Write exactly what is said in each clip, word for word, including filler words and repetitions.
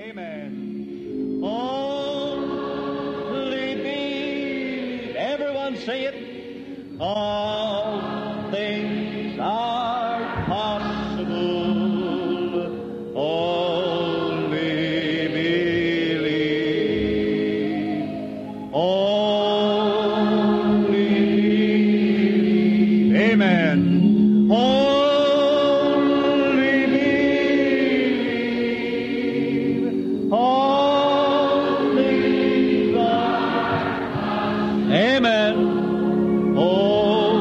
Amen. Only believe. Everyone say it. All things are possible. Only believe. Only believe. Amen. Only believe. Only God. Amen. Only.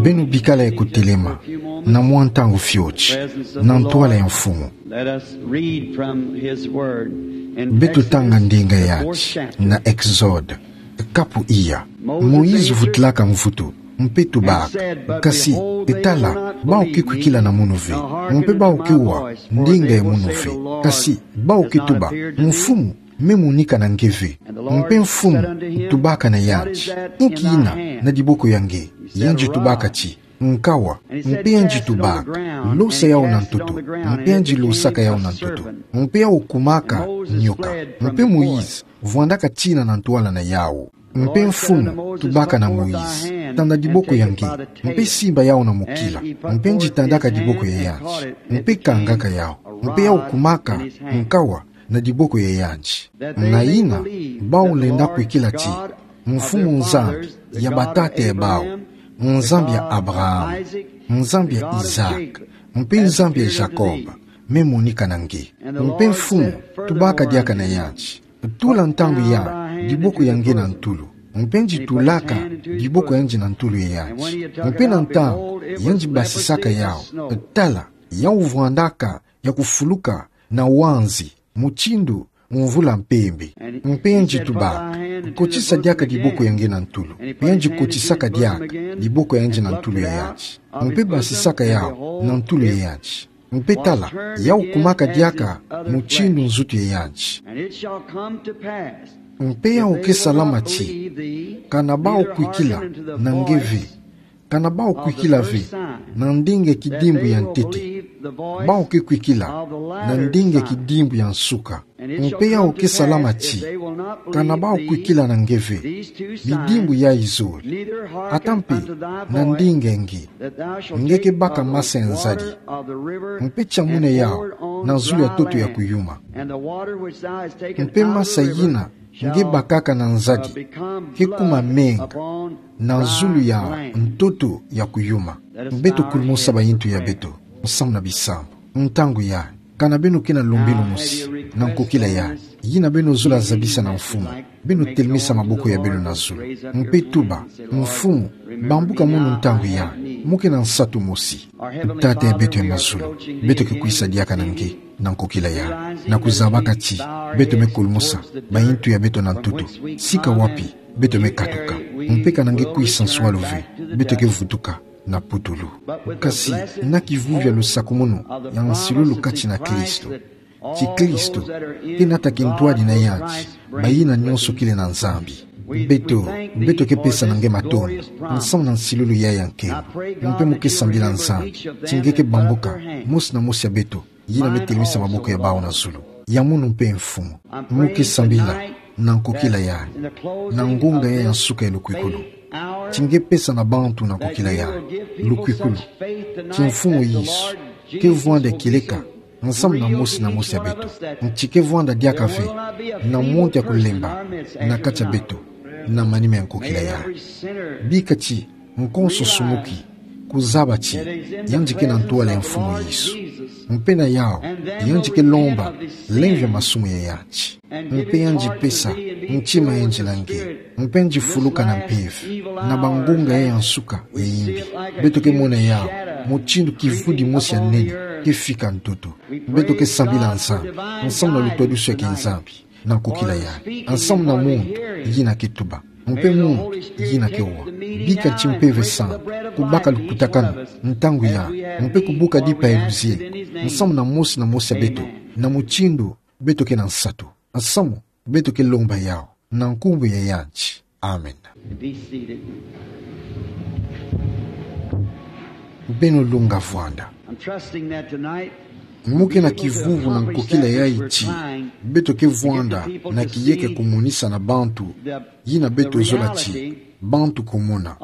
Beno bikala ya kutelema, na mwa ntangu fioti, na ntwala ya Mfumu. Let us read from his word in Beto tanga Exodus, ndinga the fourth yati chapter. Na Exode, kapu iya. Moïse vutilaka mvutu, mpe tubaka: Kasi, tala, bau ke kwikila na munu ve, mpe bau ke wa ndinga ya munu ve. Kasi, bau ke tuba: Mfumu, me monika na nge ve. Mpe Mfumu tubaka na yandi: Inki ina na diboko ya nge? Yandi tubaka ti: Nkawa. Mpe yandi tubaka: Losa yau na ntoto. Mpe yandi losaka yau na ntoto. Mpe yau kumaka nyoka. Mpe Moïse vwandaka tina na ntwala na yau. Mpe Mfumu tubaka na Moïse: Tanda diboko ya nge, mpe simba yau na mokila. Mpe yandi tandaka diboko ya yandi, mpe kangaka yau. Mpe yau kumaka nkawa na diboko ya yandi. Na ina bau lenda kwikila ti Mfumu Nzambi ya batata ya bau, Nzambi ya Abraham, Nzambi ya Isaac, mpe Nzambi ya Jacob, me monika na nge. Mpe Mfumu tubaka diaka na yandi: Tula ntangu ya diboko ya nge na ntulu. Mpe yandi tulaka diboko ya yandi na ntulu ya yandi. Mpe na ntangu yandi basisaka yau, tala, yau vwandaka ya kufuluka na wanzi, mutindu mvula mpembe. Mpe yandi tubaka: Kotisa diaka diboko ya nge na ntulu. Mpe yandi kotisaka diaka diboko ya yandi na ntulu ya yandi, mpe basisaka yau na ntulu ya yandi. Mpe tala, yau kumaka diaka mutindu nzutu ya yandi. And it shall come to pass Mpe yau ke salama ti, kana bau kwikila na nge ve, kana bau kwikila ve na ndinga kidimbu ya ntete, bau ke kwikila na ndinga kidimbu ya nsuka. Mpe yau ke salama ti, kana bau kwikila na nge ve bidimbu yayi zole, ata mpe na ndinga nge, nge ke baka masa ya nzadi. Mpe tia muna yau na zulu ya ntoto ya kuyuma. Mpe masa yina nge bakaka na nzadi ke kuma menga na zulu ya ntoto ya kuyuma. Beto kulumusa bayintu ya beto, musamu na bisambu. Ntangu yayi, kana beno ke na lumbilu mosi na nkokila yayi, yina beno zola zabisa na Mfumu, beno telemisa maboko ya beno na zulu, mpe tuba: Mfumu, bambuka mono ntangu yayi, mo ke na nsatu mosi. Tata ya beto ya mazulu, beto ke kwisa diaka na nge na nkokila yayi, na kuzabaka ti beto me kulumusa bayintu ya beto na ntoto, sika wapi beto me katuka. Mpe kana nge kwisa nswalu ve, beto ke vutuka na putulu. Kasi na kivuvi ya lusakumunu ya nsilulu kati na Kristo, ti Kristo ke nata kintwadi na yandi bayina nyonso kele na Nzambi. Beto, beto ke pesa na nge matondo nsamu na nsilulu yayi ya nkembo. Mpe mo ke sambila Nzambi ti nge ke bambuka mosi na mosi ya beto yina me telemisa maboko ya bawu na zulu. Ya mono mpe Mfumu, mo ke sambila na nkokila yayi, na ngunga yayi ya nsuka ya lukwikulu, ti nge pesa na bantu na nkokila yayi lukwikulu ti Mfumu Yesu ke vwanda kieleka nsamu na mosi na mosi ya beto, nti ke vwanda diaka ve na muntu ya kulemba na kati ya beto na manima ya nkokila yayi. Bika ti nkonso sumuki kuzaba ti yandi ke na ntwala ya Mfumu Yesu, mpe na yawu yandi ke lomba lemvo ya masumu ya yandi. Mpe yandi pesa ntima ya yandi na nge, mpe yandi fuluka na mpeve na bangunga yayi ya nsuka ya imbi. Beto ke mona yawu mutindu kivudi mosi ya nene ke fika ntoto. Beto ke sambila Nzambi nsamu na lutwadusu ya kiNzambi na nkokila yayi, nsamu na muntu yina ke tuba, mpe muntu yina ke wa. Bika ti Mpeve Santu kubaka lukutakanu ntangu yayi, mpe kubuka dipa ya luzieko nsamu na mosi na mosi ya beto, na mutindu beto ke na nsatu, nsamu beto ke lomba yawu na nkumbu ya yandi. Amen. Be seated. Beno lunga vwanda. Trusting that tonight, mu ke na kivuvu na nkokila yayi ti, beto ke vwanda na kiyeke kumonisa na bantu, yina beto zola ti, bantu kumona,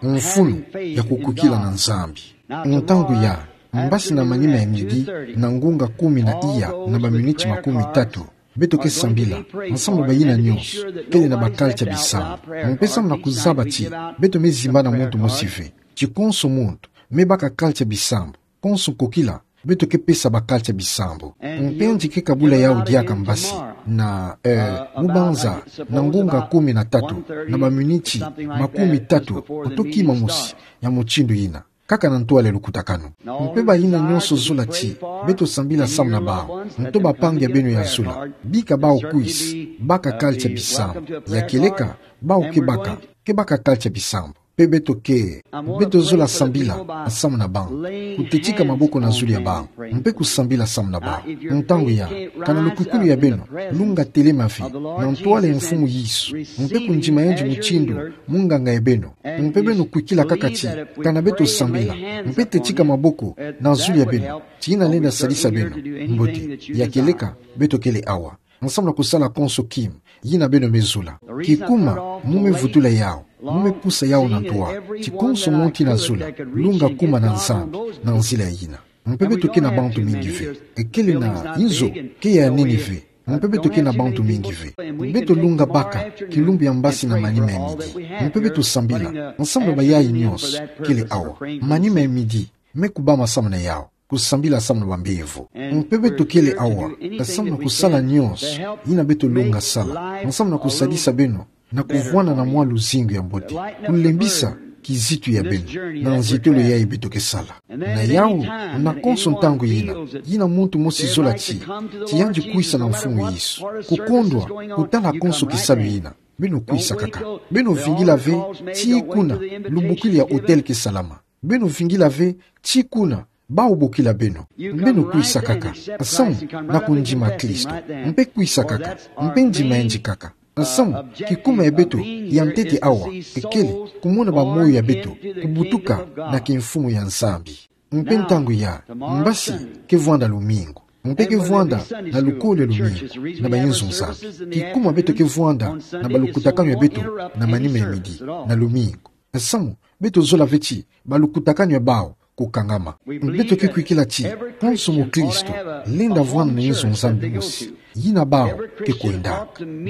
mfunu ya kukwikila na Nzambi. Ntangu ya, mbasi na manima ya midi, na ngunga kumi na iya na baminiti makumi tatu, beto ke sambila, nsambu bayina nyonso kele na bakala tia bisambu. Mpe samu na kuzaba ti, beto me zimbana muntu mosi ve. Ti konso muntu me baka kala tia bisambu. Konso nkokila, beto ke pesa bakala tia bisambu. Mpe yandi ke kabula yawu diaka mbasi, na, eh, mu banza, na ngunga kumi na tatu, na baminiti makumi tatu, oto kima mosi ya mutindu yina. Kaka na ntwala lukutakanu. Mpe bayina nyonso zola ti, beto sambila samu na bawu, nto bampangi ya beno ya zola, bika bawu kwisa baka kala tia bisambu. Ya kieleka, bawu ke baka, ke baka kala tia bisambu. Mpe beto ke, beto zola sambila samu na bawu, kutetika maboko na zulu ya bawu, mpe kusambila samu na bawu. Ntangu ya, kana lukwikulu ya beno lunga telema ve na ntwala ya Mfumu Yesu, mpe kundima yandi mutindu munganga ya beno, mpe beno kwikila kaka ti, kana beto sambila, mpe tetika maboko na zulu ya beno, ti yina lenda sadisa beno mbote. Ya kieleka, beto kele awa nsambu na kusala konso kima yina beno me zola. Kikuma mu me vutula yawu, mu me pusa yawu na ntwala, ti konso muntu yina azola, lunga kuma na Nzambi na nzila yina. Mpe beto ke na bantu mingi ve. Ekele na inzo ke ya nini ve. Mpe beto ke na bantu mingi ve. Beto lunga baka kilumbu ya mbasi na manima ya midi. Mpe beto sambila nsambu na bayayi nyonso kele awa. Manima ya midi me kubama samu na yawu, kusambila samu na bambevo. Mpe beto kele awa samu na kusala nyonso yina beto lunga sala nsambu na kusadisa beno na kuvwanda na mwa luzingu ya mbote, kulembisa kizitu ya beno na nzitolo yayi beto ke sala. Na yawu, na konso ntangu yina, yina muntu mosi zola ti, ti yandi kwisa na Mfumu Yesu, kukondwa kutala konso kisalu yina, beno kwisa kaka. Beno vingila ve tii kuna lubokila ya hôtel ke salama. Beno vingila ve tii kuna bawu bokila beno. Beno kwisa kaka samu na kundima Kristo. Mpe kwisa kaka, mpe ndima yandi kaka. Samu kikuma ya beto ya ntete awa ekele kumona bamoyo ya beto kubutuka na kimfumu ya Nzambi. Mpe ntangu ya, mbasi ke vwanda lumingu. Mpe ke vwanda na lukolo ya lumingu na bayinzo Nzambi. Kikuma beto ke vwanda na balukutakanu ya beto na manima ya midi na lumingu. Samu beto zola ve ti balukutakanu ya bawu kukangama. Beto ke kwikila ti konso mukristo lenda vwanda na yinzo Nzambi mosi yina bawu ke kwendaka.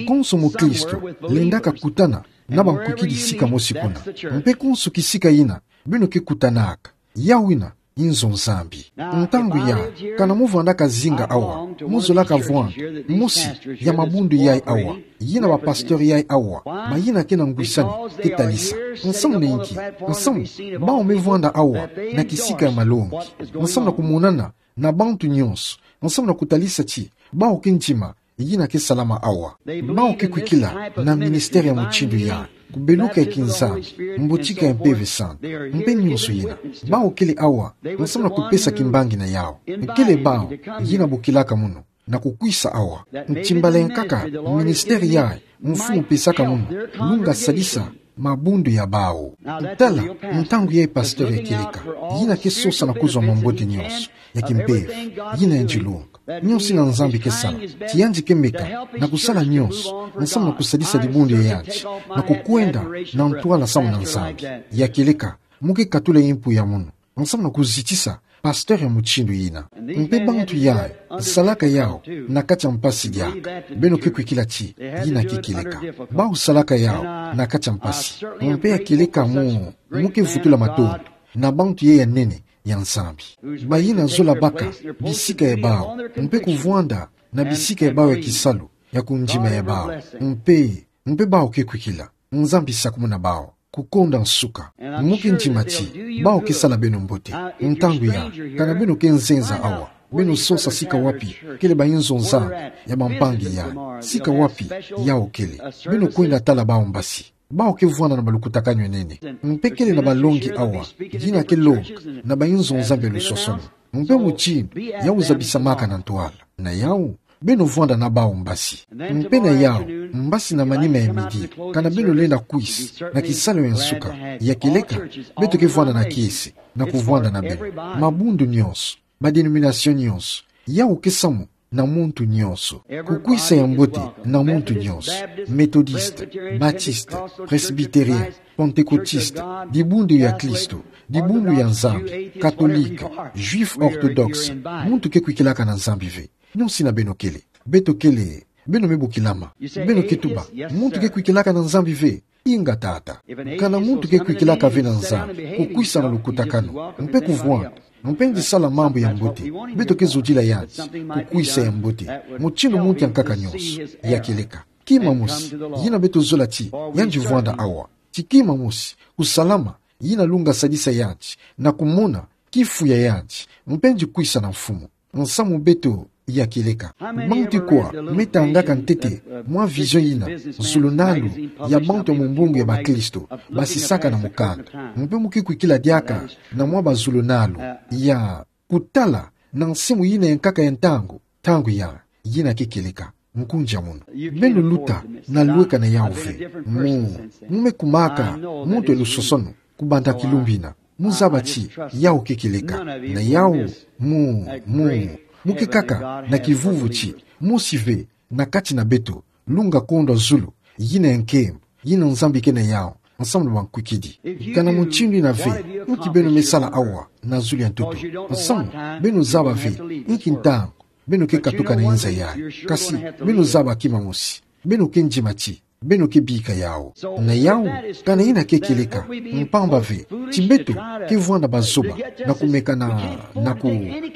Konso mukristo lendaka kutana na bankwikidi sika mosi kuna. Mpe konso kisika yina beno ke kutanaka, yawu yina yinzo Nzambi. Ntangu ya, kana mu vwandaka zinga awa, mu zolaka vwanda mosi ya mabundu yayi awa, yina bapasteur yayi awa, mayina ke na ngwisani ke talisa. Nsamu na inki? Nsamu bawu me vwanda awa na kisika ya malongi, nsamu na kumonana na bantu nyonso, nsamu na kutalisa ti bawu ke ndima yina ke salama awa. Bawu ke kwikila na ministère ya mutindu yayi, kubeluka ya kinzambi, mbotika ya Mpeve Santu, mpe nyonso yina. Bawu kele awa nsamu na kupesa kimbangi na yawu. Kele bawu yina bokilaka munu na kukwisa awa. Ntimbala ya nkaka ministère yayi Mfumu pesaka munu, lunga sadisa mabundu ya bawu. Tala, ntangu yayi pasteur ya kieleka yina ke sosa na kuzwa mambote nyonso ya kimpeve, yina yandi lunga. Nyonso yina Nzambi ke sala, ti yandi ke meka na kusala nyonso nsamu na kusadisa dibundu ya yandi na kukwenda na ntwala samu na Nzambi. Ya kieleka, mu ke katula yimpu ya munu nsamu na kuzitisa pasteur ya mutindu yina. Mpe bantu yayi salaka yawu na kati ya mpasi diaka. Beno ke kwikila ti yina ke kieleka. Bawu salaka yawu na kati ya mpasi. Mpe ya kieleka mu, mu ke vutula matondo na bantu yayi ya nene ya Nzambi, bayina zola baka bisika ya bawu mpe kuvwanda na bisika ya bawu ya kisalu ya kundima ya bawu. Mpe, mpe bawu ke kwikila Nzambi sakumuna bawu kukonda nsuka. Mu ke ndima ti bawu ke sala beno mbote. Ntangu ya, kana beno ke nzenza awa, beno sosa sika wapi kele bayinzo Nzambi ya bampangi yayi, sika wapi yawu kele, beno kwenda tala bawu mbasi. Bawu ke vwanda na balukutakanu ya nene. Mpe kele na balongi awa yina ke longa na bayinzo Nzambi ya lusosono. Mpe mutindu yawu zabisamaka na ntwala. Na yawu, beno vwanda na bawu mbasi. Mpe na yawu, mbasi na manima ya midi, kana beno lenda kwisa na kisalu ya nsuka, ya kieleka, beto ke vwanda na kiese na kuvwanda na beno. Mabundu nyonso, ba denomination nyonso, yau ke samu na muntu nyonso. Kukwisa ya mbote na muntu nyonso: Methodiste, Baptiste, Presbytérien, Pentecôtiste, Dibundu ya Klisto, Dibundu ya Nzambi, Catholique, Juif orthodoxe, muntu ke kwikilaka na Nzambi ve. Nyonso ina beno kele. Beto kele, beno me bokilama. Beno ke tuba: Muntu ke kwikilaka na Nzambi ve. Inga tata. Kana muntu ke kwikilaka ve na Nzambi, kukwisa na lukutakanu, mpe kuvwanda, mpe nzisala mambu ya mbote, beto ke zodila yandi kukwisa ya mbote, mutindu muntu ya nkaka nyonso ya kieleka. Kima mosi, yina beto zola ti yandi vwanda awa. Ti kima mosi, kusalama, yina lunga sadisa yandi na kumona kifu ya yandi, mpe nzi kwisa na Mfumu. Nsamu beto ya kieleka. Bantu kwa me tangaka ntete mwa vision yina, zulunalu ya bantu ya mumbungu ya bakristo basisaka na mukanda, mpe mu ke kwikila diaka na mwa bazulunalu ya kutala na nsimu yina ya nkaka ya ntangu, ntangu ya yina ke kieleka. Nkunja munu. Beno luta na lweka na yau ve. Mu, mu me kumaka muntu ya lusosono kubanda kilumbu ina. Mu zaba ti yau ke kieleka. Na yau, mu, mu, mu ke kaka na kivuvu ti mosi ve na kati na beto lunga kondwa zulu yina ya nkembo, yina Nzambi ke na yau, nsamu na bankwikidi. Kana mutindu ina ve, nki beno me sala awa na zulu ya ntoto? Nsamu beno zaba ve nki ntangu beno ke katuka na inza yayi. Kasi beno zaba kima mosi, beno ke ndima ti beno ke bika yau. Na yau, kana yina ke kieleka, mpamba ve ti beto ke vwanda bazoba na kumeka na, na ku,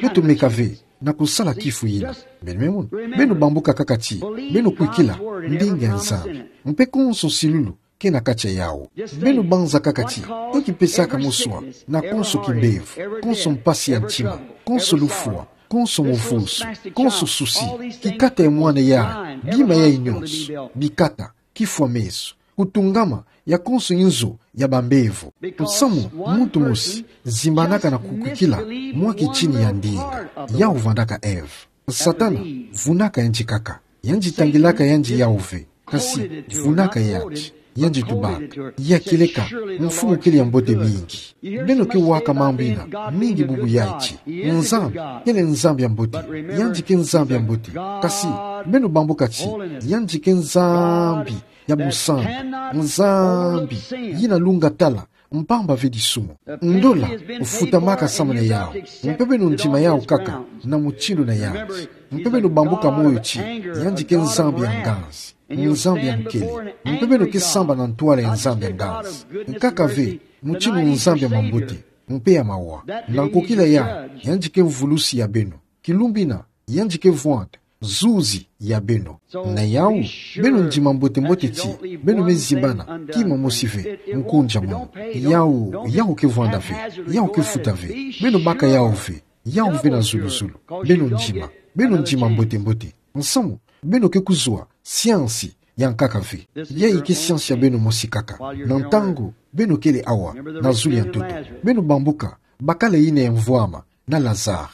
beto meka ve na kusala kifu yina. Beno me mona. Beno bambuka kaka ti beno kwikila ndinga ya Nzambi, mpe konso nsilulu ke na kati ya yau. Beno banza kaka ti, nki pesaka moswa na konso kimbevo, konso mpasi ya ntima, konso lufwa, konso muvusu, konso souci, kikata ya mwana yayi, bima yayi nyonso, bikata, kifwa meso, kutungama ya konso inzo ya bambevo. Nsamu muntu mosi zimbanaka na kukwikila mwa kitini ya ndinga, yau vandaka Ève. Satana vunaka yandi kaka. Yandi tangilaka yandi yau ve. Kasi vunaka yandi, yandi tubaka: Ya kieleka, Mfumu kele ya mbote mingi. Beno ke waka mambu ina mingi bubu yayi ti Nzambi kele Nzambi ya mbote. Yandi ke Nzambi ya mbote. Kasi beno bambuka ti yandi ke Nzambi ya busantu, Nzambi yina lunga tala, mpamba ve disumu. Ndola futamaka samu na yau. Mpe beno ndima yau kaka na mutindu na yandi. Mpe beno bambuka moyo ti yandi ke Nzambi ya nganzi, Nzambi ya nkele. Mpe beno ke samba na ntwala ya Nzambi ya nganzi. Nkaka ve mutindu Nzambi ya mambote mpe ya mawa. Na nkokila yayi, yandi ke mvulusi ya beno. Kilumbu ina, yandi ke vwanda zuzi ya beno. Na yau, beno ndima mbote-mbote ti beno me zimbana kima mosi ve. Nkunja munu. Yau, yau ke vwanda ve. Yau ke futa ve. Beno baka yau ve. Yau ve na zulu-zulu. Beno ndima. Beno ndima mbote-mbote. Nsamu beno ke kuzwa siansi ya nkaka ve. Yayi ke siansi ya beno mosi kaka. Na ntangu beno kele awa na zulu ya ntoto, beno bambuka bakala yina ya mvwama na Lazare.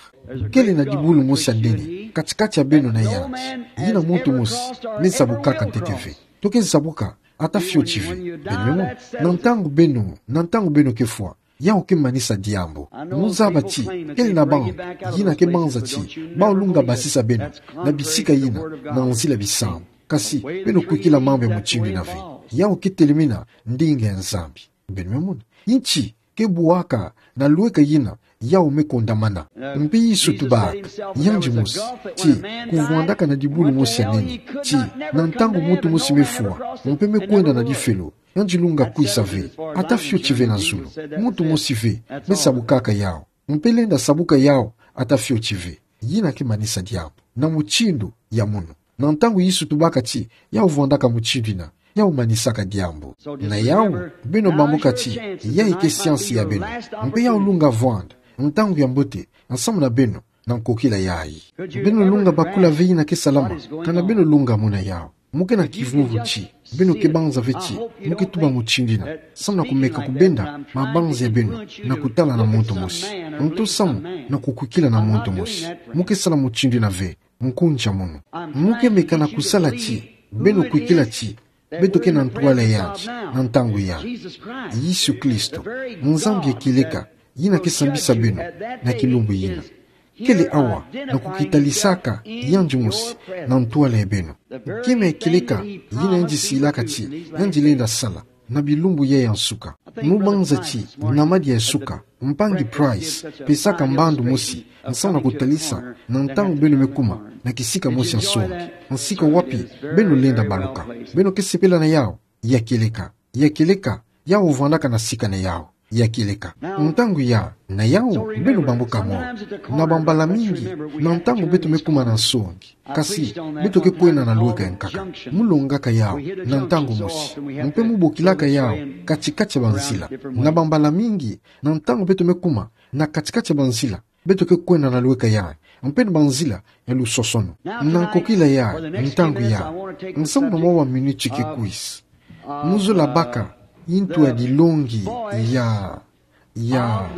Kele na dibulu mosi ya nene kati-kati ya beno na yandi. Yina muntu mosi me zabukaka ntete ve. To ke zabuka ata fioti ve. Beno me mona. Na ntangu beno, na ntangu beno ke fwa, yau ke manisa diambu. Mu zaba ti kele na bantu yina ke banza ti bawu lunga basisa beno na bisika yina na nzila bisambu. Kasi beno kwikila mambu ya mutindu ina ve, yau ke telemina ndinga ya Nzambi. Beno me mona. Nti ke bwaka na lweka yina yau me kondamana. Mpe Yesu tubaka yandi mosi ti kuvwandaka na dibulu mosi ya nene ti na ntangu muntu mosi me fwa mpe me kwenda na difelo, yandi lunga kwisa ve ata fioti ve na zulu. Muntu mosi ve me zabukaka yau. Mpe lenda zabuka yau ata fioti ve. Yina ke manisa diambu na mutindu ya munu. Na ntangu Yesu tubaka ti yau vwandaka mutindu ina, yau manisaka diambu. Na yau, beno bambuka ti yayi ke siansi ya beno. Mpe yau lunga vwanda ntangu ya mbote nsamu na beno na nkokila yayi. Beno lunga bakula ve yina ke salama, kana beno lunga mona yau. Mu ke na kivuvu ti beno ke banza ve ti mu ke tuba mutindu ina, samu na kumeka kubenda mabanza ya beno na kutala na muntu mosi, nto samu na kukwikila na muntu mosi. Mu ke sala mutindu ina ve. Nkunja munu. Mu ke meka na kusala ti beno kwikila ti beto ke na ntwala yandi na ntangu yandi. Yesu Kristo, Nzambi ya kieleka, yina ke sambisa beno na kilumbu yina. Kele awa, na kukitalisaka yandi mosi na ntwala ya beno. Kima ya kieleka yina yandi silaka ti yandi lenda sala na bilumbu ya ya nsuka. Mu banza ti na madia ya suka, mpangi Price pesaka mbandu mosi nsamu na kutalisa na ntangu beno me kuma na kisika mosi ya nsongi. Nsika wapi beno lenda baluka? Beno ke sepela na yau? Ya kieleka, ya kieleka, yau vandaka na sika na yau. Ya kieleka. Ntangu ya, na yau, beno bambuka mo. Na bambala mingi, na ntangu beto me kuma na nsongi, kasi beto ke kwenda na luweka ya nkaka. Mu longaka yau na ntangu mosi, mpe mu bokilaka yau katikati ya banzila. Na bambala mingi, na ntangu beto me kuma na katikati ya banzila, beto ke kwenda na luweka ya, mpe na banzila ya lusosono. Na nkokila ya, ntangu ya, nsamu na mwa wa miniti ke kwisa, mu zola baka yintu ya dilongi ya, ya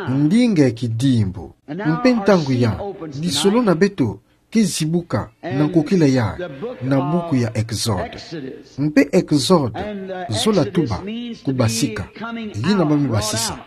ndinga ya kidimbu. Mpe ntangu ya, lisolo na beto ke zibuka na nkokila ya, na buku ya Exode. Mpe Exode, zola tuba, kubasika. Yina ba me basisa.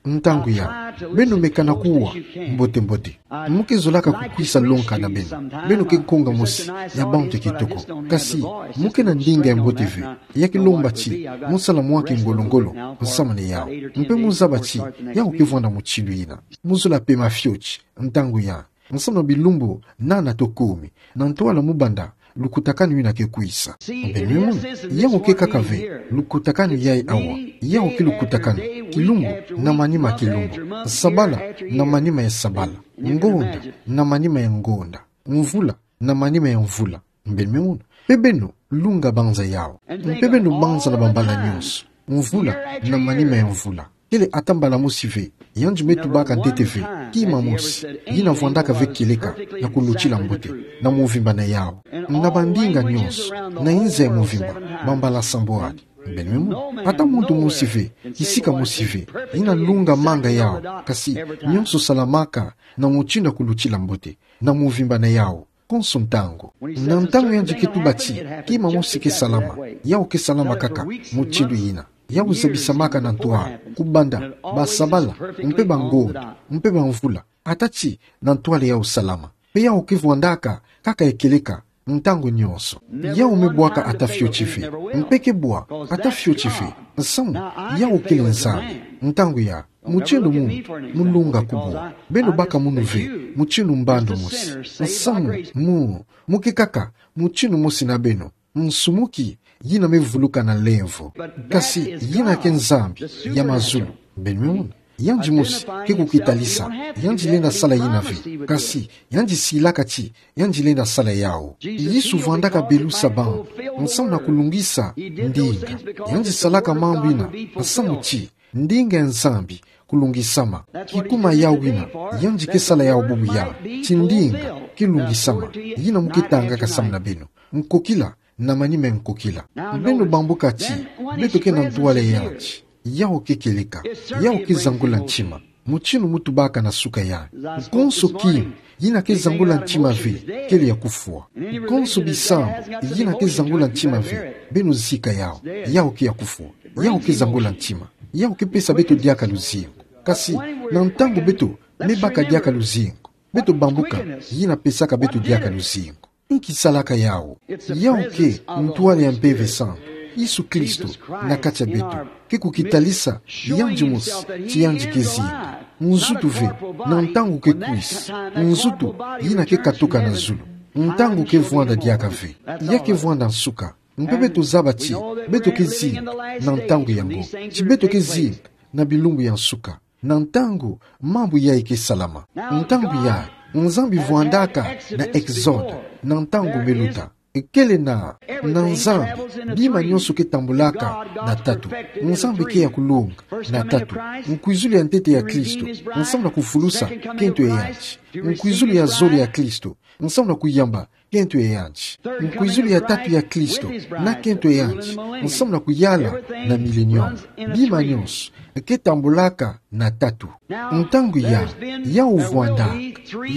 Ntangu ya, beno meka na kuwa mbote-mbote. Mu ke zolaka kukwisa lonka na beno. Beno ke nkonga mosi ya bantu ya kitoko. Kasi, mu ke na ndinga ya mbote ve. Ya ke lomba ti mu sala mwa kingolo-ngolo nsamu na yau. Mpe mu zaba ti yau ke vwanda mutindu yina. Mu zola pema fioti, ntangu ya, nsamu na bilumbu nana to kumi, na ntwala mu banda lukutakanu yina ke kwisa. Beno me mona, yau ke kaka ve lukutakanu ya awa. Yau ke lukutakanu, kilumbu na manima ya kilumbu, sabala na manima ya sabala, ngonda na manima ya ngonda, mvula na manima ya mvula. Beno me mona. Mpe beno lunga banza yau. Mpe beno banza na bambala nyonso. Mvula na manima ya mvula. Kele ata mbala mosi ve yandi me tubaka ntete ve kima mosi, yina vwandaka ve kieleka na kulutila mbote, na mvimba na yau, na bandinga nyonso, na inza ya mvimba, bambala sambwadi. Beno me mona. Ata muntu mosi ve, kisika mosi ve, yina lungamanga yau, kasi nyonso salamaka na mutindu ya kulutila mbote, na mvimba na yau konso ntangu. Na ntangu yandi ke tuba ti kima mosi ke salama, yau ke salama kaka mutindu yina. Yau zabisamaka na ntwala, kubanda basabala, mpe bangonda, mpe bamvula, ata ti na ntwala yau salama. Mpe yau ke vwandaka kaka ya kieleka ntangu nyonso. Yau me bwaka ata fioti ve. Mpe ke bwa ata fioti ve. Nsamu, yau kele Nzambi. Ntangu ya, mutindu munu, mu lunga kubwa. Beno baka munu ve mutindu mbandu mosi. Nsamu, mu, mu ke kaka mutindu mosi na beno. Nsumuki, yina me vuluka na lemvo. Kasi yina ke Nzambi ya mazulu. Beno me mona. Yandi mosi ke kukitalisa, yandi lenda sala yina ve. Kasi yandi silaka ti yandi lenda sala yau. Yesu vwandaka belusa bantu nsamu na kulungisa ndinga. Yandi salaka mambu yina nsamu ti ndinga ya Nzambi kulungisama. Kikuma yau yina yandi ke sala yau bubu ya, ti ndinga ke lungisama. Yina mu ke tangaka samu na beno. Nkokila na manima ya nkokila. Beno bambuka ti beto ke na ntwala ya yandi. Yau ke kieleka. Yau ke zangula ntima. Mutindu mu tubaka na suka ya, konso kima yina ke zangula ntima ve kele ya kufwa. Konso bisambu yina ke zangula ntima ve, beno zika yau. Yau ke ya kufwa. Yau ke zangula ntima. Yau ke pesa beto diaka luzingu. Kasi na ntangu beto me baka diaka luzingu, beto bambuka yina pesaka beto diaka luzingu. Nki salaka yau? Yau ke ntwala ya Mpeve Santu, Yesu Kristo, na kati ya beto. Ke kukitalisa yandi mosi ti yandi ke zinga. Nzutu ve na ntangu ke kwisa. Nzutu yina ke katuka na zulu. Ntangu ke vwanda diaka ve. Ya ke vwanda nsuka. Mpe beto zaba ti beto ke zinga na ntangu yango. Ti beto ke zinga na bilumbu ya nsuka. Na ntangu mambu yayi ke salama. Ntangu yayi, Nzambi vwandaka na Exode, na ntangu me luta. Kele na, na Nzambi, bima nyonso ke tambulaka na tatu. Nzambi ke ya kulonga na tatu. Nkwizulu ya ntete ya Kristo, nsamu na kuvulusa kento ya yandi. Nkwizulu ya zole ya Kristo, nsamu na kuyamba kento ya yandi. Nkwizulu ya tatu ya Kristo, na kento ya yandi, nsamu na kuyala na milenium. Bima nyonso ke tambulaka na tatu. Ntangu ya, yau vwandaka,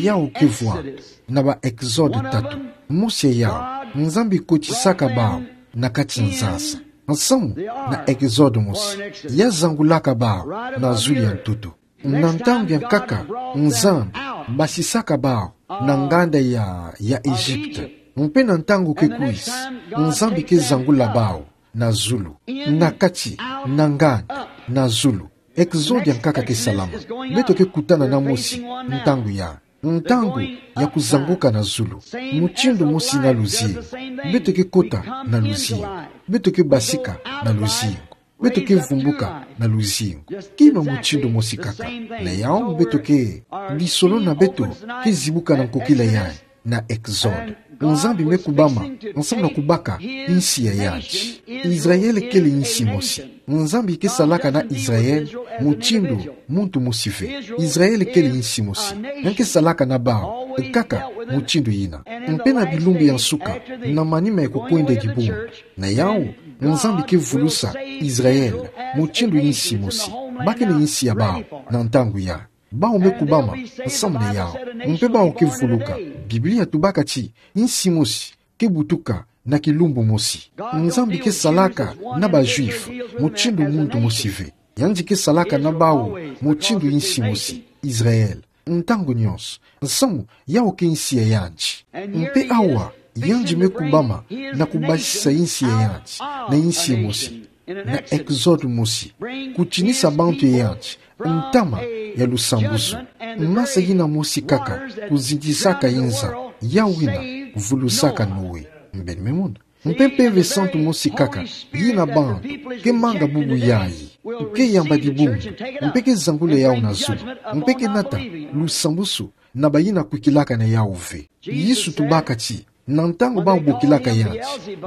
yau ke vwanda na ba Exode tatu. Mosi ya yau, Nzambi kotisaka bau na kati nzasa. Nsamu na Exode mosi, ya zangulaka bau na zulu ya ntoto. Na ntangu ya nkaka, Nzambi basisaka bau na nganda ya, ya Egypte. Mpe na ntangu ke kwisa, Nzambi ke zangula bau na zulu. Na kati, na nganda, na zulu. Exode ya nkaka ke salama. Beto ke kutana na Mosi ntangu ya, ntangu ya kuzanguka na zulu. Mutindu mosi na luzingu. Beto ke kota na luzingu. Beto ke basika na luzingu. Beto ke vumbuka na luzingu. Kima mutindu mosi kaka. Na yau beto ke, lisolo na beto ke zibuka na nkokila yayi na Exode. Nzambi me kubama, nsamu na kubaka insi ya yandi. Israele kele insi mosi. Nzambi ke salaka na Israele mutindu muntu mosi ve. Israele kele insi mosi. Yandi ke salaka na bau kaka mutindu yina. Mpe na bilumbu ya nsuka, na manima ya kukwenda dibundu, na yau, Nzambi ke vulusa Israele mutindu insi mosi. Ba kele insi ya bau na ntangu ya. Bau me kubama nsamu na yau. Mpe bau ke vuluka. Biblia tubaka ti insi mosi ke butuka na kilumbu mosi. Nzambi ke salaka na ba Juifs mutindu muntu mosi ve. Yandi ke salaka na bau mutindu insi mosi, Israele, ntangu nyonso. Nsamu, yau ke insi ya yandi. Mpe awa, yandi me kubama na kubasisa insi ya yandi na insi mosi, na Exode mosi, kutinisa bantu ya yandi ntama ya lusambusu. Masa yina mosi kaka kuzitisaka inza, yau yina vulusaka Noe. Mbeni me mona. Mpe Mpeve Santu mosi kaka yina bantu ke manga bubu yayi, ke yamba dibundu, mpe ke zangula yau na zulu, mpe ke nata lusambusu na bayina kwikilaka na yau ve. Yesu tubaka ti, na ntangu bau bokilaka yandi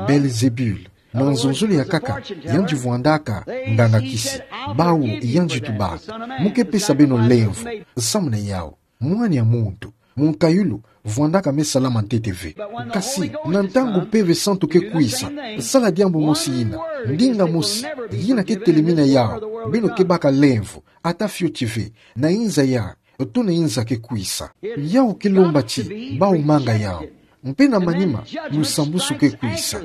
Belzebul, na nzonzolo ya nkaka, yandi vwandaka nganga kisi. Bau yandi tubaka: Mu ke pesa beno lemvo nsamu na yau, mwana ya muntu, munkayulu, vwandaka me salama ntete ve. Kasi, na ntangu Mpeve Santu ke kwisa, sala diambu mosi yina, ndinga mosi, yina ke telemina yau, beno ke baka lemvo, ata fioti ve, na inza ya, to na inza ke kwisa. Yau ke lomba ti bau manga yau. Mpe na manima, lusambusu ke kwisa.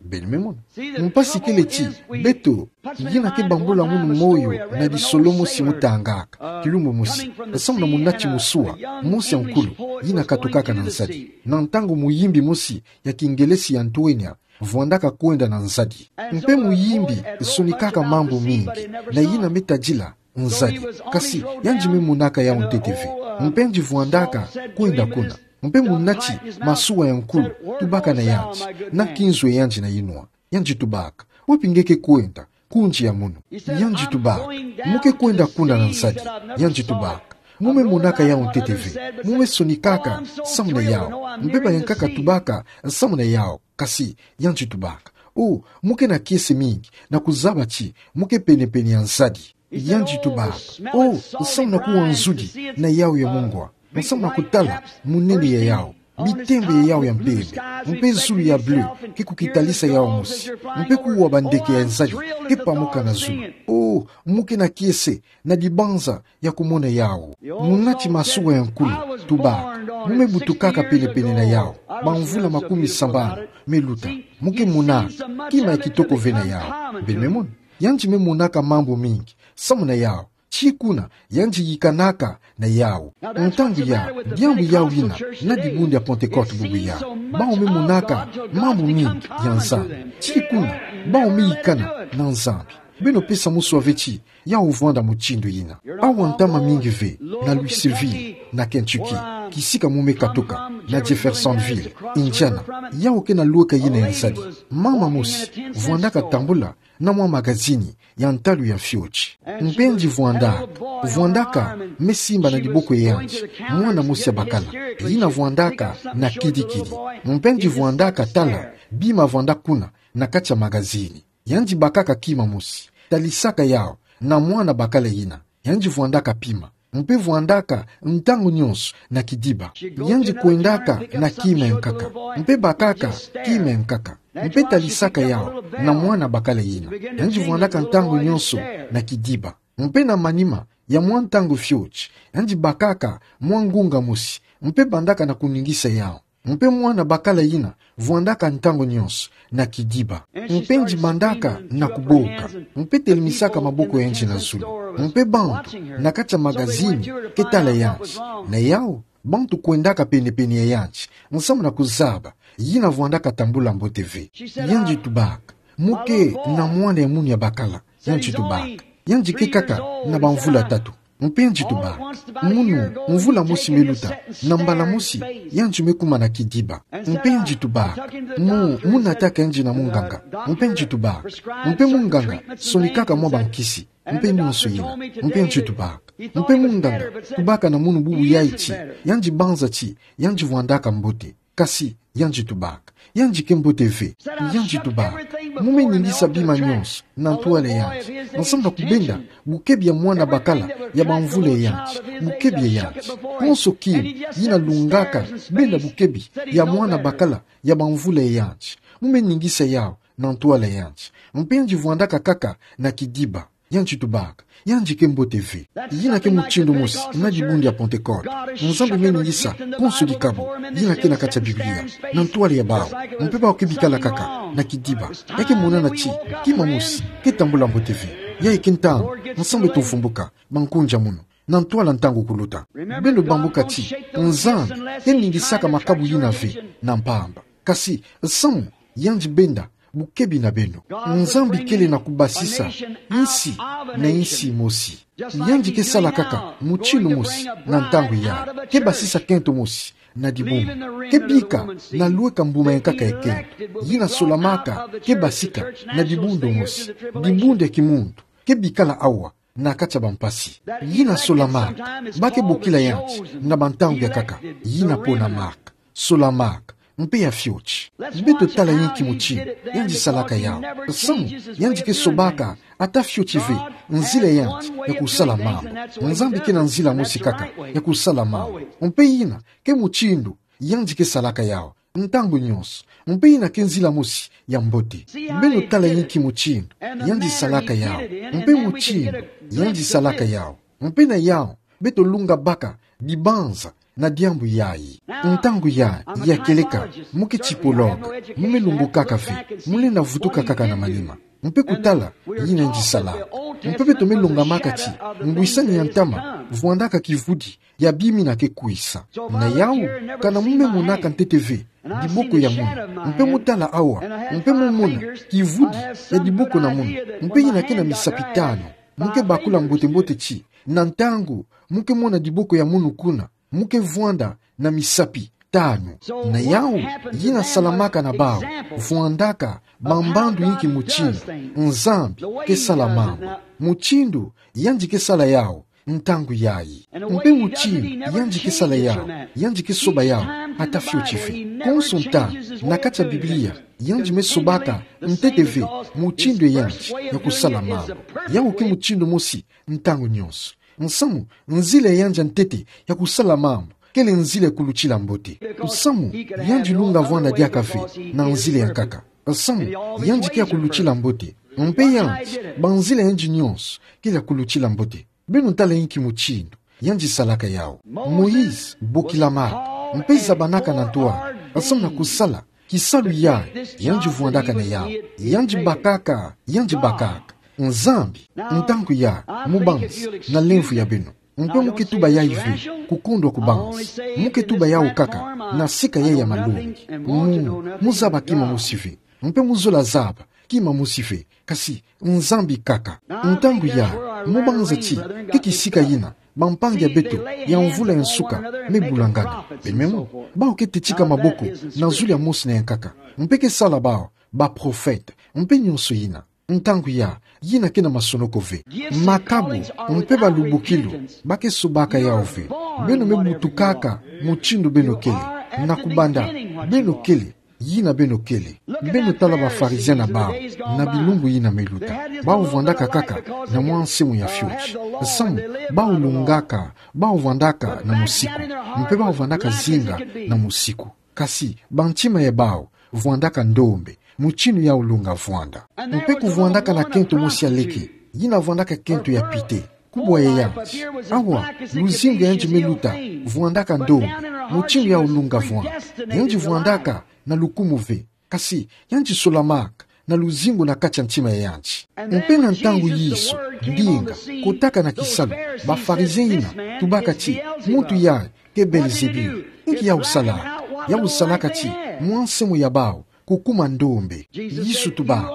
Mbeni me mona. Mpasi kele ti, beto, yina ke bambula munu moyo na lisolo mosi mu tangaka, kilumbu mosi, nsamu na munati musua mosi ya nkulu, yina katukaka na nzadi. Na ntangu muyimbi mosi ya kingelesi ya ntwenya vwandaka kwenda na nzadi. Mpe muyimbi sonikaka mambu mingi, na yina me tadila nzadi. Kasi, yandi me monaka yau ntete ve. Mpe yandi vwandaka kwenda kuna. Mpe munati masua ya nkulu tubaka na yandi, na kinzo yandi na inwa. Yandi tubaka: Wapi nge ke kwenda, kundi ya munu? Yandi tubaka: Mu ke kwenda kuna na nzadi. Yandi tubaka: Mu me monaka yau ntete ve. Mu me sonikaka nsamu na yau. Mpe bayankaka tubaka nsamu na yau. Kasi, yandi tubaka: O, mu ke na kiese mingi, na kuzaba ti mu ke pene-pene ya nzadi. Yandi tubaka: O, nsamu na kuwa nzudi na yau ya mungwa. Nsamu na kutala munene ya yau, bitembe ya yau ya mpembe, mpe zulu ya bleu ke kukitalisa yau mosi, mpe kuwa bandeke ya nzadi ke pamuka na zulu. O, mu ke na kiese na dibanza ya kumona yau. Munati masua ya nkulu tubaka: Mu me butukaka pene-pene na yau bamvula makumi sambanu me luta. Mu ke monaka kima ya kitoko ve na yau. Mbeni me mona. Yandi me monaka mambu mingi nsamu na yau. Ti kuna yandi yikanaka na yau. Ntangu ya, diambu yau yina, na dibundu ya Pentecote bubu ya, bau me monaka mambu mingi ya Nzambi. Ti kuna bau me yikana na Nzambi. Beno pesa musua ve ti yau vwanda mutindu yina. Awa ntama mingi ve na Louisville, na Kentucky, kisika mu me katuka, na Jeffersonville, Indiana, yau ke na lweka yina ya nzadi. Mama mosi vwandaka tambula na mwa magazini ya ntalu ya fioti. Mpe yandi vwanda, vwandaka me simba na diboko ya yandi mwana mosi ya bakala, yina vwandaka na kidi-kidi. Mpe yandi vwandaka tala bima vwanda kuna na kati ya magazini. Yandi bakaka kima mosi, talisaka yau na mwana bakala yina. Yandi vwandaka pima, mpe vwandaka ntangu nyonso na kidiba. Yandi kwendaka na kima ya nkaka, mpe bakaka kima ya nkaka, mpe talisaka yau na mwana bakala yina. Yandi vwandaka ntangu nyonso na kidiba. Mpe na manima ya mwa ntangu fioti, yandi bakaka mwa ngunga mosi, mpe bandaka na kuningisa yau. Mpe mwana bakala yina vwandaka ntangu nyonso na kidiba. Mpe yandi mandaka na kuboka. Mpe telemesaka maboko ya yandi na zulu. Mpe bantu na kati ya magazini ke tala yandi. Na yawu, bantu kwendaka pene-pene ya yandi, nsamu na kuzaba yina vwandaka tambula mbote ve. Yandi tubaka: Mo ke na mwana ya munu ya bakala. Yandi tubaka: Yandi ke kaka na bamvula tatu. Mpe yandi tubaka: Munu, mvula mosi me luta, na mbala mosi yandi me kuma na kidiba. Mpe yandi tubaka: Mo, mo nataka yandi na munganga. Mpe yandi tubaka: Mpe munganga sonikaka mwa bankisi, mpe nyonso yina. Mpe yandi tubaka: Mpe munganga tubaka na munu bubu yayi ti yandi banza ti yandi vwandaka mbote. Kasi yandi tubaka: Yandi ke mbote ve. Yandi tubaka: Mo me ningisa bima nyonso na ntwala ya yandi, nsamu na kubenda bukebi ya mwana bakala ya bamvula ya yandi, bukebi ya yandi. Konso kima yina lungaka benda bukebi ya mwana bakala ya bamvula ya yandi, mo me ningisa yawu na ntwala ya yandi. Mpe yandi vwandaka kaka na kidiba. Yandi tubaka: Yandi ke mbote ve. Yina ke mutindu mosi na dibundu ya Pentekote. Nzambi me ningisa konso dikabu yina ke na kati ya Biblia na ntwala ya bawu. Mpe bawu ke bikala kaka na kidiba, ya ke monana ti kima mosi ke tambula mbote ve. Yayi ke ntangu nsambu beto vumbuka bankunja munu na ntwala ntangu kuluta. Beno bambuka ti Nzambi ke ningisaka makabu yina ve na mpamba. Kasi nsamu yandi benda bukebi na beno. Nzambi kele na kubasisa insi na insi mosi. Yandi ke sala kaka mutindu mosi na ntangu yayi. Ke basisa kento mosi na dibundu. Ke bika na lweka mbuma ya nkaka ya kento. Yina solamaka ke basika na dibundu mosi. Dibundu ya kimuntu ke bikala awa na kati ya bampasi. Yina solamaka, ba ke bokila yandi na bantangu ya nkaka. Yina ponamaka, solamaka, mpe ya fioti. Beto tala inki mutindu yandi salaka yawu. Nsamu, yandi ke sobaka ata fioti ve nzila ya yandi ya kusala mambu. Nzambi ke na nzila mosi kaka ya kusala mambu. Mpe yina ke mutindu yandi ke salaka yawu ntangu nyonso. Mpe yina ke nzila mosi ya mbote. Beno tala inki mutindu yandi salaka yawu. Mpe mutindu yandi salaka yawu. Mpe na yawu, beto lunga baka dibanza na diambu yayi. Ntangu yayi, ya kieleka, mo ke tipologue, mo me lumbukaka ve, mo lenda vutuka kaka na manima. Mpe kutala yina yandi salaka. Mpe beto me lungamaka ti ngwisani ya ntama vwandaka kivudi ya bima yina ke kwisa. Na yawu, kana mo me monaka ntete ve diboko ya munu, mpe mo tala awa, mpe mo mona kivudi ya diboko na munu, mpe yina ke na misapi tanu, mo ke bakula mbote-mbote ti na ntangu mo ke mona diboko ya munu kuna, mo ke vwanda na misapi tanu. Na yawu, yina salamaka na bawu vwandaka bambandu inki mutindu Nzambi ke sala mambu. Mutindu yandi ke sala yawu ntangu yayi. Mpe mutindu yandi ke sala yawu, yandi ke soba yawu ata fioti ve. Konso ntangu, na kati ya Biblia, yandi me sobaka ntete ve mutindu ya yandi ya kusala mambu. Yawu ke mutindu mosi ntangu nyonso. Nsamu, nzila ya yandi ya ntete ya kusala mambu kele nzila ya kulutila mbote. Nsamu, yandi lunga vwanda diaka ve na nzila ya nkaka. Nsamu, yandi ke ya kulutila mbote. Mpe yandi, banzila ya yandi nyonso kele ya kulutila mbote. Beno tala inki mutindu yandi salaka yawu. Moïse bokilamaka, mpe zabanaka na ntwala, nsamu na kusala kisalu yayi yandi vwandaka na yawu. Yandi bakaka, yandi bakaka. Nzambi, ntangu yayi, mubanzi na lemvo ya beno. Mpe mo ke tuba yayi ve kukondwa kubanzi. Mo ke tuba yawu kaka na sika yayi ya malongi. Mu, mo zaba kima mosi ve. Mpe mo zola zaba kima mosi ve, kasi Nzambi kaka. Ntangu yayi, mo banza ti ke kisika yina bampangi ya beto ya mvula ya nsuka me bulangana. Beno me mona, bawu ke tetika maboko na zulu ya mosi na ya nkaka, mpe ke sala bawu baprofete, mpe nyonso yina. Ntangu yayi, yina ke na masonoko ve. Makabu mpe balubukilu ba ke sobaka yawu ve. Beno me butukaka mutindu beno kele, na kubanda beno kele, yina beno kele. Beno tala ba Pharisiens na bawu na bilumbu yina me luta. Bawu vwandaka kaka na mwa nsimu ya fioti. Nsamu, bawu lungaka, bawu vwandaka na musiku, mpe bawu vwandaka zinga na musiku. Kasi bantima ya bawu vwandaka ndombe, mutindu yawu lunga vwanda. Mpe kuvwandaka na kento mosi ya leke, yina vwandaka kento ya pite. kubwa ya yandi. Awa, luzingu yandi me luta vwandaka ndombe, mutindu ya ulunga vwanda. Yandi vwandaka na lukumu ve. Kasi, yandi solamaka na luzingu na kati ya ntima ya yandi. Mpe na ntangu Yesu, ndinga, kotaka na kisalu, ba Farizien ina tubaka ti, muntu yayi ke Belzebul. Nki ya usala? Ya usalaka ti, mwa nsemo ya bawu kukuma ndombe. Yesu tuba,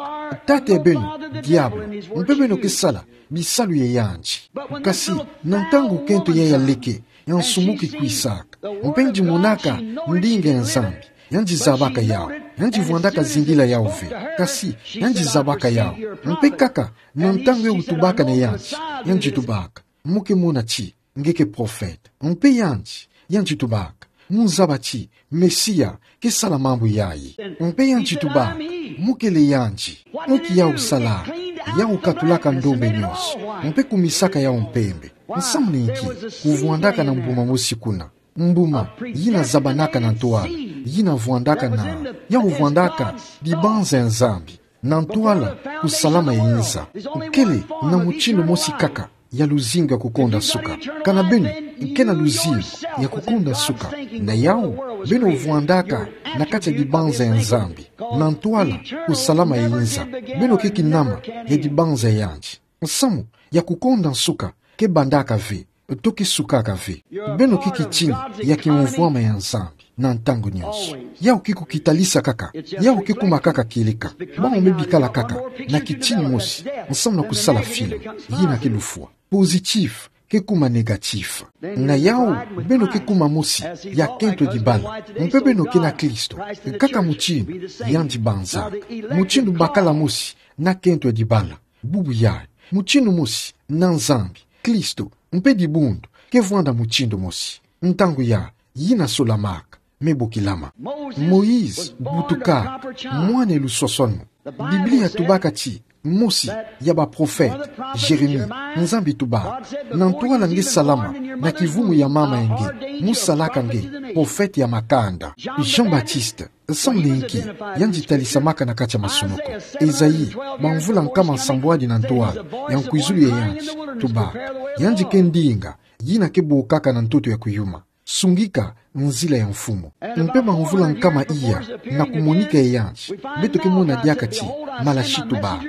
tata ya beno, diabulu, mpe beno ke sala bisalu ya yandi. Kasi, na ntangu kento yayi ya leke, ya nsumu kikwisaka, mpe yandi monaka ndinga ya Nzambi, yandi zabaka yawu, yandi vwandaka zingila yawu ve. Kasi, yandi zabaka yawu. Mpe kaka, na ntangu ya utubaka na yandi, yandi tubaka, mu ke mona ti nge ke profeta. Mpe yandi, yandi tubaka, mu zaba ti Mesia ke sala mambu yayi. Mpe yandi tubaka, mu kele yandi. Nki ya usala? Ya ukatulaka ndombe nyonso, mpe kumisaka yawu mpembe. Nsamu ni nki? Kuvwandaka na mbuma mosi kuna. Mbuma yina zabanaka na ntwala, yina vwandaka na, ya uvwandaka dibanza ya Nzambi. Na ntwala kusalama ya inza. Kele na mutindu mosi kaka ya luzingu ya kukonda suka. Kana beno ke na luzingu ya kukonda suka, na yawu beno vwandaka na kati ya dibanza ya Nzambi, na ntwala kusalama ya inza, beno ke kinama ya dibanza ya yandi. Nsamu ya kukonda suka ke bandaka ve, to ke sukaka ve. Beno ke kitini ya kimvwama ya Nzambi na ntangu nyonso. Yawu ke kukitalisa kaka, yawu ke kuma kaka kieleka. Bawu me bikala kaka na kitini mosi, nsamu na kusala film, yina ke lufwa. Positif ke kuma négatif. Na yawu, beno ke kuma mosi ya kento ya dibala. Mpe beno ke na Kristo, kaka mutindu yandi banzaka. Mutindu bakala mosi na kento ya dibala. Bubu yayi, mutindu mosi na Nzambi, Kristo, mpe dibundu ke vwanda mutindu mosi. Ntangu yayi, yina solamaka me bokilama. Moïse butuka mwana ya luswaswanu. Biblia tubaka ti mosi ya baprofeta, Jérémie, Nzambi tuba, na ntwala nge salama na kivumu ya mama ya nge, mu salaka nge profeta ya makanda. Jean-Baptiste, nsamu ni nki? Yandi talisamaka na kati ya masunuku. Esaïe, bamvula nkama nsambwadi na ntwala ya nkwizulu ya yandi, tuba, yandi ke ndinga yina ke bokaka na ntoto ya kuyuma. Sungika nzila ya Mfumu. Mpe bamvula nkama iya na kumonika ya yandi, beto ke mona diaka ti Malachie tuba,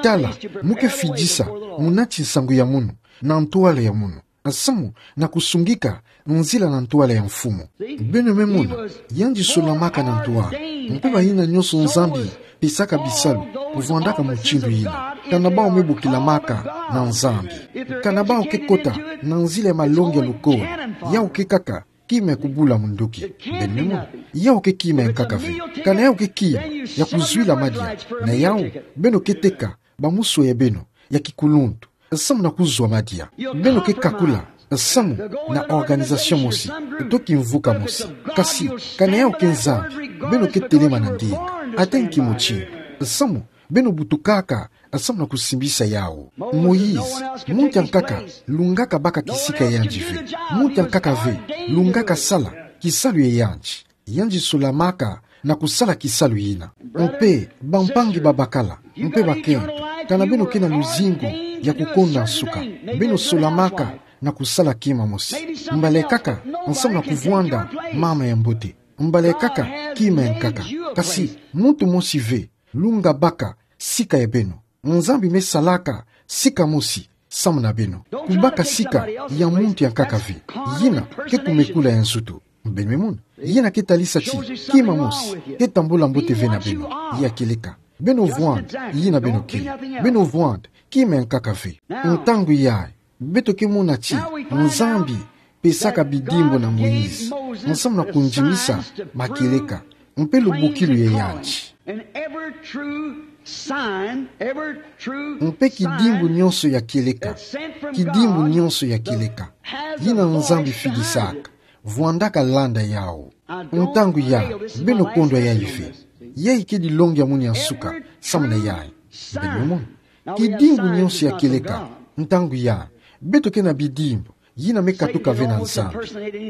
tala, mu ke fidisa munati nsangu ya munu na ntwala ya munu, nsamu na kusungika nzila na ntwala ya Mfumu. Beno me mona, yandi solamaka na ntwala. Mpe bayina nyonso Nzambi pesaka bisalu kuvwandaka mutindu yina, kana bawu me bokilamaka na Nzambi, kana bawu ke kota na nzila ya malongi ya lukolo, yawu ke kaka kima ya kubula munduki. Beno me mona, yawu ke kima ya nkaka ve. Kana yawu ke kima ya kuzwila madia, na yawu beno ke teka bamuswe ya beno ya kikuluntu, nsamu na kuzwa madia. Beno ke kakula nsamu na organisation mosi, to kimvuka mosi. Kasi, kana yawu ke Nzambi, beno ke telema na ndinga, ata nki mutindu, nsamu beno butukaka nsamu na kusimbisa yawu. Moïse, muntu ya nkaka lungaka baka kisika ya yandi ve. Muntu ya nkaka ve lungaka sala kisalu ya yandi. Yandi solamaka na kusala kisalu yina. Mpe bampangi babakala, mpe bakento, kana beno ke na luzingu ya kukonda nsuka, beno solamaka na kusala kima mosi. Mbala kaka nsamu na kuvwanda mama ya mbote. Mbala kaka kima ya nkaka. Kasi muntu mosi ve lunga baka sika ya beno. Nzambi me salaka sika mosi samu na beno. Kubaka sika ya muntu ya nkaka ve. Yina ke kumekula ya nzutu. Beno me mona, yina ke talisa ti kima mosi ke tambula mbote ve na beno. Ya kieleka, beno vwanda yina beno ke. Beno vwanda kima ya nkaka ve. Ntangu yayi, beto ke mona ti Nzambi pesaka bidimbu na Moïse nsamu na kundimisa makieleka mpe lubokilu ya yandi. And every true sign, every true Mpe kidimbu sign nyonso ya kieleka, that's sent from kidimbu God nyonso ya kieleka, has a yina Nzambi voice behind fidisaka, it. Vwandaka landa yawu. Ntangu yayi, beno kondwa yayi ve. Yayi ke dilongi ya munu ya nsuka samu na yayi. Beno mona, kidimbu nyonso ya kieleka, ntangu yayi, beto ke na bidimbu yina me katuka ve na Nzambi.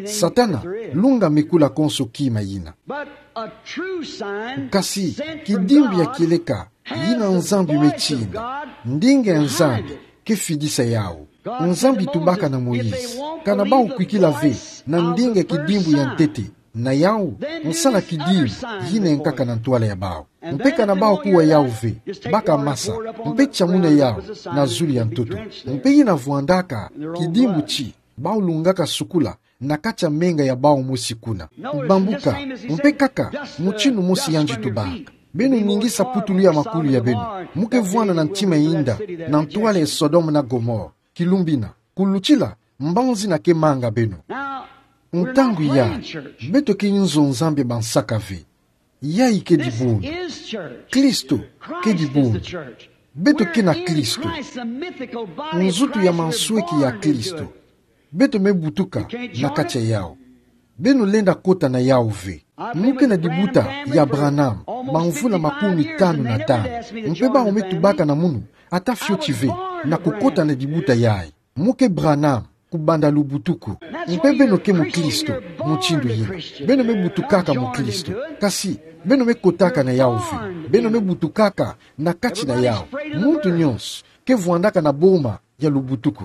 Satana lunga mekula konso kima yina. But a true sign sent from God, Kasi kidimbu ya kieleka yina Nzambi me tinda, ndinga ya Nzambi ke fidisa yawu. Nzambi tubaka na Moïse: Kana bau kwikila ve na ndinga kidimbu ya ntete na yawu, nsala kidimbu yina nkaka na ntwala ya bau. Mpe kana bau kuwa yawu ve, baka masa, mpe tia muna yawu na zulu ya ntoto. Mpe yina vwandaka kidimbu ti bau lungaka sukula na kati ya menga ya bau mosi kuna. Bambuka, mpe kaka mutinu mosi yandi tubaka. Beno ningisa putulu ya makulu ya beno, mu ke vwanda na ntima ya inda, na ntwala ya Sodome na Gomore. Kilumbina, kulutila, mbanzi na ke manga beno. Ntangu ya, beto ke nzo Nzambi bansaka ve. Yayi ke dibundu. Kristo ke dibundu. Beto ke na Kristo. Nzutu ya mansweki ya Kristo. Beto me butuka na kati ya yawu. Beno lenda kota na yawu ve. Mu ke na dibuta ya Branham bamvula makumi tanu na tanu. Mpe bau me tubaka na munu ata fioti ve na kukota na dibuta yayi. Mu ke Branham kubanda lubutuku. Mpe beno ke Mukristo, mutindu yina. Beno me butukaka Mukristo. Kasi, beno me kotaka na yawu ve. Beno me butukaka na kati na yawu. Muntu nyonso ke vwandaka na boma ya lubutuku.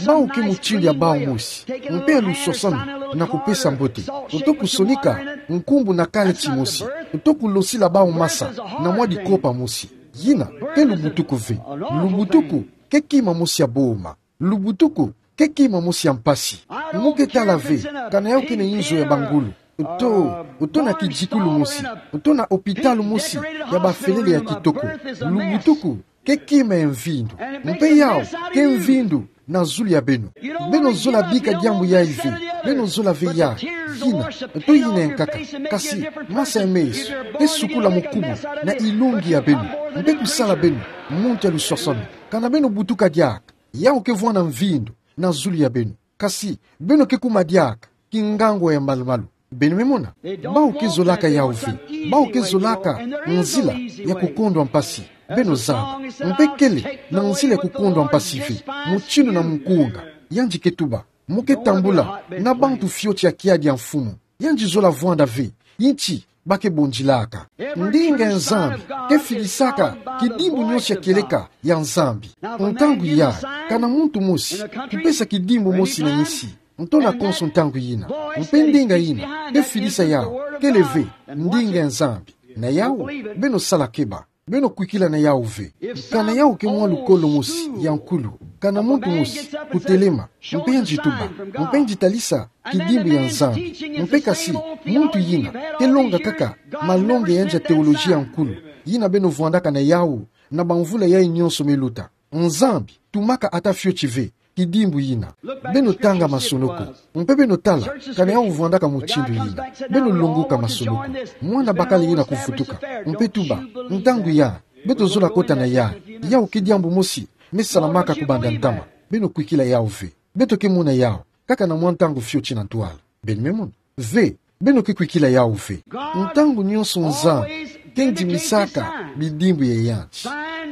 Bau ke mutindu ya bau mosi. Mpe ya luswaswanu na kupesa mbote. Uto kusonika nkumbu na kaleti mosi. Uto kulosila bau masa na mwa dikopa mosi. Yina ke lubutuku ve. Lubutuku ke kima mosi ya boma. Lubutuku ke kima mosi ya mpasi. Mu ke tala ve, kana yawu ke na inzo ya bangulu. Uto, uto na kizikulu mosi. Uto na opitalu mosi ya bafelele ya kitoko. Lubutuku ke kima ya mvindu. Mpe yawu ke mvindu na zulu ya beno. Beno zola bika diambu yayi ve. Beno zola ve yayi. Yina, uto yina nkaka. Kasi, masa ya meso ke sukula mukubu na ilongi ya beno. Mpe kusala beno muntu ya luswaswanu. Kana beno butuka diaka, yawu ke vwanda mvindu na zulu ya beno. Kasi, beno ke kuma diaka kingangwa ya malu-malu. Beno me mona? Bau ke zolaka yawu ve. Bau ke zolaka nzila ya kukondwa mpasi. Beno zaba. Mpe kele na nzila ya kukondwa mpasi ve, mutindu na mukunga, yandi ke tuba. Mu ke tambula na bantu fioti ya kiadi ya mfumu. Yandi zola vwanda ve inti ba ke bondilaka. Ndinga ya Nzambi ke fidisaka kidimbu nyonso ya kieleka ya Nzambi. Ntangu yayi, kana muntu mosi kupesa kidimbu mosi na insi. Ntona konso ntangu yina. Mpe ndinga yina ke fidisa yawu kele ve ndinga ya Nzambi. Na yawu, beno sala keba. Beno kwikila na yawu ve. Kana yawu ke mwa lukolo mosi ya nkulu, kana muntu mosi kutelema, mpe yandi tuba, mpe yandi talisa kidimbu ya Nzambi. Mpe kasi, muntu yina ke longa kaka malongi ya yandi ya teoloji ya nkulu, yina beno vwandaka na yawu na bamvula yayi nyonso me luta. Nzambi tumaka ata fioti ve kidimbu yina. Beno tanga masolo ko. Mpe beno tala kana yawu vwandaka mutindu yina. Beno longoka masolo ko. Mwana bakala yina kuvutuka, mpe tuba, ntangu yayi, beto zola kota na yayi. Yawu ke diambu mosi me salamaka kubanda ntama. Beno kwikila yawu ve. Beto ke mona yawu kaka na mwa ntangu fioti na ntwala. Beno me mona? Ve, beno ke kwikila yawu ve. Ntangu nyonso Nzambi ke ndimisaka bidimbu ya yandi.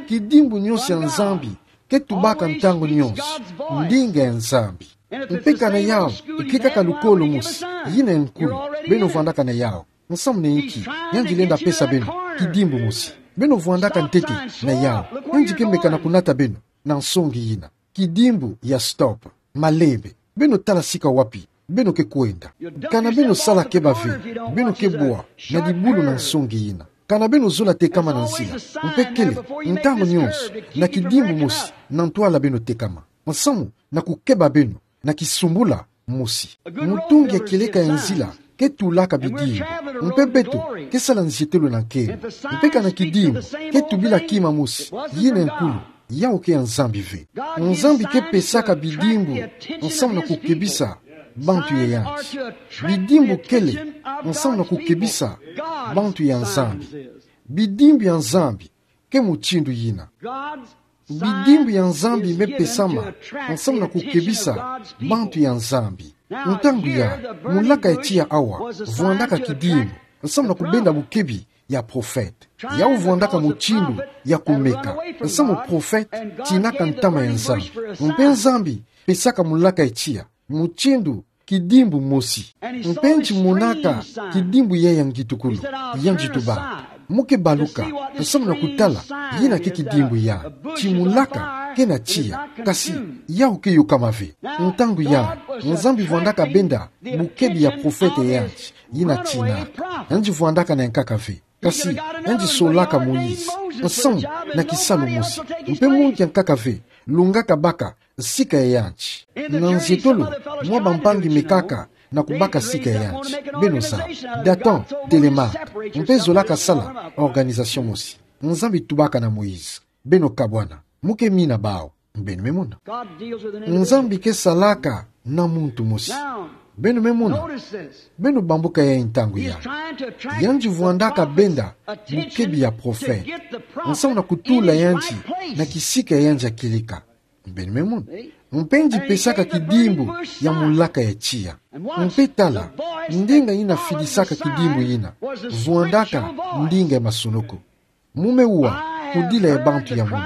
Kidimbu nyonso ya Nzambi ke tubaka ntangu nyonso ndinga ya Nzambi. Mpe kana yawu ke kaka lukolo mosi, yina ya nkulu, beno vwandaka na yawu. Nsamu na inki? Yandi lenda pesa beno kidimbu mosi. Beno vwandaka ntete na yawu. Yandi ke meka na kunata beno na nsongi yina. Kidimbu ya stop. Malembe. Beno tala sika wapi beno ke kwenda. Kana beno sala keba ve, beno ke bwa na dibulu na nsongi yina. Kana beno zola tekama na nzila. Mpe kele, ntangu nyonso, na kidimbu mosi na ntwala beno tekama. Nsamu na kukeba beno na kisumbula mosi. Mutungi ya kieleka ya nzila ke tulaka bidimbu. Mpe beto ke sala nzietelo na nkembo. Mpe kana kidimbu ke tubila kima mosi, yina ya nkulu, yawu ke ya Nzambi ve. Nzambi ke pesaka bidimbu nsamu na kukebisa bantu ya yandi. Bidimbu kele nsamu na kukebisa bantu ya Nzambi. Bidimbu ya Nzambi ke mutindu yina. Bidimbu ya Nzambi me pesama nsamu na kukebisa bantu ya Nzambi. Ntangu yayi, mulaka ya tiya awa vwandaka kidimbu nsamu na kubenda bukebi ya profete. Yawu vwandaka mutindu ya kumeka nsamu profete tinaka ntama ya Nzambi. Mpe Nzambi pesaka mulaka ya tiya mutindu kidimbu mosi. Mpe nti monaka kidimbu yayi ya ngitukulu, yandi tuba, mu ke baluka nsamu na kutala yina ke kidimbu yayi. Ti mulaka Kena tiya, kasi yau ke yokama ve. Ntangu ya, Nzambi vwandaka benda bukebi ya profete yandi, yina tinaka. Yandi vwandaka na yankaka ve. Kasi yandi solaka Moïse nsamu na kisalu mosi. Mpe muntu yankaka ve lungaka baka sika ya yandi. Na nzietolo mwa bampangi mekaka na kubaka sika ya yandi. Beno zaba. Dathan telemaka mpe zolaka sala organisation mosi. Nzambi tubaka na Moïse: Beno kabwana. Mu ke mina bawu. Beno me mona. Nzambi ke salaka na muntu mosi. Beno me mona. Beno bambuka yayi ntangu ya. Yandi vwandaka benda bukebi ya profete nsamu na kutula yandi na kisika yandi ya kieleka. Beno me mona. Mpe yandi pesaka kidimbu ya mulaka ya tiya. Mpe tala, ndinga yina fidisaka kidimbu yina vwandaka ndinga ya masonoko. Mu me wa kudila ya bantu ya munu,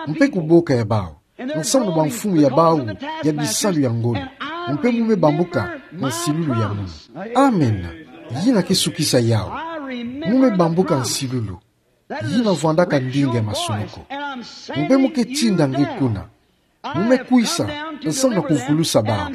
mpe kuboka ya bawu nsamu na bamfumu ya bawu ya bisalu ya ngolo, mpe mu me bambuka nsilulu ya munu. Amen. Yina ke sukisa yawu. Mu me bambuka nsilulu. Yina vwandaka ndinga ya masonoko. Mpe mu ke tinda nge kuna. Mu me kwisa nsamu na kuvulusa bawu.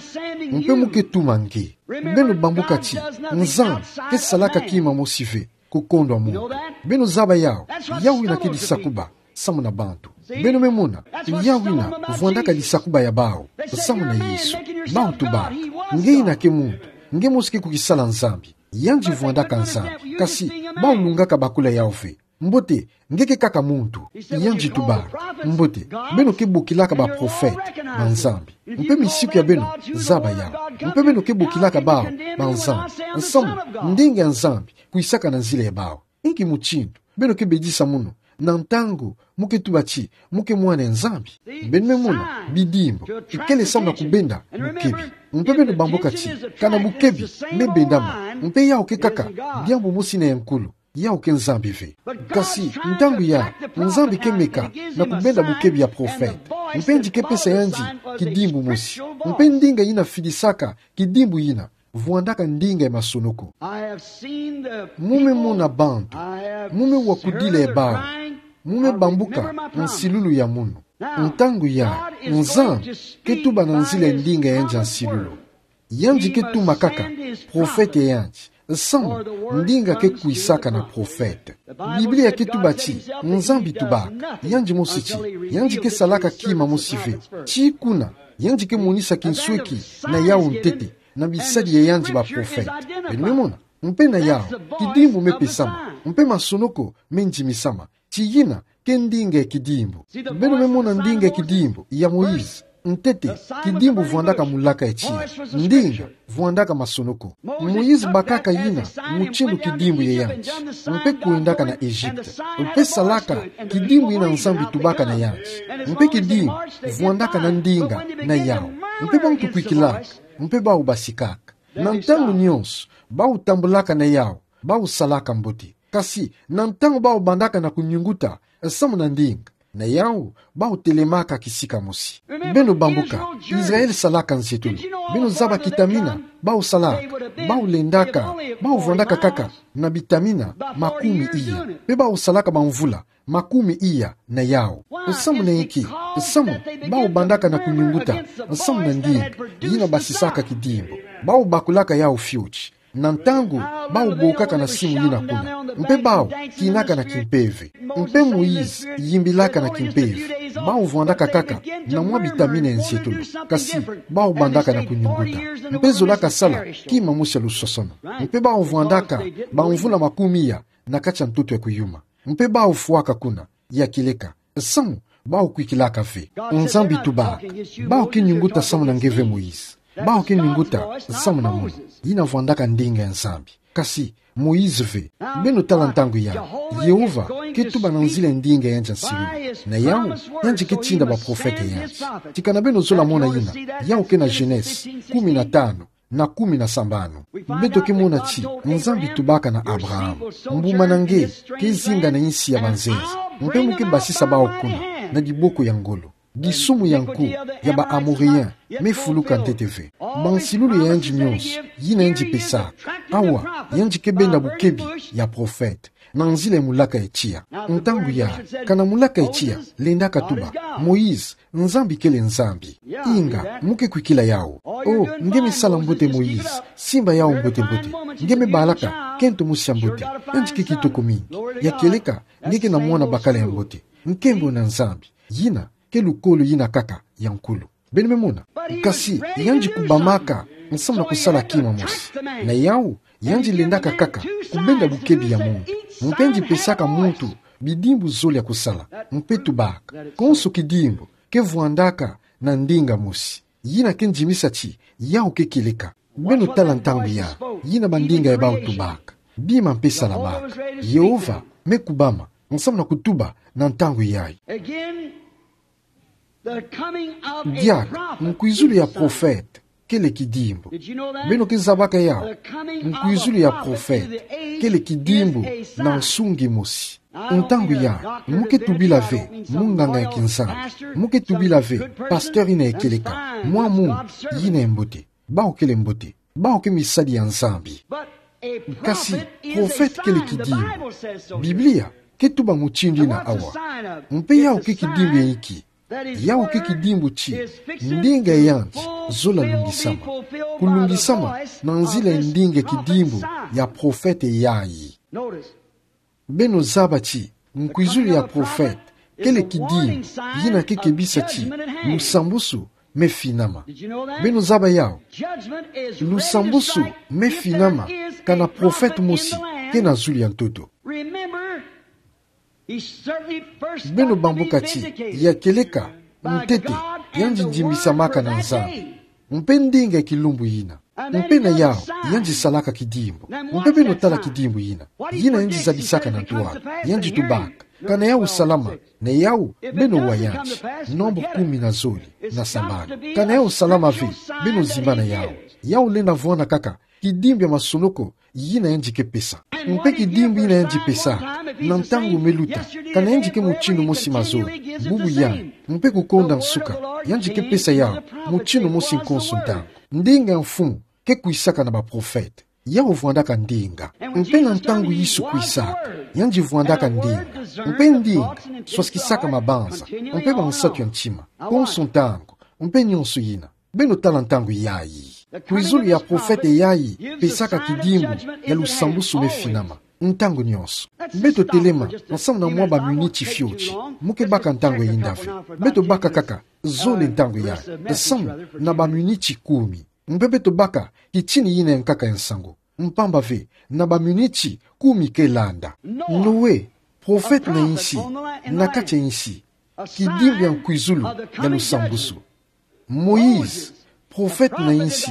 Mpe mu ke tuma nge. Beno bambuka ti Nzambi ke salaka kima mosi ve kukondwa muntu. Beno zaba yawu. Yawu yina ke disakuba samu na bantu. Beno me mona. Yawu yina vwandaka disakuba ya bawu samu na Yesu. Bawu tubaka: Nge yina ke muntu. Nge mosi ke kukisala Nzambi. Yandi vwandaka Nzambi. Kasi bawu lungaka bakula yawu ve. Mbote, nge ke kaka muntu. Yandi tubaka: Mbote, beno ke bokilaka baprofete na Nzambi. Mpe misiku ya beno zaba yawu. Mpe beno ke bokilaka bawu banzambi nsamu ndinga ya Nzambi kwisaka na nzila ya bawu. Inki mutindu beno ke bedisa munu na ntangu mu ke tuba ti mu ke mwana ya Nzambi? Beno me mona, bidimbu ikele samu na kubenda bukebi. Mpe beno bambuka ti kana bukebi me bendama, mpe yawu ke kaka diambu mosi na ya nkulu. Yawu ke Nzambi ve. Kasi ntangu ya, Nzambi ke meka na kubenda bukebi ya profete. Mpe yandi ke pesa yandi kidimbu mosi. Mpe ndinga yina fidisaka kidimbu yina vwandaka ndinga ya masonoko. Mu me mona bantu. Mu me wa kudila ya bawu. Mu me bambuka nsilulu ya munu. Ntangu ya, Nzambi ke tuba na nzila ya ndinga ya yandi ya nsilulu. Yandi ke tuma kaka profete ya yandi samu ndinga ke kwisaka na profete. Biblia ke tuba ti Nzambi tubaka, yandi mosi ti, yandi ke salaka kima mosi ve. Ti kuna, yandi ke monisa kinsweki na yawu ntete na bisadi ya yandi baprofete. Beno me mona. Mpe na yawu, kidimbu me pesama, mpe masonoko me ndimisama. Ti yina ke ndinga ya kidimbu. Beno me mona ndinga ya kidimbu ya Moïse. Ntete, kidimbu vwandaka mulaka ya tiya. Ndinga vwandaka masonoko. Moïse bakaka yina mutindu kidimbu ya yandi. Mpe kwendaka na Egypte. Mpe salaka kidimbu yina Nzambi tubaka na yandi. Mpe kidimbu vwandaka na ndinga na yawu. Mpe bantu kwikilaka. Mpe bawu basikaka. Na ntangu nyonso bawu tambulaka na yawu, bawu salaka mbote. Kasi na ntangu bawu bandaka na kunyunguta samu na ndinga, na yawu bawu telemaka kisika mosi. Beno bambuka, Israël salaka nzietolo. Beno zaba kitamina bawu salaka? Bawu lendaka, bawu vwandaka kaka na bitamina makumi iya. Mpe bawu salaka bamvula makumi iya na yawu. Samu na inki? Samu bawu bandaka na kunyunguta samu na ndinga yina basisaka kidimbu. Bawu bakulaka yawu fioti. Na ntangu bawu bokaka na simu yina kuna, mpe bawu kinaka na kimpeve. Mpe Moïse yimbilaka na kimpeve. Bawu vwandaka kaka na mwa bitamina ya nzietolo, kasi bawu bandaka na kunyunguta. Mpe zolaka sala kima mosi ya lusosono. Mpe bawu vwandaka bamvula makumi iya na kati ya ntoto ya kuyuma. Mpe bawu fwaka kuna, ya kieleka. Samu bawu kwikilaka ve. Nzambi tubaka: Bawu ke nyunguta samu na nge ve, Moïse. Bawu ke nyunguta samu na mono. Yina vwandaka ndinga ya Nzambi, kasi Moïse ve. Beno tala ntangu ya, Yehova ke tuba na nzila ya ndinga ya yandi ya nsilulu. Na yawu, yandi ke tinda baprofete ya yandi. Ti kana beno zola mona yina, yawu ke na Genèse kumi na tanu na kumi na sambanu. Beto ke mona ti Nzambi tubaka na Abraham. Mbuma na nge ke zinga na insi ya banzenza. Mpe mu ke basisa bawu kuna na diboko ya ngolo. Disumu ya nku ya ba Amorien me fuluka ntete ve. Bansilulu ya yandi nyonso yina yandi pesaka. Awa, yandi ke benda bukebi ya profete. na nzila ya mulaka ya tiya. Ntangu ya, kana mulaka ya tiya lendaka tuba: Moïse, Nzambi kele Nzambi. Inga, mo ke kwikila yawu. Oh, nge me sala mbote Moïse, simba yawu mbote mbote. Nge me balaka kento mosi ya mbote, yandi ke kitoko mingi. Ya kieleka, nge ke na mwana bakala ya mbote. Nkembo na Nzambi. Yina ke lukolo yina kaka ya nkulu. Beno me mona. Kasi yandi kubamaka nsamu na kusala kima mosi. Na yawu, yandi lendaka kaka kubenda bukebi ya muntu. Mpe yandi pesaka muntu bidimbu zole ya kusala. Mpe tubaka, konso kidimbu ke vwandaka na ndinga mosi. Yina ke ndimisa ti yawu ke kieleka. Beno tala ntangu ya, yina bandinga ya bawu tubaka. Bima mpe salamaka. Yehova me kubama nsamu na kutuba na ntangu yayi. Again, the coming of a Diaka, prophet nkwizulu ya is a sign. Prophète kele kidimbu. Did you know that? Beno ke zabaka yawu? The coming of a prophet Nkwizulu ya prophète is the age kele kidimbu is a na sign. Nsungi mosi. Ntangu ya, mo ke tubila ve munganga ya kinzambi. Mo ke tubila ve pasteur yina ya kieleka. Mwa muntu yina ya mbote. Bawu kele mbote. Bawu ke misadi ya Nzambi. Kasi, prophète kele kidimbu. Biblia ke tuba mutindu yina awa. Mpe yawu ke kidimbu ya inki? Yawu ke kidimbu ti ndinga ya yandi zola lungisama. Kulungisama na nzila ya ndinga ya kidimbu ya prophète yayi. Beno zaba ti nkwizulu ya prophète kele kidimbu yina ke kebisa ti lusambusu me finama. Beno zaba yawu? Lusambusu me finama kana prophète mosi ke na zulu ya ntoto. Beno bambuka ti ya kieleka ntete yandi ndimbisamaka na Nzambi. Mpe ndinga ya kilumbu yina. Mpe na yawu, yandi salaka kidimbu. Mpe beno tala kidimbu yina. Yina yandi zabisaka na ntwala. Yandi tubaka: Kana yawu salama? Na yawu, beno wa yandi. Nombre kumi na zole na sambanu. Kana yawu salama ve? Beno zimbana yawu. Yawu lenda vwanda kaka kidimbu ya masonoko yina yandi ke pesa. Mpe kidimbu yina yandi pesaka, na ntangu me luta, kana yandi ke mutindu mosi mazoba, bubu yandi, mpe kukonda nsuka, yandi ke pesa yawu mutindu mosi konso ntangu. Ndinga ya mfumu ke kwisaka na baprophète. Yawu vwandaka ndinga. Mpe na ntangu Yesu kwisaka, yandi vwandaka ndinga. Mpe ndinga swasikisaka mabanza, mpe bansatu ya ntima, konso ntangu, mpe nyonso yina. Beno tala ntangu yayi. Nkwizulu ya prophète yayi pesaka kidimbu ya lusambusu me finama ntangu nyonso. Beto telema nsamu na mwa baminiti fioti. Mo ke baka ntangu yayinda ve. Beto baka kaka zole ntangu yayi, nsamu na baminiti kumi. Mpe beto baka kitini yina ya nkaka ya nsangu. Mpamba ve, na baminiti kumi ke landa. Noe, prophète na insi, na kati ya insi, kidimbu ya nkwizulu ya lusambusu. Moïse, prophète na insi,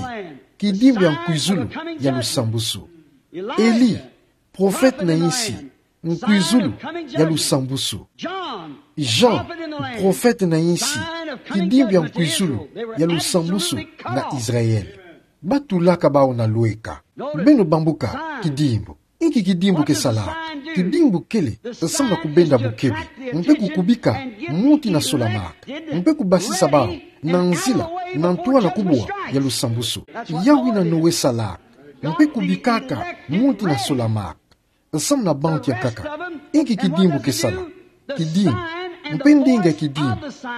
kidimbu ya nkwizulu ya lusambusu. Elie, prophète na insi, nkwizulu ya lusambusu. Jean, prophète na insi, kidimbu ya nkwizulu ya lusambusu na Israël. Batulaka bawu na lweka. Beno bambuka kidimbu. Inki kidimbu ke salaka? Kidimbu kele nsamu na kubenda bukebi, mpe kukubika muntu yina solamaka, mpe kubasisa bawu na nzila na ntwala kubwa ya lusambusu. Yawu yina Noe salaka, mpe kubikaka muntu yina solamaka nsamu na bantu ya nkaka. Inki kidimbu ke sala? Kidimbu, mpe ndinga ya kidimbu,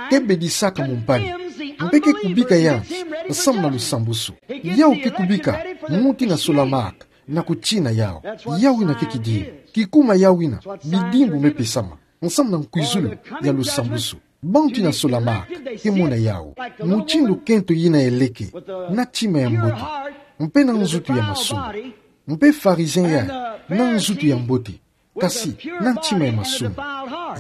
ke bedisaka mumpani, mpe ke kubika yandi nsamu na lusambusu. Yawu ke kubika muntu yina solamaka na kutina yawu. Yawu yina ke kidimbu. Kikuma yawu yina bidimbu me pesama nsamu na nkwizulu ya lusambusu. Bantu yina solamaka ke mona yawu mutindu kento yina ya leke, na ntima ya mbote, mpe na nzutu ya masumu. Mpe Pharisien yandi, na nzutu ya mbote, kasi na ntima ya masumu.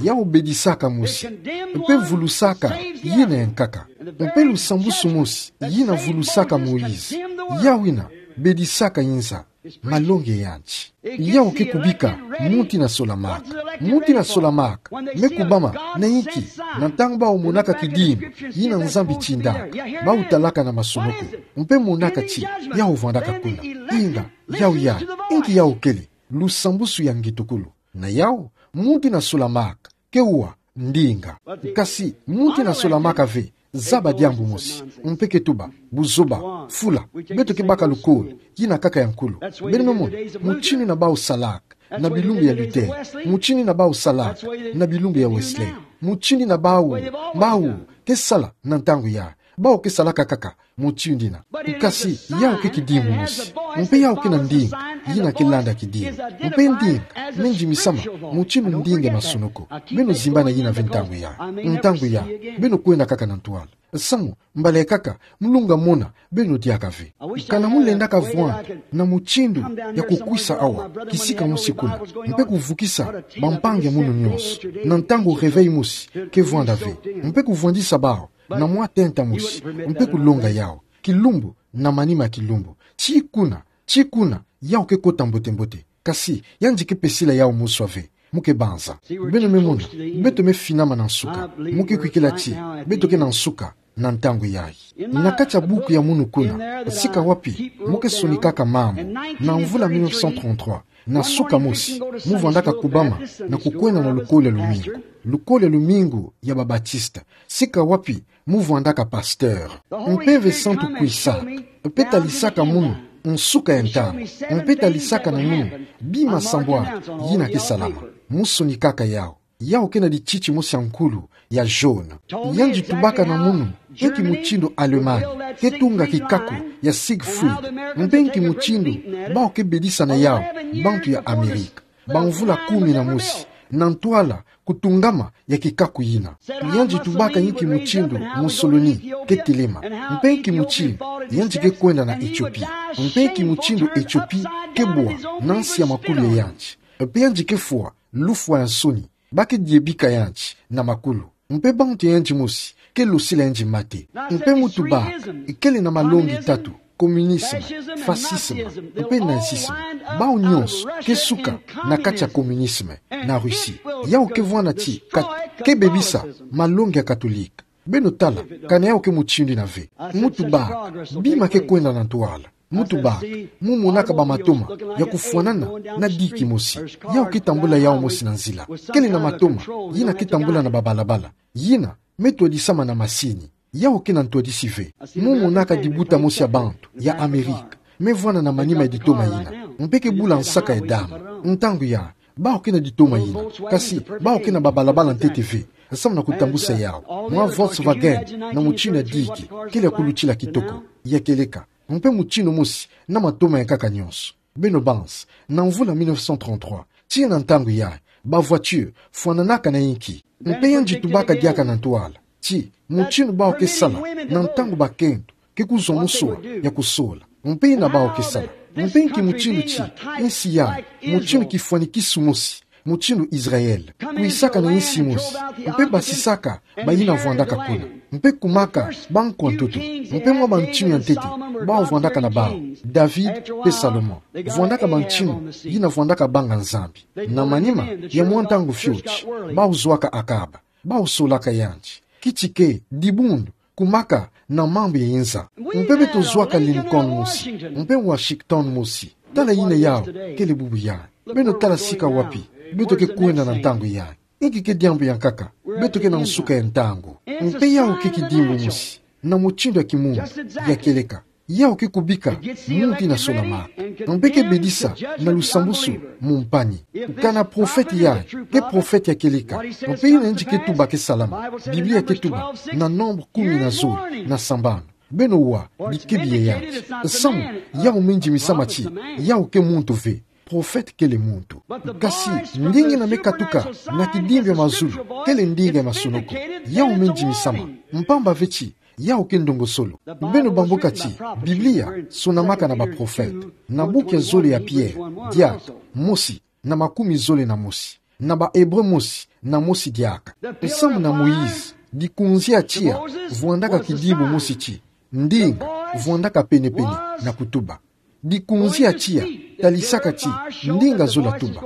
Yawu bedisaka mosi, mpe vulusaka yina ya nkaka. Mpe lusambusu mosi yina vulusaka Moïse, yawu yina bedisaka yinza malongi ya yandi. Yawu ke kubika muntu yina solamaka. Muntu yina solamaka me kubama na inki? Na ntangu bawu monaka kidimbu yina Nzambi tindaka, bawu talaka na masonoko, mpe monaka ti yawu vwandaka kuna. Inga, yawu yandi, inki yawu kele? Lusambusu ya ngitukulu. Na yawu, muntu yina solamaka ke wa ndinga. Kasi muntu yina solamaka ve Zaba diambu mosi, mpe ke tuba, buzoba, fula, beto ke baka lukolo, yina kaka ya nkulu. Beno me mona, mutindu yina bau salaka na bilumbu ya Luther, mutindu yina bau salaka na bilumbu ya Wesley, mutindu yina bau, bau ke sala na ntangu ya, bau ke salaka kaka mutindu yina. Kasi yawu ke kidimbu mosi, mpe yawu kena ndinga yina ke landa kidimbu. Mpe ndinga, me ndimi sama, mutindu ndinga ya masunuku. Beno zimbana yina ve ntangu ya, ntangu ya, beno kwenda kaka na ntwala. Samu, mbala ya kaka, mu lunga mona beno diaka ve. Ka na mu lendaka vwanda na mutindu ya kukwisa awa, kisika mosi kuna, mpe kuvukisa bampangi ya munu nyonso, na ntangu réveil mosi ke vwanda ve, mpe kuvwandisa bawu na mwa tenta mosi, mpe kulonga yawu, kilumbu na manima ya kilumbu. Ti kuna, ti kuna, yawu ke kota mbote-mbote. Kasi, yandi ke pesila yawu moswa ve. Mu ke banza. Beno me mona, beto me finama na nsuka. Mu ke kwikila ti, beto ke na nsuka na ntangu yayi. Na kati ya buku ya munu kuna, sika wapi mu ke sonikaka mambu, na mvula mille neuf cent trente-trois, na suka mosi, mu vwandaka kubama na kukwenda na lukolo ya lumingu, lukolo ya lumingu ya ba-Baptiste, sika wapi mu vwandaka pasteur. Mpeve santu kwisaka, mpe talisaka munu nsuka ya ntangu, mpe talisaka na munu bima sambwadi yina ke salama. Mu sonikaka yawu. Yawu kena lititi mosi ya nkulu ya jaune. Yandi tubaka na munu inki mutindu Allemagne ke tunga kikaku ya Siegfried, mpe inki mutindu bawu ke bedisa na yawu bantu ya Amerika bamvula kumi na mosi, na ntwala kutungama ya kikaku yina. Yandi tubaka inki mutindu Mussolini ke telema, mpe inki mutindu yandi ke kwenda na Ethiopie, mpe inki mutindu Ethiopie ke bwa na nsi ya makulu ya yandi, mpe yandi ke fwa lufwa ya nsoni, ba ke diebika yandi na makulu. Mpe bantu ya yandi mosi ke losila yandi mate. Mpe mu tubaka, kele na malongi tatu: communisme, fascisme, mpe nazisme. Bawu nyonso ke suka na kati ya communisme na Russie. Yawu ke vwanda ti ka-, ke bebisa malongi ya Katolika. Beno tala, ka na yawu ke mutindu yina ve. Mu tubaka, bima ke kwenda na ntwala. Mu tubaka, mu monaka bamatoma ya kufwanana na diki mosi. Yawu ke tambula yawu mosi na nzila. Kele na matoma yina ke tambula na babalabala. Yina me twadisama na masini. Yawu kena ntwadisi ve. Mu monaka dibuta mosi ya bantu ya Amerika me vwanda na manima ya ditoma yina, mpe ke bula nsaka ya damu. Ntangu ya, bawu kena ditoma yina, kasi bawu kena babalabala ntete ve, samu na kutambusa yawu. Mwa Volkswagen na mutindu ya diki, kele ya kulutila kitoko, ya kieleka. Mpe mutindu mosi na matoma ya nkaka nyonso. Beno banza, na mvula mille neuf cent trente-trois, tii na ntangu yayi, ba voiture fwananaka na inki? Mpe yandi tubaka diaka na ntwala ti, mutindu bawu ke sala na ntangu bakento ke kuzwa moswa ya kusola, mpe yina bawu ke sala. Mpe inki mutindu ti, nsi yayi, mutindu kifwanikisu mosi, mutindu Israël, kwisaka na nsi mosi, mpe basisaka bayina vwandaka kuna, mpe kumaka bankwa ntoto, mpe mwa bantinu ya ntete bawu vwandaka na bawu, David mpe Salomon, vwandaka bantinu yina vwandaka banga Nzambi. Na manima ya mwa ntangu fioti, bawu zwaka Akab, bawu solaka yandi. Kiti ke dibundu kumaka na mambu ya inza. Mpe beto zwaka Lincoln mosi, mpe Washington mosi. Tala yina yawu kele bubu yayi. Beno tala sika wapi beto ke kwenda na ntangu yayi. Inki ke diambu ya nkaka? Beto ke na nsuka ya ntangu. Mpe yawu ke kidimbu mosi na mutindu ya kimuntu ya kieleka. Yawu ke kubika muntu yina solamaka, mpe ke bedisa na lusambusu mu mpani. Ka na profete yayi ke profete ya kieleka, mpe yina yandi ke tuba ke salama. Biblia ke tuba na Nombre kumi na zole na sambanu. Beno wa dikebi ya yandi. Samu, yawu me ndimi sama ti yawu ke muntu ve. Profete kele muntu. Kasi ndinga yina me katuka na kidimbu ya mazulu kele ndinga ya masunuku. Yawu me ndimi sama, mpamba ve ti yawu ke ndongosolo. Beno bambuka ti Biblia sonamaka na baprofete. Na buku ya zole ya Pierre, diaka, mosi na makumi zole na mosi. Na Baebre mosi na mosi diaka. Samu na Moïse, dikunzi ya tiya vwandaka kidimbu mosi ti ndinga vwandaka pene-pene na kutuba. Dikunzi ya tiya talisaka ti ndinga zola tuba.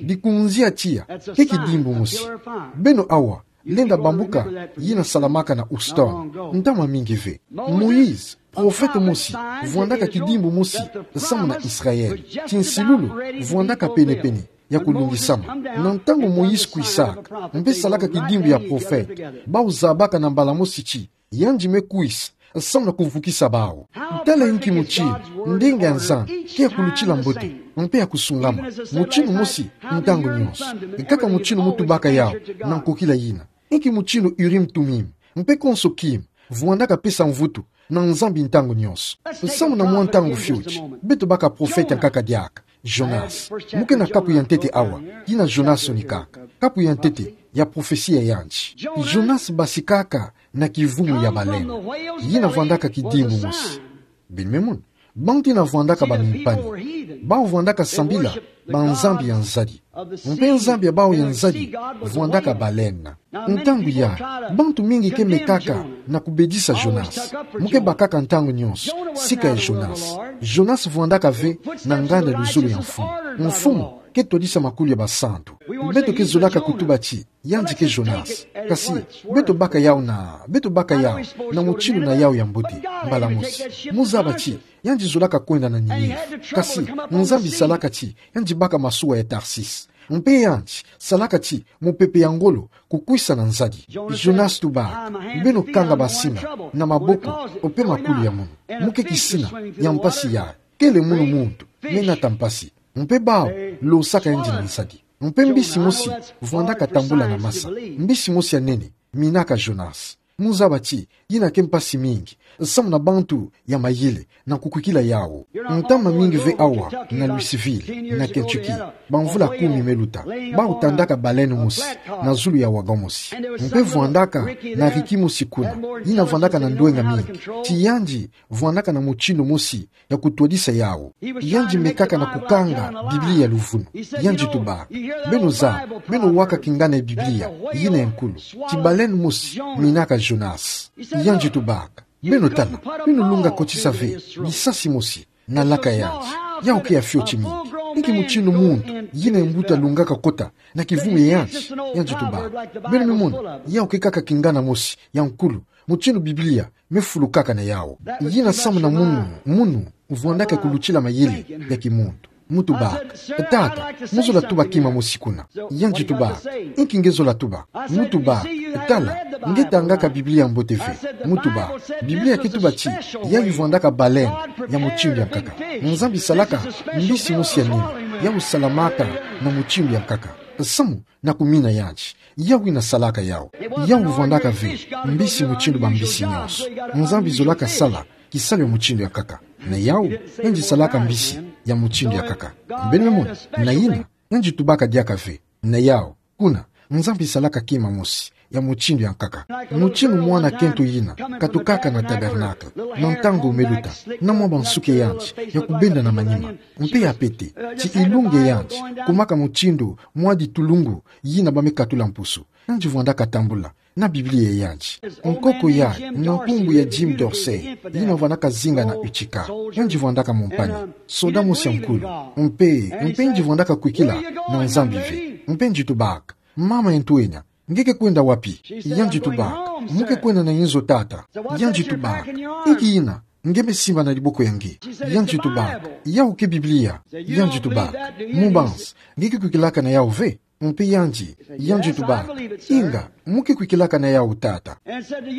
Dikunzi ya tiya ke kidimbu mosi. Beno awa lenda bambuka yina salamaka na Houston, ntama mingi ve. Moïse, profete mosi, vwandaka kidimbu mosi samu na Israël. Tinsilulu vwandaka pene-pene ya kulungisama. Na ntangu Moïse kwisaka, mpe salaka kidimbu ya profete, bawu zabaka na mbala mosi ti Yandi me kwisa, samu na kuvukisa bawu. Tala inki mutinu ndinga ya Nzambi ke ya kulutila mbote, mpe ya kusungama, mutinu mosi, ntangu nyonso. Kaka mutinu mu tubaka yawu, na nkokila yina. Inki mutinu Urim Tumim, mpe konso kima, vwandaka pesa mvutu na Nzambi ntangu nyonso. Samu na mwa ntangu fioti, beto baka profeta nkaka diaka, Jonas. Mu ke na kapu ya ntete awa, yina Jonas unikaka. Kapu ya ntete ya profesia yandi. Jonas basikaka na kivumu ya baleine. Yina vwandaka kidimbu mosi. Beno me mona, bantu yina vwandaka bamimpani. Bawu vwandaka sambila banzambi ya nzadi. Mpe nzambi ya bawu ya nzadi vwandaka baleine. Ntangu yayi, bantu mingi ke mekaka na kubedisa Jonas. Mu ke bakaka ntangu nyonso sika ya Jonas. Jonas vwandaka ve na nganda luzolo ya Mfumu. Mfumu ke twadisa makulu ya basantu. Beto ke zolaka kutuba ti yandi ke Jonas. Kasi, beto baka yawu na, beto baka yawu na mutinu na yawu ya mbote, mbala mosi. Mu zaba ti yandi zolaka kwenda na Ninive. Kasi, Nzambi salaka ti yandi baka masuwa ya Tarsis. Mpe yandi salaka ti mupepe ya ngolo kukwisa na nzadi. Jonas tubaka: Beno kanga basina na maboko mpe makulu ya munu. Mu ke kisina ya mpasi yayi. Kele munu muntu me nata mpasi. Mpe bawu losaka yandi na nzadi. Mpe mbisi mosi vwandaka tambula na masa. Mbisi mosi ya nene minaka Jonas. Mu zaba ti yina ke mpasi mingi samu na bantu ya mayele na kukwikila yawu. Ntama mingi ve awa na Louisville, na Kentucky, bamvula kumi me luta, bawu tandaka baleine mosi na zulu ya wagon mosi. Mpe vwandaka na riki mosi kuna, yina vwandaka na ndwenga mingi. Ti yandi vwandaka na mutinu mosi ya kutwadisa yawu. Yandi mekaka na kukanga Biblia ya luvunu. Yandi tubaka: Beno zaba, beno waka kingana ya Biblia yina ya nkulu, ti baleine mosi minaka Jonas. Yandi tubaka: Beno tala, beno lunga kotisa ve bisasi mosi na laka yandi. Yawu ke ya fioti mingi. Inki mutinu muntu yina ya mbuta lungaka kota na kivumu ya yandi? Yandi tubaka: Beno me mona, yawu ke kaka kingana mosi ya nkulu, mutinu Biblia me fulukaka na yawu. Yina samu na munu, munu vwandaka kulutila mayele ya kimuntu. Mu tubaka: Tata, mu zola tuba kima mosi kuna? Yandi tubaka: Inki nge zola tuba? Mu tubaka: Tala, nge tangaka Biblia mbote ve. Mu tubaka: Biblia ke tuba ti yayi vwandaka baleine ya mutinu ya nkaka. Nzambi salaka mbisi mosi ya nene, yawu salamaka na mutinu ya nkaka. Samu na kumina yandi, yawu yina salaka yawu. Yawu vwandaka ve mbisi mutinu bambisi nyonso. Nzambi zolaka sala kisalu ya mutinu ya nkaka. Na yawu, yandi salaka mbisi ya mutinu ya nkaka. Beno me mona, na yina, yandi tubaka diaka ve. Na yawu, kuna, Nzambi salaka kima mosi ya mutinu ya nkaka. Mutinu mwana kento yina katukaka na tabernacle, na ntangu me luta, na mwa bansuki ya yandi ya kubenda na manima, mpe ya pete, ti ilunga ya yandi kumaka mutindu mwa ditulungu yina ba me katula mpusu. Yandi vwandaka tambula na Biblia ya yandi. Nkoko yayi na nkumbu ya Jim Dorsey, yina vwandaka zinga na Utica. Yandi vwandaka mumpani, soda mosi ya nkulu. Mpe, mpe yandi vwandaka kwikila na Nzambi ve. Mpe yandi tubaka: Mama ya ntwenya, nge ke kwenda wapi? Yandi tubaka: Mu ke kwenda na inzo, tata. Yandi tubaka: Inki yina nge me simba na diboko ya nge? Yandi tubaka: Yawu ke Biblia. Yandi tubaka: Mubanza, nge ke kwikilaka na yawu ve? Mpe yandi, yandi tubaka: Inga, mu ke kwikilaka na yawu, tata.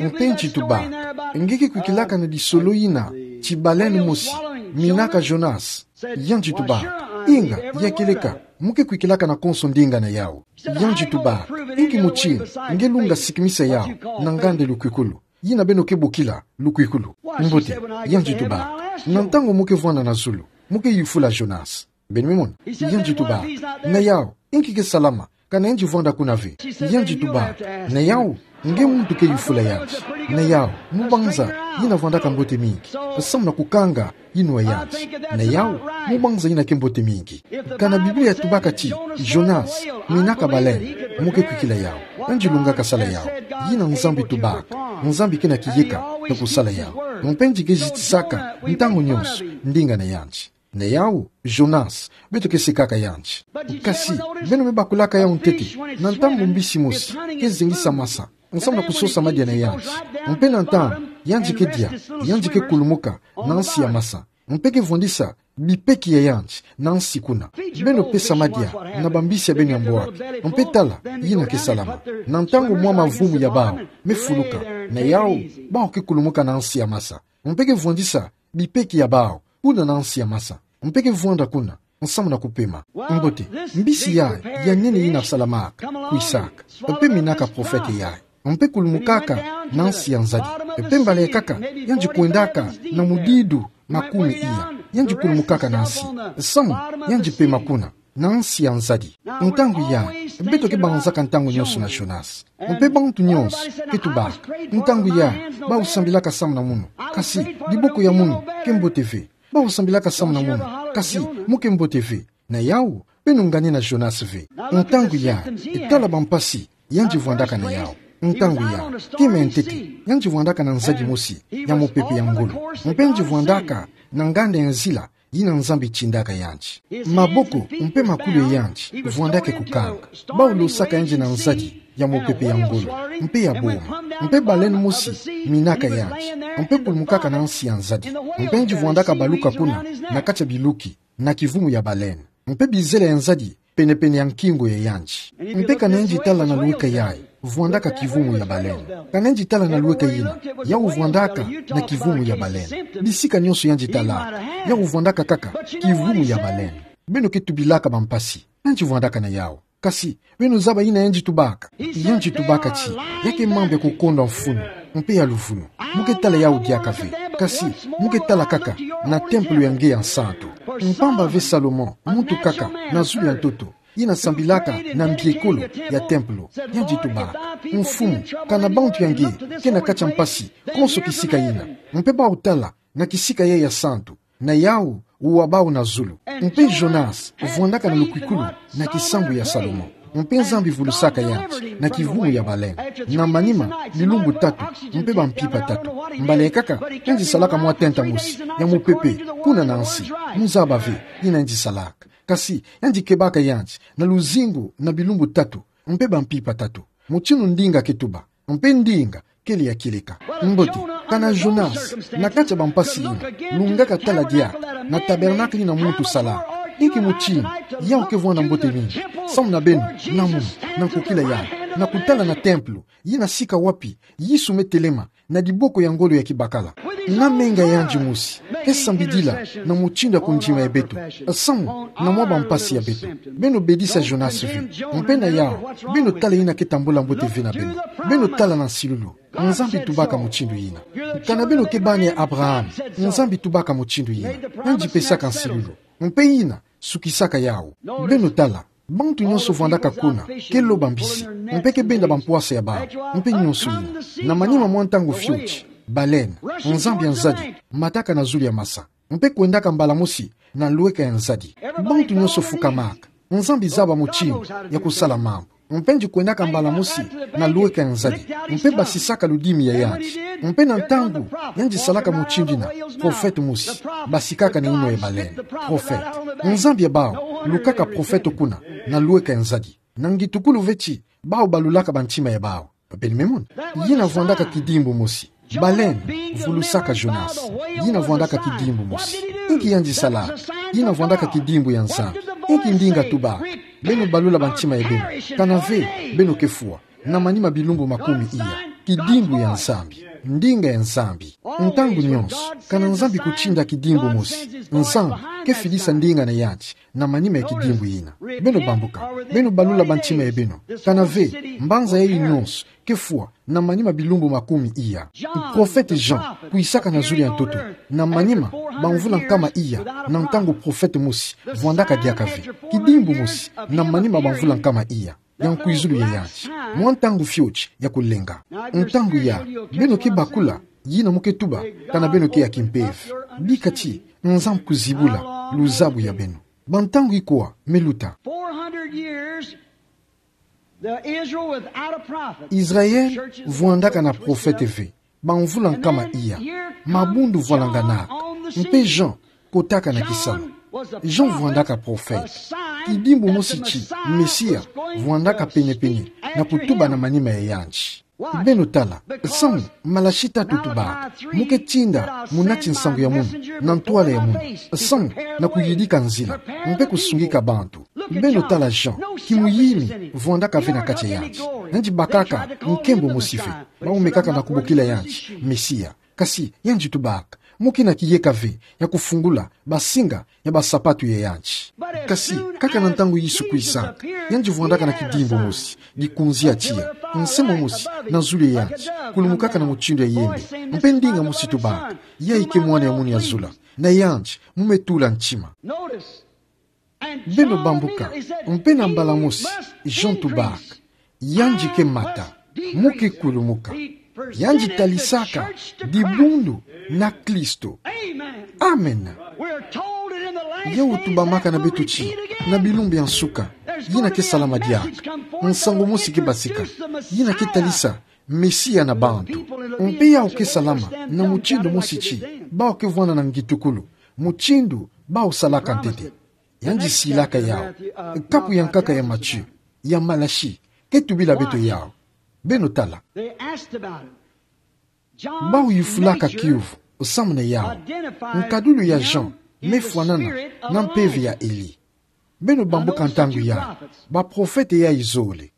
Mpe yandi tubaka: Nge ke kwikilaka na disolo yina ti baleine mosi minaka Jonas? Yandi tubaka: Inga, ya kieleka, mu ke kwikilaka na konso ndinga na yawu. Yandi tubaka: Inki mutinu nge lunga sikimisa yawu na nganda lukwikulu, yina beno ke bokila lukwikulu? Mbote, yandi tubaka: Na ntangu mu ke vwanda na zulu, mu ke yufula Jonas. Beno me mona, yandi tubaka: Na yawu, inki ke salama kana yandi vwanda kuna ve? Yandi tubaka: Na yawu, nge muntu ke yufula yandi. Na yawu, mubanza yina vwandaka mbote mingi samu na kukanga yinwa yandi. Na yawu, mubanza yina ke mbote mingi. Kana Biblia tubaka ti Jonas minaka baleine, mu ke kwikila yawu. Yandi lungaka sala yawu. Yina Nzambi tubaka. Nzambi ke na kiyeka na kusala yawu. Mpe yandi ke zitisaka ntangu nyonso ndinga na yandi. Na yawu, Jonas, beto ke sekaka yandi. Kasi, beno me bakulaka yawu ntete, na ntangu mbisi mosi ke zengisa masa samu na kusosa madia na yandi. Mpe na ntangu yandi ke dia, yandi ke kulumuka na nsi ya masa. Mpe ke vwandisa bipeki ya yandi na nsi kuna. Beno pesa madia na bambisi ya beno ya mbwaki. Mpe tala yina ke salama. Na ntangu mwa mavumu ya bawu me fuluka, na yawu bawu ke kulumuka na nsi ya masa. Mpe ke vwandisa bipeki ya bawu kuna na nsi ya masa. Mpe ke vwanda kuna nsamu na kupema. Mbote, mbisi yayi ya nene yina salamaka, kwisaka, mpe minaka profete yayi, mpe kulumukaka na nsi ya nzadi. Mpe mbala ekaka yandi kwendaka na mudidu makumi iya, yandi kulumukaka na nsi, samu yandi pema kuna na nsi ya nzadi. Ntangu yayi, beto ke banzaka ntangu nyonso na Jonas. Mpe bantu nyonso ke tubaka. Ntangu yayi, bawu sambilaka samu na munu, kasi diboko ya munu ke mbote ve. Bawu sambilaka samu na munu, kasi mu ke mbote ve. Na yawu, beno ngani na Jonas ve. Ntangu yayi, tala bampasi yandi vwandaka na yawu. Ntangu yayi, kima ya ntete, yandi vwandaka na nzadi mosi ya mupepe ya ngolo. Mpe yandi vwandaka na nganda ya nzila yina Nzambi tindaka yandi. Maboko mpe makulu ya yandi vwandaka kukanga. Bawu losaka yandi na nzadi ya mupepe ya ngolo mpe ya boma. Mpe baleine mosi minaka yandi, mpe kulumukaka na nsi ya nzadi. Mpe yandi vwandaka baluka kuna na kati ya biluki na kivumu ya baleine. Mpe bizele ya nzadi penepene ya nkingo ya yandi. Mpe kana yandi tala na lweka yayi, vwandaka kivumu ya baleine. Kana yandi tala na lweka yina, yawu vwandaka na kivumu ya baleine. Bisika nyonso yandi tala, yawu vwandaka kaka kivumu ya baleine. Beno ke tubilaka bampasi yandi vwandaka na yawu. Kasi beno zaba yina yandi tubaka. Yandi tubaka ti ya ke mambu ya kukondwa mfunu mpe ya luvunu. Mu ke tala yawu diaka ve, kasi mu ke tala kaka na tempelo ya nge ya nsantu. Mpamba ve Salomon, muntu kaka na zulu ya ntoto, yina sambilaka na mbiekolo ya tempelo, yandi tubaka: Mfumu, kana bantu ya nge ke na kati ya mpasi konso kisika yina, mpe bawu tala na kisika yayi ya santu, na yawu wa bawu na zulu. Mpe Jonas vwandaka na lukwikulu na kisambu ya Salomon. Mpe Nzambi vulusaka yandi na kivumu ya baleine. Na manima bilumbu tatu mpe bampimpa tatu, mbala ekaka yandi salaka mwa tenta mosi ya mupepe kuna na nsi. Mu zaba ve yina yandi salaka. Kasi yandi kebaka yandi na luzingu na bilumbu tatu mpe bampimpa tatu, mutindu ndinga ke tuba. Mpe ndinga kele ya kieleka. Mbote, kana Jonas, na kati ya bampasi yina, lungaka tala diaka na tabernacle yina muntu sala? Inki mutindu yawu ke vwanda mbote mingi samu na beno, na munu, na nkokila yayi, na kutala na tempelo, yina sika wapi Yesu me telema na diboko ya ngolo ya kibakala, na menga yandi mosi ke sambidila na mutindu ya kondima ya beto, samu na mwa bampasi ya beto? Beno bedisa Jonas ve. Mpe na yawu, beno tala yina ke tambula mbote ve na beno. Beno tala na nsilulu. Nzambi tubaka mutindu yina. Kana beno ke bana ya Abraham, Nzambi tubaka mutindu yina. Yandi pesaka nsilulu. Mpe yina sukisaka yawu. Beno tala, bantu nyonso vwandaka kuna ke loba mbisi, mpe ke benda bampwasa ya bawu, mpe nyonso yina. Na manima mwa ntangu fioti, baleine, nzambi ya nzadi, mataka na zulu ya masa, mpe kwendaka mbala mosi na lweka ya nzadi. Bantu nyonso fukamaka. Nzambi zaba mutindu ya kusala mambu. Mpe yandi kwendaka mbala mosi na lweka ya nzadi, mpe basisaka ludimi ya yandi. Mpe na ntangu yandi salaka mutindu yina, profete mosi basikaka na yinwa ya baleine. Profete. Nzambi ya bawu lukaka profete kuna na lweka ya nzadi. Na ngitukulu ve ti bawu balulaka bantima ya bawu. Beno me mona. Yina vwandaka kidimbu mosi. Baleine vulusaka Jonas. Yina vwandaka kidimbu mosi. Inki yandi salaka? Yina vwandaka kidimbu ya Nzambi. Inki ndinga tubaka? Beno balula bantima ya beno. Kana ve beno ke fwa na manima bilumbu makumi iya. Kidimbu ya Nzambi. Ndinga ya Nzambi. Ntangu nyonso, kana Nzambi kutinda kidimbu mosi, Nzambi ke fidisa ndinga na yandi na manima ya kidimbu yina. Beno bambuka. Beno balula bantima ya beno. Kana ve mbanza yayi nyonso ke fwa na manima bilumbu makumi iya. Profete Jean kwisaka na zulu ya ntoto na manima bamvula nkama iya, na ntangu profete mosi vwandaka diaka ve. Kidimbu mosi na manima bamvula nkama iya ya nkwizulu ya yandi. Mwa ntangu fioti ya kulenga. Ntangu yayi, beno ke bakula yina mu ke tuba kana beno ke ya kimpeve. Bika ti Nzambi kuzibula luzabu ya beno. Bantangu ikwa me luta? Four hundred years, the Israel without a prophet. Israel vwandaka na profete ve. Bamvula nkama iya, mabundu vwalanganaka, mpe Jean kotaka na kisalu. Jean vwandaka profete. Kidimbu mosi ti Mesia vwandaka penepene na kutuba na manima ya yandi. Beno tala, samu malashi tatu tubaka, mu ke tinda mu nati nsangu ya munu na ntwala ya munu, samu na kuyidika nzila, mpe kusungika bantu. Beno tala Jean, kimuyimi, vwandaka ve na kati ya yanti. Yandi bakaka nkembo mosi ve, baumekaka na kubokila yanti Mesia. Kasi yandi tubaka, mu kina kiyeka ve ya kufungula basinga ya basapatu ya yanti. Kasi kaka na ntangu Yesu kwisaka, yandi vwandaka na kidimbu mosi, dikunzi ya tiya, nse momosi na zulu ya yanti, kulumukaka na mutindu ya yembe, mpe ndinga mosi tubaka: "Yayi ke Mwana ya munu ya zola, na yandi mu me tula ntima." Beno bambuka, mpe na mbala mosi Jean tubaka: "Yandi ke mata, mu ke kulumuka. Yandi talisaka dibundu na Kristo." Amen. Yawu tubamaka na beto ti, na bilumbu ya nsuka, yina ke salama diaka, nsangu mosi ke basika, yina ke talisa Mesia na bantu. Mpe yawu ke salama na mutindu mosi ti, bawu ke vwanda na ngitukulu, mutindu bawu salaka ntete. Yandi silaka yawu. Kapu ya nkaka ya Matthieu, ya Malachie, ke tubila beto yawu. Beno tala. Bawu yufulaka kiuvu samu na yawu. Nkadulu ya Jean me fwanana na mpeve ya Elie. Beno bambuka ntangu yayi, baprofete yayi zole.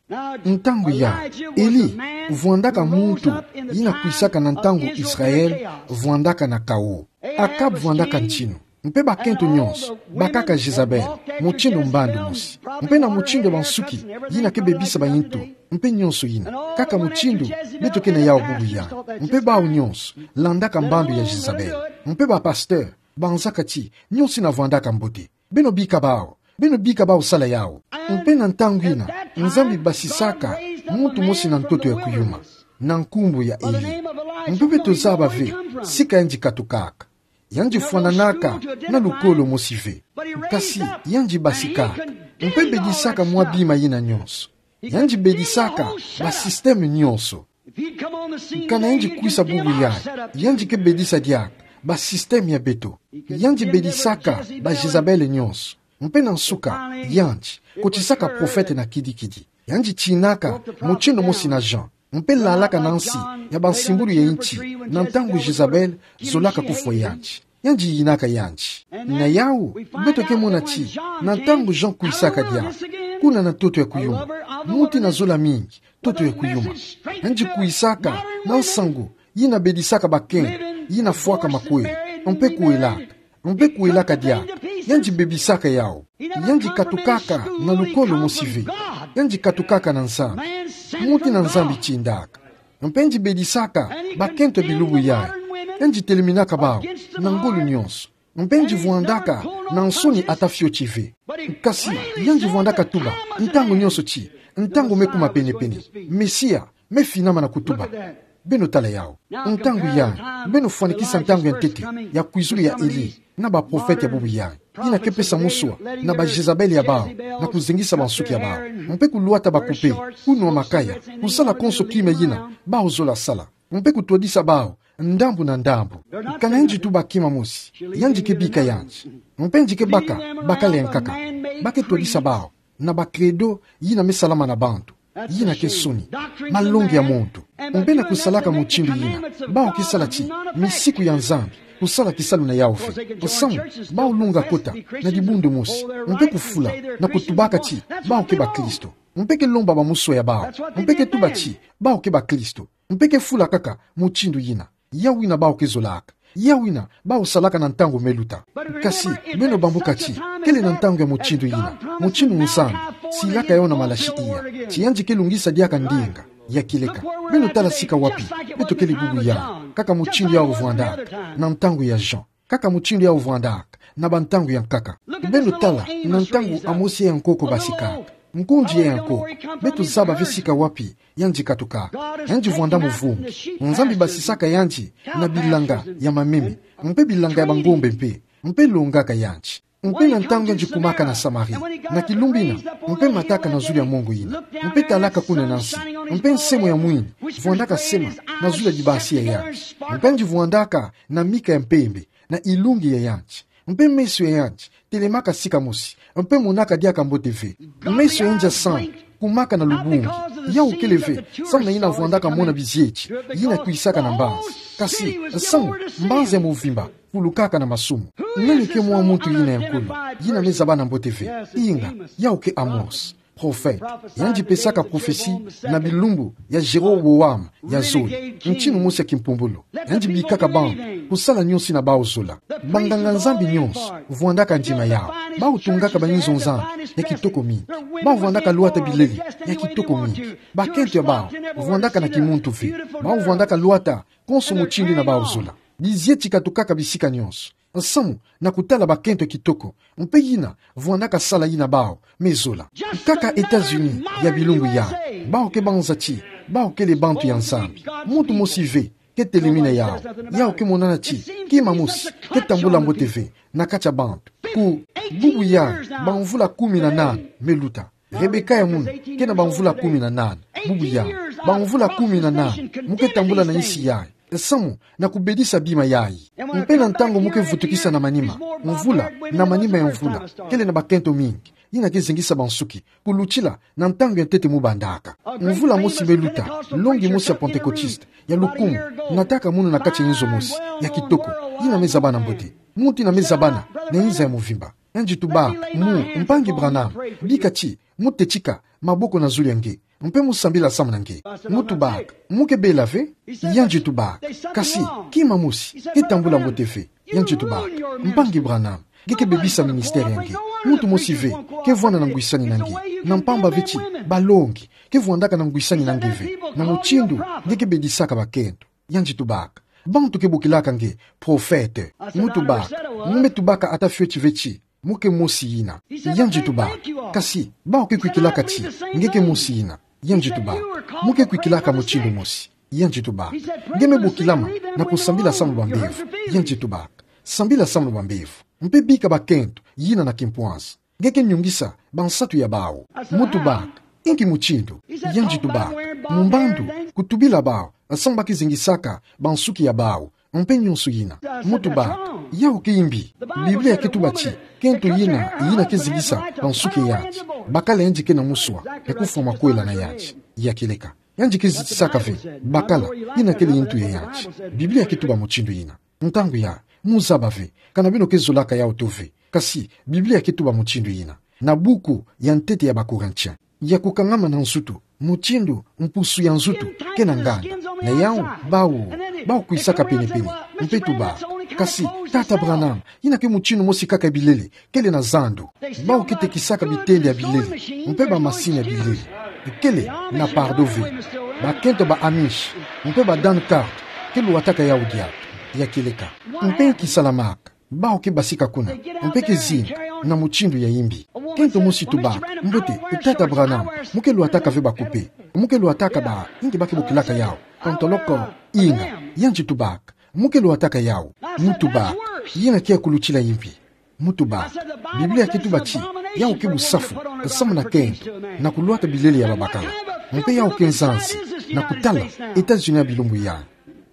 Ntangu yayi, Elie vwandaka muntu yina kwisaka na ntangu Israël vwandaka na chaos. Akab vwandaka ntinu, mpe bakento nyonso bakaka Jezabel, mutindu mbandu mosi, mpe na mutindu bansuki yina ke bebisa bayintu, mpe nyonso yina. Kaka mutindu beto ke na yawu bubu yayi. Mpe bawu nyonso landaka mbandu ya Jezabel. Mpe bapasteur banzaka ti nyonso yina vwandaka mbote. Beno bika bawu, beno bika bawu sala yawu. Mpe na ntangu yina, Nzambi basisaka muntu mosi na ntoto ya kuyuma, na nkumbu ya Elie. Mpe beto zaba ve sika yandi katukaka. Yandi fwananaka na lukolo mosi ve. Kasi yandi basikaka. Mpe bedisaka mwa bima yina nyonso. Yandi bedisaka basystème nyonso. Kana yandi kwisa bubu yayi, yandi ke bedisa diaka basystème ya beto. Yandi bedisaka baJezabel nyonso. Mpe na nsuka, yandi kotisaka profete na kidikidi. Yandi tinaka mutindu mosi na Jean, mpe lalaka na nsi ya bansimbulu ya yinti, na ntangu Jezabel zolaka kufwa yandi. Yandi yinaka yandi. Na yawu, beto ke mona ti, na ntangu Jean kwisaka diaka, kuna na ntoto ya kuyuma, muntu yina zola mingi, ntoto ya kuyuma, yandi kwisaka na nsangu yina bedisaka bakento yina fwaka makwela, mpe kwelaka, mpe kwelaka diaka. Yandi bebisaka yawu. Yandi katukaka na lukolo mosi ve. Yandi katukaka na Nzambi. Muntu yina Nzambi tindaka. Mpe yandi bedisaka bakento ya bilumbu yayi. Yandi teleminaka bawu na ngolo nyonso. Mpe yandi vwandaka na nsoni ata fioti ve. Kasi yandi vwandaka tuba ntangu nyonso ti, ntangu me kuma penepene, Mesia me finama na kutuba. Beno tala yawu. Ntangu yayi, beno fwanikisa ntangu ya ntete ya kwizulu ya Elie na baprofete ya bubu yayi, yina ke pesa muswa na baJezabel ya bawu na kuzengisa bansuki ya bawu, mpe kulwata bakupe, kunwa makaya, kusala konso kima yina bawu zola sala, mpe kutwadisa bawu ndambu na ndambu. Kana yandi tuba kima mosi, yandi ke bika yandi. Mpe yandi ke baka bakala ya nkaka. Ba ke twadisa bawu na ba credo yina me salama na bantu, yina ke nsoni, malongi ya muntu. Mpe na kusalaka mutindu yina, bawu ke sala ti misiku ya Nzambi kusala kisalu na yawu ve. Samu bawu lunga kota na dibundu mosi, mpe kufula na kutubaka ti bawu ke bakristo. Mpe ke lomba bamuswa ya bawu, mpe ke tuba ti bawu ke bakristo. Mpe ke fula kaka mutindu yina. Yawu yina bawu ke zolaka. Yawu yina bawu salaka na ntangu me luta. Kasi beno bambuka ti, kele na ntangu ya mutindu yina, mutindu Nzambi silaka yawu na Malachie iya, ti yandi ke lungisa diaka ndinga ya kieleka. Beno tala sika wapi beto kele bubu yayi. Kaka mutindu yawu vwandaka na ntangu ya Jean. Kaka mutindu yawu vwandaka na bantangu ya nkaka. Beno tala na ntangu Amosi ya nkoko basikaka, nkunzi ya nkoko. Beto zaba ve sika wapi yandi katukaka. Yandi vwanda muvungi. Nzambi basisaka yandi na bilanga ya mameme, mpe bilanga ya bangombe mpe, mpe longaka yandi. Mpe na ntangu yandi kumaka na Samarie, na kilumbu yina, mpe mataka na zulu ya mongo yina, mpe talaka kuna na nsi, mpe nsemo ya mwini vwandaka sema na zulu ya dibasi ya yandi. Mpe yandi vwandaka na mika ya mpembe, na ilungi ya yandi. Mpe meso ya yandi telemaka sika mosi, mpe monaka diaka mbote ve. Meso ya yandi ya sambu kumaka na lubungi, Yau kele ve, samu na yina vwandaka mona bizieti yina kwisaka na mbanzi. Kasi, samu mbanzi ya movimba fulukaka na masumu. Nani ke mwa muntu yina ya nkulu, yina me zaba na mbote ve? Inga, yau ke Amos, profete. Yandi pesaka profesi na bilumbu ya Jeroboam ya zole, ntinu mosi ya kimpumbulu. Yandi bikaka bantu kusala nionsi na bau zola. Banganga-Nzambi nionso vwandaka ndima yau. Bau tungaka bayinzo-Nzambi ya kitoko mingi. Bau vwandaka lwata bilele ya kitoko mingi. Bakento ya bau vwandaka na kimuntu ve. Bau vwandaka lwata konso mutindu na bau zola. Bizieti katukaka bisika nionso, samu na kutala bakento ya kitoko, mpe yina vwandaka sala yina bau me zola. Kaka États-Unis ya bilumbu yai, bau ke banza ti bau kele bantu ya Nzambi. Muntu mosi ve ke telemina yau. Yau ke monana ti kima mosi ke tambula mbote ve na kati ya bantu. Ku bubu yai, bamvula kumi na nana me luta. Rebeka ya munu ke na bamvula kumi na nana. Bubu yai, bamvula kumi na nana, mu ke tambula na nsi yai, samu na kubedisa bima yai. Mpe na ntangu mu ke vutukisa na manima, mvula na manima ya mvula, kele na bakento mingi yina ke zengisa bansuki kulutila na ntangu ya ntete mu bandaka. Mvula mosi me luta, longi mosi ya Pentekotiste ya lukumu nataka munu na kati ya inzo mosi ya kitoko, yina me zabana mbote. Muntu yina me zabana na inza ya movimba. Yandi tubaka: Mu, Mpangi Branham, bika ti mu tetika maboko na zulu ya nge, mpe mu sambila samu na nge. Mu tubaka: Mu ke bela ve? Yandi tubaka: Kasi kima mosi ke tambula mbote ve. Yandi tubaka: Mpangi Branham, nge ke bebisa ministère ya nge. Muntu mosi ve ke vwanda na ngwisani na nge, na mpamba ve ti balongi ke vwandaka na ngwisani na nge ve, na mutindu nge ke bedisaka bakento. Yandi tubaka: Bantu ke bokilaka nge profete. Mu tubaka: Mu me tubaka ata fioti ve ti mu ke mosi yina. Yandi tubaka: Kasi bau ke kwikilaka ti nge ke mosi yina. Yandi tubaka: Mu ke kwikilaka mutindu mosi. Yandi tubaka: Nge me bokila ma na kusambila samu na bambevo. Yandi tubaka: Sambila samu na bambevo, mpe bika bakento yina na kimpwanza. Nge ke nyungisa bansatu ya bau. Mu tubaka: Inki mutindu? Yandi tubaka: Mu mbandu, kutubila bau samu ba ke zingisaka bansuki ya bau, mpe nionso yina. Mu tubaka: Yau ke imbi. Biblia ke tuba ti kento yina, yina ke zingisa bansuki ya yandi, bakala yandi ke na muswa ya kufwa makwela na yandi. Ya kieleka, yandi ke zitisaka ve bakala yina kele ntu ya yandi. Biblia ke tuba mutindu yina. Ntangu ya, mu zaba ve kana beno ke zolaka yau to ve. Kasi Biblia ke tuba mutindu yina na buku ya ntete ya Bakorintien. Ya kukangama na nzutu, mutindu mpusu ya nzutu ke na nganda. Na yau, bau, bau kwisaka penepene, mpe tubaka: Kasi Tata Branham, yina ke mutindu mosi kaka ya bilele, kele na zandu. Bau ke tekisaka bitende ya bilele, mpe bamasini ya bilele. Kele na pardon ve. Bakento ba Amish mpe ba Dan Carter ke lwataka yau diaka. Ya kieleka. Mpe nki salamaka? Bau ke basika kuna, mpe ke zinga na mutindu ya imbi. Kento mosi tubaka: Mbote, Tata Branham, mu ke lwataka ve bakupe? Mu ke lwataka ba, inki ba ke bokilaka yau, pantalon? Inga. Yandi tubaka: Mu ke lwataka yau. Mu tubaka: Yina ke ya kulutila imbi. Mu tubaka: Biblia ke tuba ti yau ke busafu samu na kento, na kulwata bilele ya babakala. Mpe yau ke nzansi na kutala États-Unis ya bilumbu yai.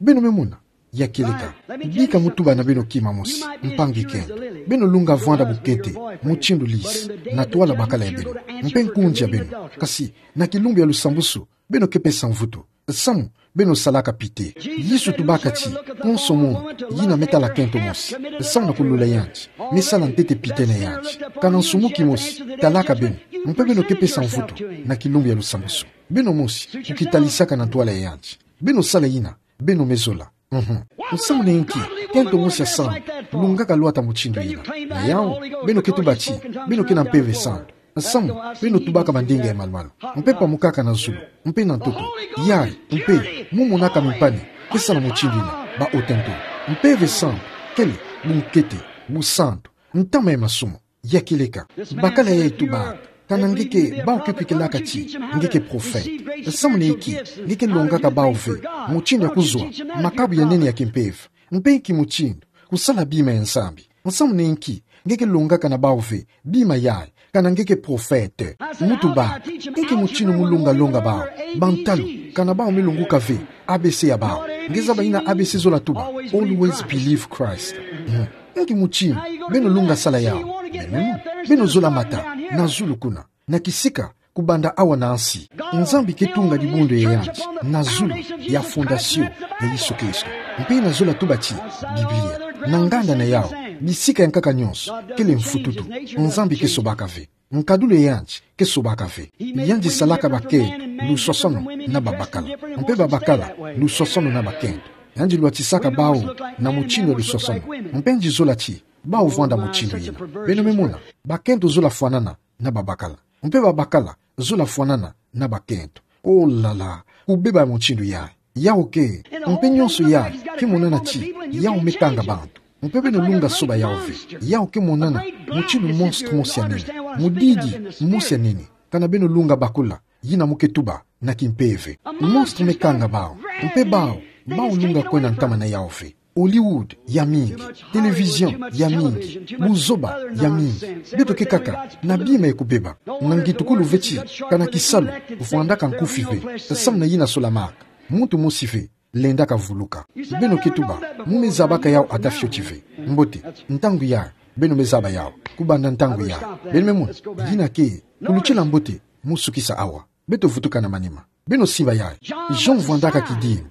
Beno me mona? Ya kieleka. Bika mu tuba na beno kima mosi, mpangi kento. Beno lunga vwanda bukete mutindu lisi na twala bakala ya beno mpe nkunzi ya beno. Kasi na kilumbu ya lusambusu, beno ke pesa mvutu samu beno salaka pite. Yesu tubaka ti konso munu yina me tala kento mosi samu na kulula yandi, me sala ntete pite na yandi. Kana nsumu kimosi talaka beno, mpe beno ke pesa mvutu na kilumbu ya lusambusu. Beno mosi kukitalisaka na ntwala ya yandi. Beno sala yina, beno me zola. Mhm. Nsamu na inki kento mosi ya santu lungaka lwata mutindu yina? Na yau, beno ke tuba ti beno ke na Mpeve Santu samu beno tubaka mandinga ya malumalu, mpe pamukaka na zulu mpe na ntoto. Yai, mpe mu monaka mimpani ke sala mutindu yina, ba hottentots. Mpeve Santu kele bunkete, busantu, ntama ya masumu. Ya kieleka. Bakala yai tubaka: Kana nge ke, bau ke kwikilaka ti nge ke profete? Nsamu na inki nge ke longaka bau ve mutindu ya kuzwa makabu ya nene ya kimpeve? Mpe nki mutindu kusala bima ya Nzambi? Nsamu na inki nge ke longaka na bau ve bima yai kana nge ke profete? Mu tubaka: Inki mutindu mu longa longa bau bantalu kana bau me longoka ve A B C ya bau? Nge zaba yina A B C zola tuba: Always believe Christ. Hmm. Inki mutindu beno lunga sala yau? Beno, beno zola mata na zulu kuna, na kisika kubanda awa na nsi. Nzambi ke tunga dibundu ya yandi na zulu, ya fondasio ya Yesu Kristo. Mpe yina zola tuba ti Biblia, na nganda na yawu, bisika ya nkaka nyonso kele mfututu. Nzambi ke sobaka ve. Nkadulu ya yandi ke sobaka ve. Yandi salaka bakento lusosono na babakala, mpe babakala lusosono na bakento. Yandi lwatisaka bawu na mutindu ya lusosono. Mpe yandi zola ti bawu vwanda mutindu yina. Beno me mona, bakento zola fwanana na babakala, mpe babakala zola fwanana na bakento. Oh là là, kubeba mutindu yayi. Yawu ke, mpe nyonso yayi ke monana ti yawu me kanga bantu. Mpe beno lunga soba yawu ve. Yawu ke monana mutindu monstre mosi ya nene, mudidi mosi ya nene. Kana beno lunga bakula yina mu ke tuba na kimpeve. Monstre me kanga bawu. Mpe bawu, bawu lunga kwenda ntama na yawu ve. Hollywood ya mingi, télévision ya mingi, buzoba ya mingi. Beto ke kaka na bima ya kubeba. Na ngitukulu ve ti kana kisalu vwandaka nkufi ve, nsamu na yina solamaka, muntu mosi ve lendaka vuluka. Beno ke tuba, mu me zabaka yawu ata fioti ve. Mbote, ntangu yayi beno me zaba yawu. Kubanda ntangu yayi, beno me mona, yina ke kulutila mbote mu sukisa awa. Beto vutuka na manima. Beno simba yayi. Jean vwandaka kidimbu.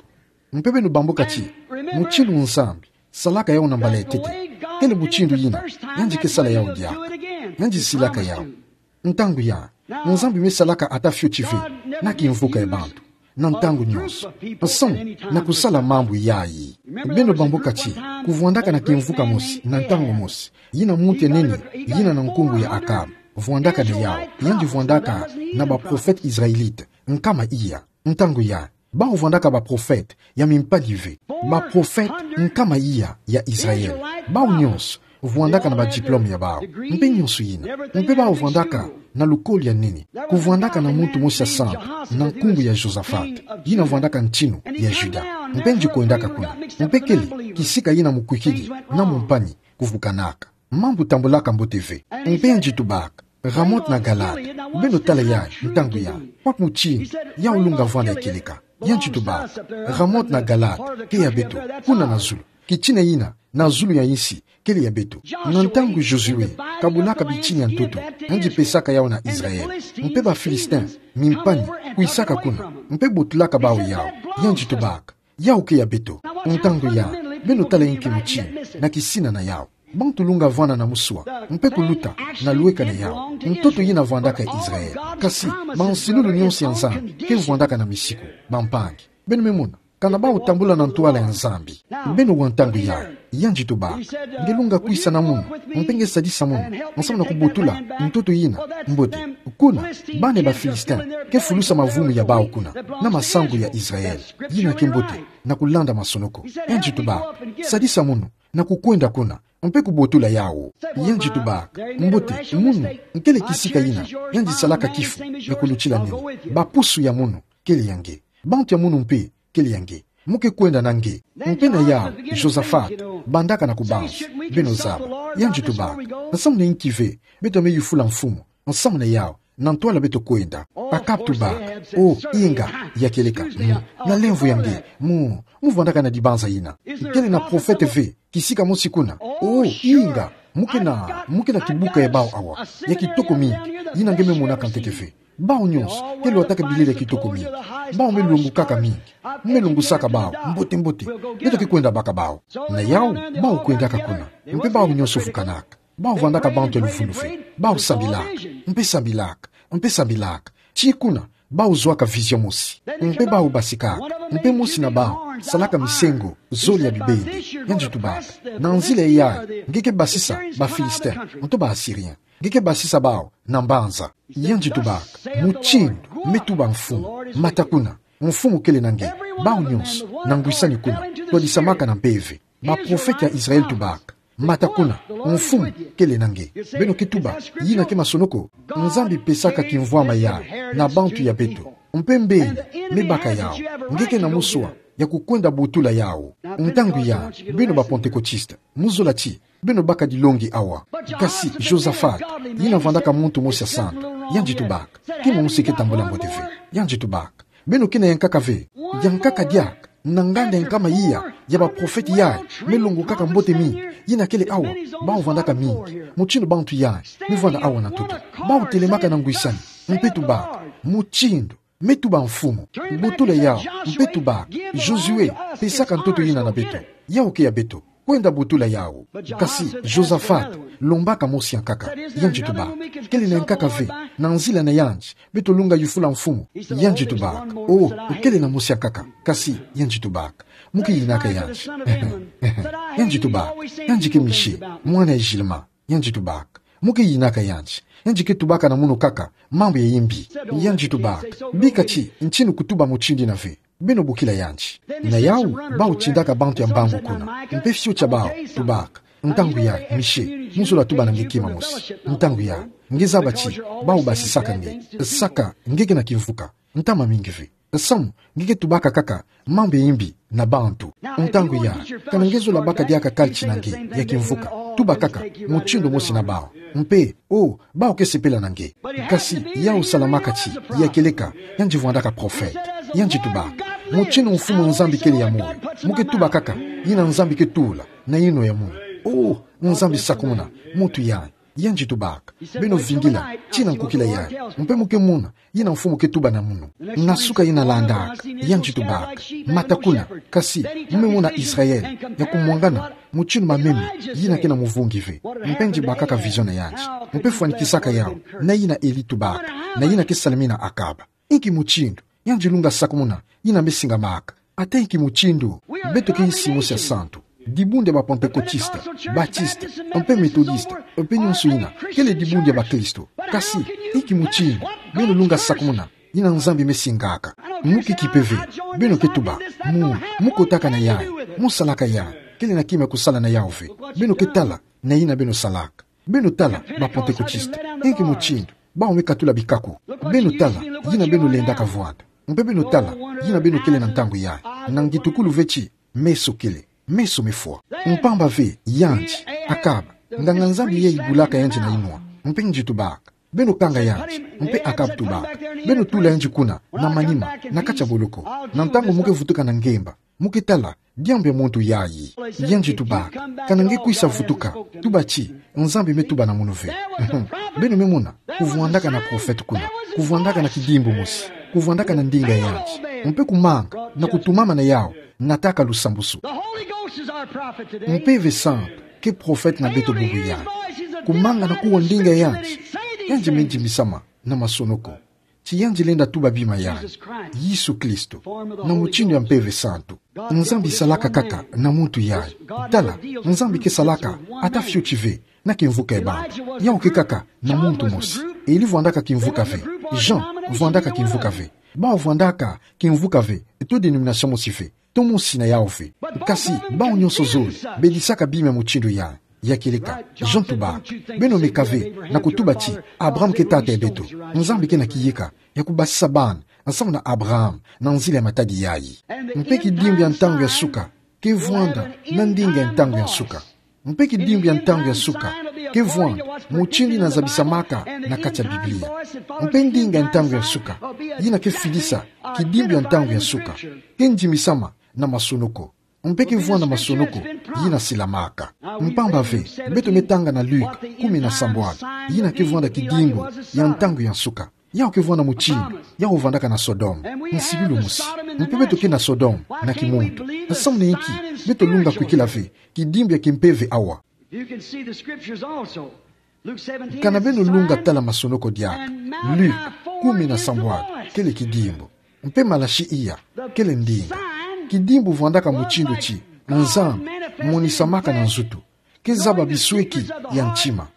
Mpe beno bamboka ti mutindu Nzambi salaka yawu na mbala ya ntete, kele mutindu yina yandi ke sala yawu diaka. Yandi silaka yawu. Ntangu yayi, Nzambi me salaka ata fioti ve na kimvuka ya bantu, na ntangu nyonso, nsamu na kusala mambu yayi. Beno bamboka ti kuvwandaka na kimvuka mosi na ntangu mosi, yina muntu ya nene yina na nkumbu ya Akab vwandaka na yawu. Yandi vwandaka na baprofete Israélite nkama iya. Ntangu yayi, bawu vwandaka baprofete ya mimpadi ve. Baprofete nkama iya ya Israël. Bawu nyonso vwandaka na badiplome ya bawu, mpe nyonso yina. Mpe bawu vwandaka na lukolo ya nene. Kuvwandaka na muntu mosi ya santu na nkumbu ya Josaphat, yina vwandaka ntinu ya Juda. Mpe yandi kwendaka kuna. Mpe kele kisika yina mukwikidi na mumpani kuvukanaka. Mambu tambulaka mbote ve. Mpe yandi tubaka, Ramoth na Galaad. Beno tala yayi, ntangu yayi, kwa mutindu yawu lunga vwanda ya kieleka. Yandi tubaka, Ramoth na Galaad ke ya beto, kuna na zulu. Kitina yina na zulu ya insi kele ya beto. Na ntangu Josué kabulaka bitini ya ntoto, yandi pesaka yawu na Israël. Mpe baPhilistin, mimpani, kwisaka kuna, mpe botulaka bawu yawu. Yandi tubaka, yawu ke ya beto. Ntangu yayi, beno tala inki mutindu na kisina na yawu. Bantu lunga vwanda na muswa, mpe kuluta na lweka na yawu. Ntoto yina vwandaka Israël. Kasi bansilulu nyonso ya Nzambi ke vwandaka na misiku. Bampangi, beno me mona, kana bawu tambula na ntwala ya Nzambi. Beno wa ntangu yayi, yandi tubaka, nge lunga kwisa na munu, mpe nge sadisa munu, nsamu na kubotula ntoto yina. Mbote, kuna, bana ya baPhilistin ke fulusa mavumu ya bawu kuna, na masangu ya Israël, yina ke mbote na kulanda masonoko. Yandi tubaka, sadisa munu na kukwenda kuna, mpe kubotula yawu. Yandi tubaka, mbote, munu, nkele kisika yina yandi salaka kifu ya kulutila nene. Bapusu ya munu kele ya nge. Bantu ya munu mpe kele ya nge. Mu ke kwenda na nge. Mpe na yawu, Josaphat bandaka na kubanza, beno zaba. Yandi tubaka, nsamu na inki ve beto me yufula mfumu? Nsamu na yawu, na ntwala beto kwenda. Akab tubaka, oh, inga, ya kieleka, mu, na lemvo ya nge, mu, mu vwandaka na dibanza yina. Kele na profete ve kisika mosi kuna. Oh, inga, mu ke na, mu ke na kibuka ya bawu awa, ya kitoko mingi, yina nge me monaka ntete ve. Bawu nyonso ke lwataka bilele ya kitoko mingi. Bawu me longokaka mingi. Mu me longosaka bawu mbote mbote. Beto ke kwenda baka bawu. Na yawu, bawu kwendaka kuna. Mpe bawu nyonso vukanaka. Bawu vwandaka bantu ya luvunu ve. Bawu sambilaka, mpe sambilaka, mpe sambilaka. Tii kuna, bawu zwaka vision mosi. Mpe bawu basikaka. Mpe mosi na bawu salaka misengo zole ya bibende. Yandi tubaka, na nzila yayi, nge ke basisa baPhilistin, nto baAssyrien. Nge ke basisa bawu na mbanza. Yandi tubaka, mutindu me tuba mfumu, mata kuna. Mfumu kele na nge. Bawu nyonso na ngwisani kuna, twadisamaka na mpeve. Baprofete ya Israël tubaka, mata kuna. Mfumu kele na nge. Beno ke tuba, yina ke masonoko? Nzambi pesaka kimvwama yayi na bantu ya beto. Mpe mbeni me baka yawu? Nge ke na muswa ya kukwenda botula yawu. Ntangu yayi, beno bapentekotiste, mu zola ti beno baka dilongi awa. Kasi Josaphat, yina vwandaka muntu mosi ya santu, yandi tubaka, kima mosi ke tambula mbote ve. Yandi tubaka, beno ke na yankaka ve? Yankaka diaka, na nganda ya nkama iya ya baprofete yayi me longokaka mbote mingi, yina kele awa. Bawu vwandaka mingi mutindu bantu yayi me vwanda awa na ntoto. Bawu telemaka na ngwisani. Mpe tubaka: Mutindu, me tuba mfumu. Butula yawu. Mpe tubaka: Josué, pesaka ntoto yina na beto. Yawu ke ya beto. Kwenda butula yawu. Kasi Josaphat, lombaka mosi ya nkaka. Yandi tubaka: Kele na ya nkaka ve. Na nzila na yandi, beto lunga yufula mfumu. Yandi tubaka: Oh, kele na mosi ya nkaka. Kasi yandi tubaka: Mu ke yinaka yandi? Yandi tubaka: Yandi ke Michée, mwana ya Gilman. Yandi tubaka: Mu ke yinaka yandi? Yandi ke tubaka na mono kaka mambu ya yimbi. Yandi tubaka: Bika ti ntinu kutuba mutindu yina ve. Beno bokila yandi. Na yawu, bawu tindaka bantu ya mbangu kuna. Mpe fioti ya bawu tubaka: Ntangu yayi, Michée, mu zola tuba na nge kima mosi. Ntangu yayi, nge zaba ti bawu basisaka nge. Saka nge ke na kimvuka. Ntama mingi ve. Samu nge ke tubaka kaka mambu ya yimbi na bantu. Ntangu yayi, kana nge zola baka diaka kaliti na nge ya kimvuka, tuba kaka mutindu mosi na bawu. Mpe, oh, bawu ke sepela na nge. Kasi yawu salamaka ti, ya kieleka, yandi vwandaka prophète. Yandi tubaka: Mutindu Mfumu Nzambi kele ya moyo, mu ke tuba kaka yina Nzambi ke tula na yinwa ya moyo. Oh, Nzambi sakumuna muntu yayi. Yandi tubaka: Beno vingila tii na nkukila yayi, mpe mu ke mona yina Mfumu ke tuba na mono. Na suka yina landaka, yandi tubaka: Mata kuna, kasi mu me mona Israël ya kumwangana mutindu mamemi yina ke na muvungi ve. Mpe yandi bakaka vision na yandi, mpe fwanikisaka yawu na yina Élie tubaka, na yina ke salamina Akab. Inki mutindu yandi lunga sakumuna yina me singamaka? Ata inki mutindu, beto ke yisi mosi ya santu. Dibundu ya ba Pentecôtiste, Baptiste, mpe Méthodiste, mpe nyonso yina kele dibundu ya bakristo. Kasi inki mutindu beno lunga sakumuna yina Nzambi me singaka? Mu ke kipe ve. Beno ke tuba: Mu, mu kotaka na yayi, mu salaka yayi. Kele na kima ya kusala na yawu ve. Beno ke tala na yina beno salaka. Beno tala ba Pentecôtiste. Inki mutindu bawu me katula bikaku? Beno tala yina beno lendaka vwanda. Mpe beno tala yina beno kele na ntangu yayi. Na ngitukulu ve ti meso kele, meso me fwa. Mpamba ve yandi, Akab, nganga-Nzambi ye ibulaka yandi na yinwa. Mpe yandi tubaka: Beno kanga yandi. Mpe Akab tubaka: Beno tula yandi kuna na manima, na kati ya boloko. Na ntangu mu ke vutuka na ngemba, mu ke tala diambu ya muntu yayi. Yandi tubaka: Kana nge kwisa vutuka, tuba ti Nzambi me tuba na mono ve. Beno me mona kuvwandaka na prophète kuna, kuvwandaka na kidimbu mosi, kuvwandaka na ndinga ya yandi, mpe kumanga na kutumama na yawu, nataka lusambusu. Mpeve Santu ke prophète na beto bubu yayi. Kumanga na kuwa ndinga ya yandi, yandi me ndimbisama na masonoko ti yandi lenda tuba bima yayi, Yesu Kristo, na mutindu ya Mpeve Santu. Nzambi salaka kaka na muntu yayi. Tala, Nzambi ke salaka ata fioti ve na kimvuka ya bantu. Yawu ke kaka na muntu mosi. Élie vwandaka kimvuka ve. Jean vwandaka kimvuka ve. Bawu vwandaka kimvuka ve to dénomination mosi ve, to mosi na yawu ve. Kasi bawu nyonso zole bedisaka bima ya mutindu yayi. Ya kieleka, Jean tubaka: Beno meka ve na kutuba ti Abraham ke tata ya beto? Nzambi ke na kiyeka ya kubasisa bana nsamu na Abraham na nzila ya matadi yayi. Mpe kidimbu ya ntangu ya suka ke vwanda na ndinga ya ntangu ya suka. Mpe kidimbu ya ntangu ya suka ke vwanda mutindu yina zabisamaka na kati ya Biblia. Mpe ndinga ya ntangu ya suka yina ke fidisa kidimbu ya ntangu ya suka ke ndimbisama na masonoko. Mpe ke vwanda masonoko yina silamaka. Mpamba ve, beto me tanga na Luke kumi na sambwadi, yina ke vwanda kidimbu ya ntangu ya nsuka. Yawu ke vwanda mutindu yawu vwandaka na Sodome, nsilu mosi. Mpe beto ke na Sodome na kimuntu. Nsamu na inki beto lunga kwikila ve kidimbu ya kimpeve awa? You can see the scriptures also. Kana beno lunga tala masonoko diaka. Luke kumi na sambwadi kele kidimbu. Mpe Malaki iya kele ndinga. Kidimbu vwandaka mutindu ti Nzambi monisamaka na nzutu, ke zaba bisweki ya ntima.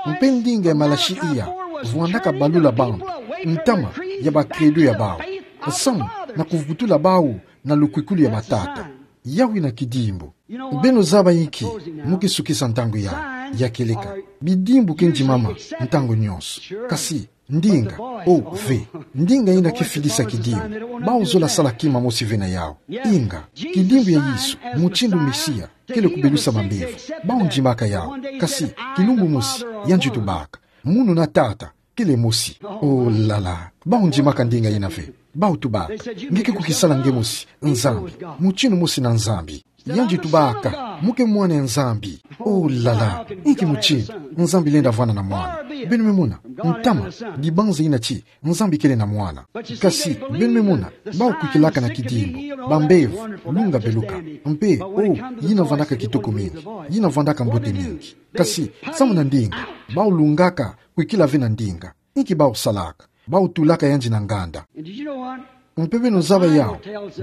Mpe ndinga ya Malaki iya vwandaka balula bantu ntama ya ba credo ya bawu, nsamu na kuvutula bawu na lukwikulu ya matata. Yawu ina kidimbu. Beno zaba inki? Mu ke sukisa ntangu yayi. Ya kieleka, bidimbu ke ndimama ntangu nyonso. Kasi ndinga, o ve, ndinga ina ke fidisa kidimbu, bawu zola sala kima mosi ve na yawu. Inga, kidimbu ya Yesu mutindu Mesia kele kubelusa mambevo. Bawu ndimaka yawu. Kasi kilumbu mosi yandi tubaka: Munu na Tata kele mosi. Oh là là, bawu ndimaka ndinga ina ve. Bau tubaka: Nge ke kukisala nge mosi, Nzambi. Mutindu mosi na Nzambi. Yandi tubaka: Mo ke mwana ya Nzambi. Oh là là, inki mutindu Nzambi lenda vwanda na mwana? Beno me mona, ntama, dibanza ina ti Nzambi kele na mwana. Kasi, beno me mona, bau kwikilaka na kidimbu, bambevo, lunga beluka. Mpe, oh, yina vwandaka kitoko mingi, yina vwandaka mbote mingi. Kasi, samu na ndinga, bau lungaka kwikila ve na ndinga. Inki bau salaka? Bau tulaka yandi na nganda. Mpe beno zaba yawu,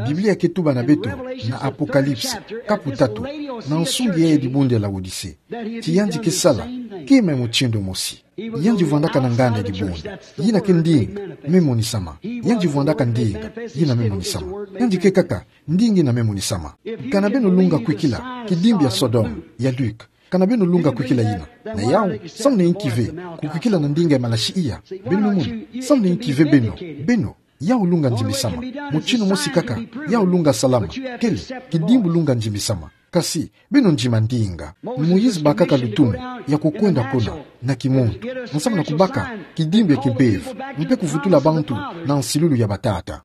Biblia ke tuba na beto na Apocalypse, kapu tatu, na nsungi ya dibundu ya Laodicée, ti yandi ke sala kima ya mutindu mosi. Yandi vwandaka na nganda ya dibundu. Yina ke ndinga me monisama. Yandi vwandaka ndinga yina me monisama. Yandi ke kaka ndinga yina me monisama. Kana beno lunga kwikila kidimbu ya Sodome, ya Luc, kana beno lunga kwikila yina, na yawu, samu na inki ve kukwikila na ndinga ya Malachie iya? Beno me mona, samu na inki ve beno, beno, yawu lunga ndimbisama. Mutindu mosi kaka, yawu lunga salama. Kele, kidimbu lunga ndimbisama. Kasi, beno ndima ndinga. Moïse bakaka lutumu ya kukwenda kuna, na kimuntu, nsamu na kubaka kidimbu ya kimbevo, mpe kuvutula bantu na nsilulu ya batata.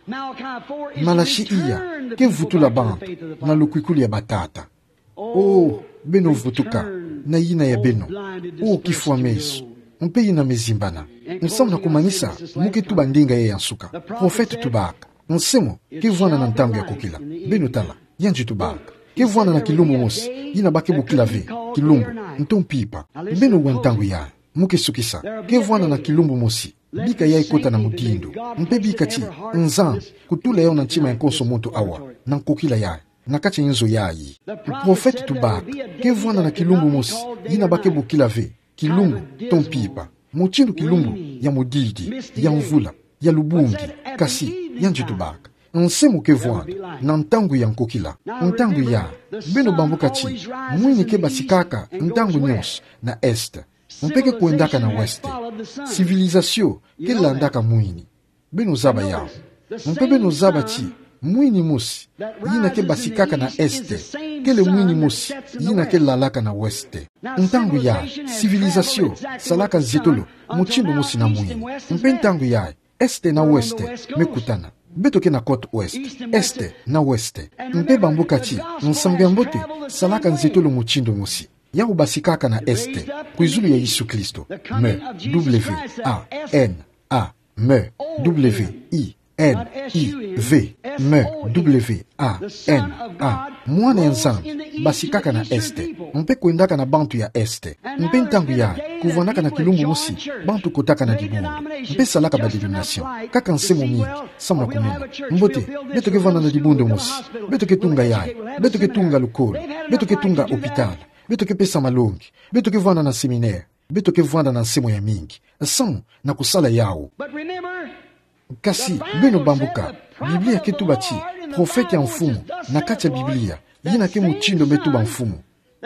Malachie iya ke vutula bantu na lukwikulu ya batata. Oh, beno vutuka na yina ya beno. Oh, kifwa meso, mpe yina me zimbana. Nsamu na kumanisa, mo ke tuba ndinga yayi ya nsuka. Prophète tubaka: Nse mo ke vwanda na ntangu ya kukila. Beno tala, yandi tubaka: Ke vwanda na kilumbu mosi yina ba ke bokila ve kilumbu nto mpimpa. Beno wa ntangu yayi, mo ke sukisa. Ke vwanda na kilumbu mosi, bika yayi kota na mudindu, mpe bika ti Nzambi kutula yawu na ntima ya konso muntu awa, na nkokila yayi, na kati ya inzo yayi. Prophète tubaka: Ke vwanda na kilumbu mosi yina ba ke bokila ve kilumbu nto mpimpa, mutindu kilumbu ya mudidi, ya mvula, ya lubungi. Kasi, yandi tubaka: Nse mo ke vwanda na ntangu ya nkokila. Ntangu yayi, beno bambuka ti mwini ke basikaka ntangu nyonso na Est, mpe ke kwendaka na Ouest. Civilisation ke landaka mwini. Beno zaba yawu. Mpe beno zaba ti mwini mosi yina ke basikaka na Est kele mwini mosi yina ke lalaka na Ouest. Ntangu yayi, civilisation salaka nzietolo mutindu mosi na mwini. Mpe ntangu yayi, Est na Ouest me kutana. Beto ke na côte Ouest, Est na Ouest. Mpe bambuka ti nsangu ya mbote salaka nzietolo mutindu mosi. Yawu basikaka na Est, kwizulu ya Yesu Kristo. M, W, A, N, A, M, W, I, N, I, V. M, W, A, N, A. Mwana ya Nzambi basikaka na Est, mpe kwendaka na bantu ya Est. Mpe ntangu yayi, kuvwandaka na kilumbu mosi bantu kotaka na dibundu, mpe salaka ba dénomination. Kaka nsemo mingi, samu na kumona. Mbote, beto ke vwanda na dibundu mosi. Beto ke tunga yayi. Beto ke tunga lukolo. Beto ke tunga hôpital. Beto ke pesa malongi. Beto ke vwanda na séminaire. Beto ke vwanda na nsemo ya mingi, samu na kusala yawu. Kasi, beno bambuka, Biblia ke tuba ti prophète ya Mfumu na kati ya Biblia, yina ke mutindu me tuba Mfumu.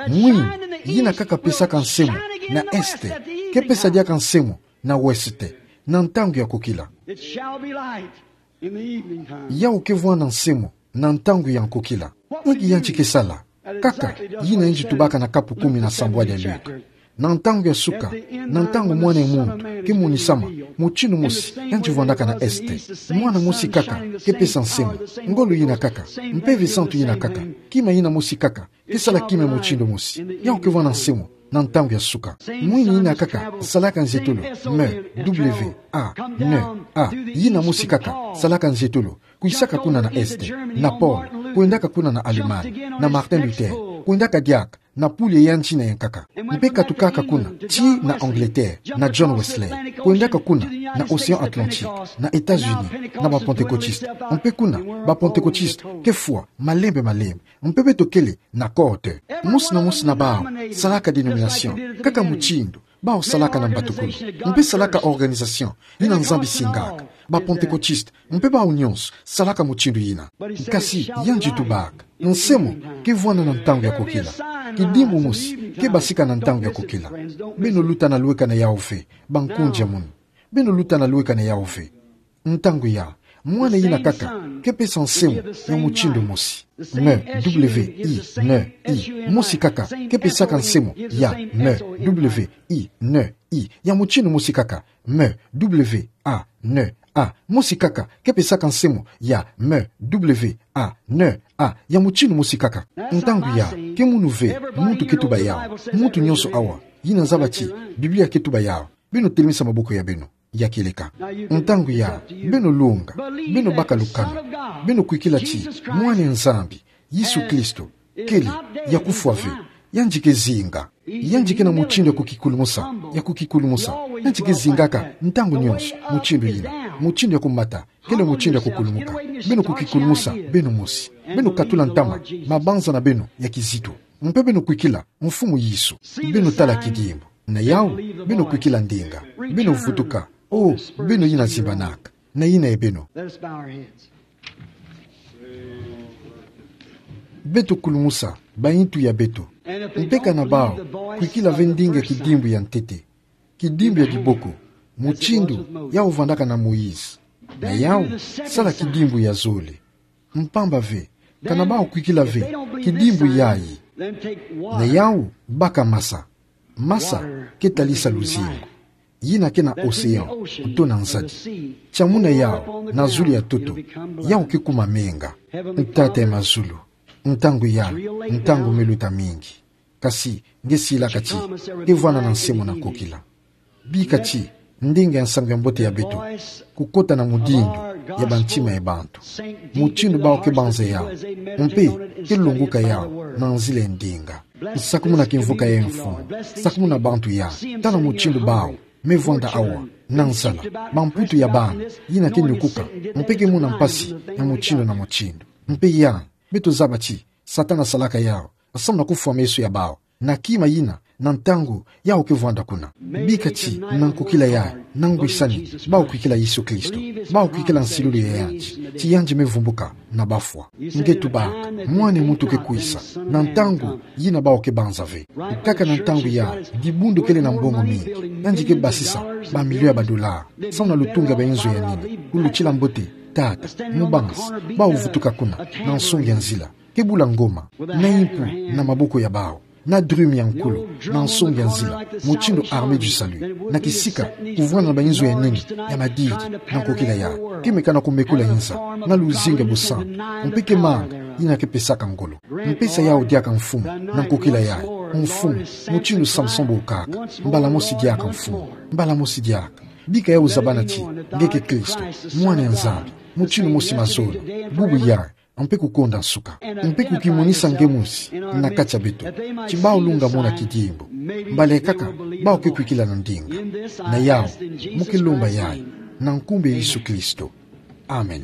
Mwini yina kaka pesaka nsemo na Est ke pesa diaka nsemo na Ouest na ntangu ya nkokila. It shall be light in the evening time. Yawu ke vwanda nsemo na ntangu ya nkokila. Inki yandi ke sala? Kaka yina yandi tubaka na kapu kumi na sambwadi ya Luc. Na ntangu ya suka, na ntangu Mwana ya Muntu ke monisama, mutindu mosi yandi vwandaka na Est. Mwana mosi kaka ke pesa nsemo. Ngolo yina kaka, Mpeve Santu yina kaka, kima yina mosi kaka ke sala kima mutindu mosi. Yawu ke vwanda nsemo na ntangu ya suka. Mwini yina kaka salaka nzietolo, M, W, A, N, A. Yina mosi kaka salaka nzietolo, kwisaka kuna na Est, na Paul, kwendaka kuna na Allemagne, na Martin Luther, kwendaka diaka na pule ya yandi na yankaka. Mpe katukaka kuna tii na Angleterre, na John Wesley, kwendaka kuna na Océan Atlantique, na États-Unis, na ba Pentecôtistes. Mpe kuna ba Pentecôtistes ke fwa malembe malembe. Mpe beto kele na côte. Mosi na mosi na bawu salaka dénomination, kaka mutindu bawu salaka na mbatukulu. Mpe salaka organisation yina Nzambi singaka, ba Pentecôtistes, mpe bawu nyonso salaka mutindu yina. Kasi yandi tubaka, nsemo ke vwanda na ntangu ya nkokila. Kidimbu mosi ke basika na ntangu ya nkokila. Beno luta na lweka na yawu ve, bankundi ya munu. Beno luta na lweka na yawu ve. Ntangu yayi, mwana yina kaka ke pesa nsemo ya mutindu mosi. M, W, I, N, I. Mosi kaka ke pesaka nsemo ya M, W, I, N, I. Ya mutindu mosi kaka, M, W, A, N, A, mosi kaka, ke pesaka nse'mo ya me, W, A, ne, A, ya mutindu mosi kaka. Ntangu ya, ke munu ve muntu ke tuba yawu, muntu nionso awa yina zaba ti Biblia ke tuba yawu, beno telemisa maboko ya beno ya kieleka. Ntangu ya, beno lunga, beno baka lukanu, beno kwikila ti Mwana a Nzambi, Yesu Kristo, kele, ya kufwa ve, yandi ke zinga. Yandi ke na mutindu ya kukikulumusa, ya kukikulumusa. Yandi ke zingaka ntangu nionso mutindu yina. Mutindu ya kumata kele mutindu ya kukulumuka. Beno kukikulumusa beno mosi. Beno katula ntama mabanza na beno ya kizito, mpe beno kwikila Mfumu Yesu. Beno tala kidimbu. Na yawu, beno kwikila ndinga. Beno vutuka. O, beno yina zimbanaka, na yina ya beno. Let us bow our heads. Beto kulumusa bayintu ya beto. Mpe kana bawu kwikila ve ndinga ya kidimbu ya ntete, kidimbu ya diboko, mutindu yawu vandaka na Moïse, na yawu sala kidimbu ya zole. Mpamba ve, kana bawu kwikila ve kidimbu yayi, na yawu baka masa. Masa ke talisa luzingu, yina ke na océan, to na nzadi. Tia muna yawu na zulu ya ntoto, yawu ke kuma menga. Tata ya mazulu, ntangu ya, ntangu me luta mingi. Kasi nge silaka ti ke vwanda na nse'mo na nkokila. Bika ti ndinga ya nsangu ya mbote ya beto kukota na mudindu ya bantima ya bantu, mutindu bawu ke banza yawu, mpe ke longoka yawu na nzila ya ndinga. Sakumuna kimvuka ya mfumu, sakumuna bantu ya, tala mutindu bawu me vwanda awa, na nzala, bamputu ya bana yina ke nukuka, mpe ke mona mpasi ya mutindu na mutindu. Mpe ya, beto zaba ti Satana salaka yawu samu na kufwa meso ya bawu na kima yina, na ntangu yawu ke vwanda kuna. Bika ti na nkokila yayi, na ngwisani, bawu kwikila Yesu Kristo, bawu kwikila nsilulu ya yandi, ti yandi me vumbuka na bafwa. Nge tubaka, Mwana a muntu ke kwisa na ntangu yina bawu ke banza ve. Kaka na ntangu yayi, dibundu kele na mbongo mingi, yandi ke basisa bamilio ya badola samu na lutungu ya bayinzo ya nene. Kulutila mbote, tata, mubanzi, bawu vutuka kuna, na nsongi ya nzila, ke bula ngoma, na impu na maboko ya bawu, na drume ya nkulu, na nsongi ya nzila, mutindu Armée du Salut, na kisika kuvwanda na bayinzo ya nene ya madidi, na nkokila yayi, ke meka na kumekula inza na luzingu ya bosambi, mpe ke manga yina ke pesaka ngolo. Mpesa yawu diaka mfumu, na nkokila yayi, mfumu, mutindu Samson bokaka, mbala mosi diaka mfumu, mbala mosi diaka. Bika yawu zabana ti nge ke Kristo, Mwana a Nzambi, mutindu mosi mazono, bubu yayi, mpe kukonda nsuka. Mpe kukimonisa nge mosi na kati ya beto, ti bawu lunga mona kidimbu. Mbala kaka bawu ke kwikila na ndinga. Na yawu, mu ke lomba yayi na nkumbu ya Yesu Kristo. Amen.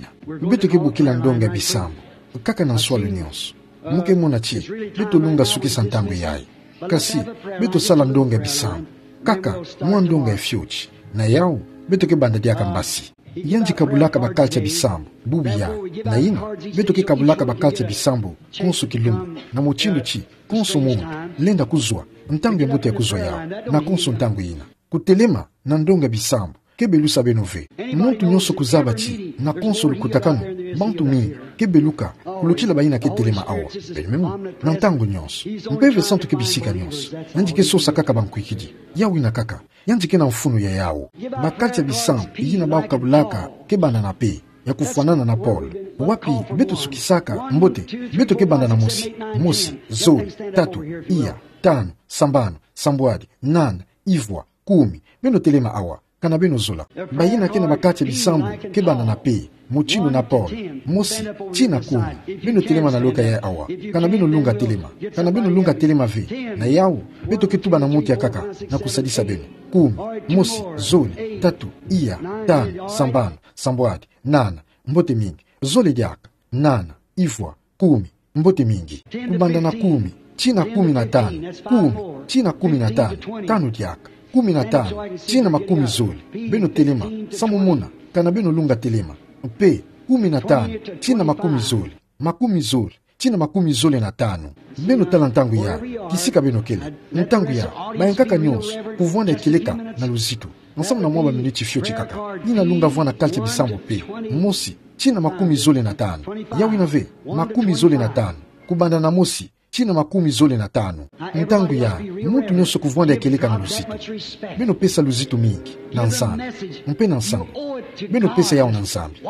Beto ke bokila ndonga ya bisambu kaka na nswalu nionso. Mu ke mona ti beto lunga sukisa ntangu yayi. Kasi beto sala ndonga ya bisambu kaka mwa ndonga ya fioti. Na yawu, beto ke banda diaka mbasi. Yandi kabulaka bakati ya bisambu bubu yayi. Na yina, beto ke kabulaka bakati ya bisambu konso kilumbu, na mutindu ti konso muntu lenda kuzwa, ntangu ya mbote ya kuzwa yawu, na konso ntangu yina. Kutelema na ndonga ya bisambu ke belusa beno ve. Muntu nionso kuzaba ti na konso lukutakanu, bantu mingi ke beluka kulutila bayina ke telema awa. Beno me mona, na ntangu nionso, Mpeve Santu ke bisika nionso, yandi ke sosa kaka bankwikidi. Yawu yina kaka, yandi ke na mfunu ya yawu. Bakati ya bisambu yina bawu kabulaka ke banda na pe, ya kufwanana na pole. Wapi beto sukisaka mbote, beto ke banda na mosi, mosi, zole, tatu, iya, tanu, sambanu, sambwadi, nana, ivwa, kumi. Beno telema awa, kana beno zola. Bayina ke na bakati ya bisambu ke banda na pe, mutindu na pole, mosi tii na kumi. Beno telema na lokaya awa, kana beno lunga telema. Kana beno lunga telema ve, na yawu, beto ke tuba na muntu ya nkaka na kusadisa beno. Kumi, mosi, zole, tatu, iya, tanu, sambanu, sambwadi, nana, mbote mingi. Zole diaka, nana, ivwa, kumi, mbote mingi. Kubanda na kumi tii na kumi na tanu, kumi tii na kumi na tanu, tanu diaka, kumi na tanu tii na makumi zole. Beno telema, samu mona kana beno lunga telema. Mpe kumi na tanu tii na makumi zole, makumi zole tii na makumi zole na tanu. Beno tala ntangu yayi, kisika beno kele. Ntangu yayi, bayankaka nionso kuvwanda ya kieleka na luzitu, nsamu na mwa baminiti fioti kaka. Yina lunga vwanda kalti ya bisambu pe, mosi tii na makumi zole na tanu. Yawu yina ve, makumi zole na tanu. Kubanda na mosi tina makumi zole na tanu. Ntangu ya, muntu nyonso kuvwanda ya kieleka na luzitu. Beno pesa luzitu mingi na Nzambi, mpe na nsangu. Beno pesa yau na Nzambi.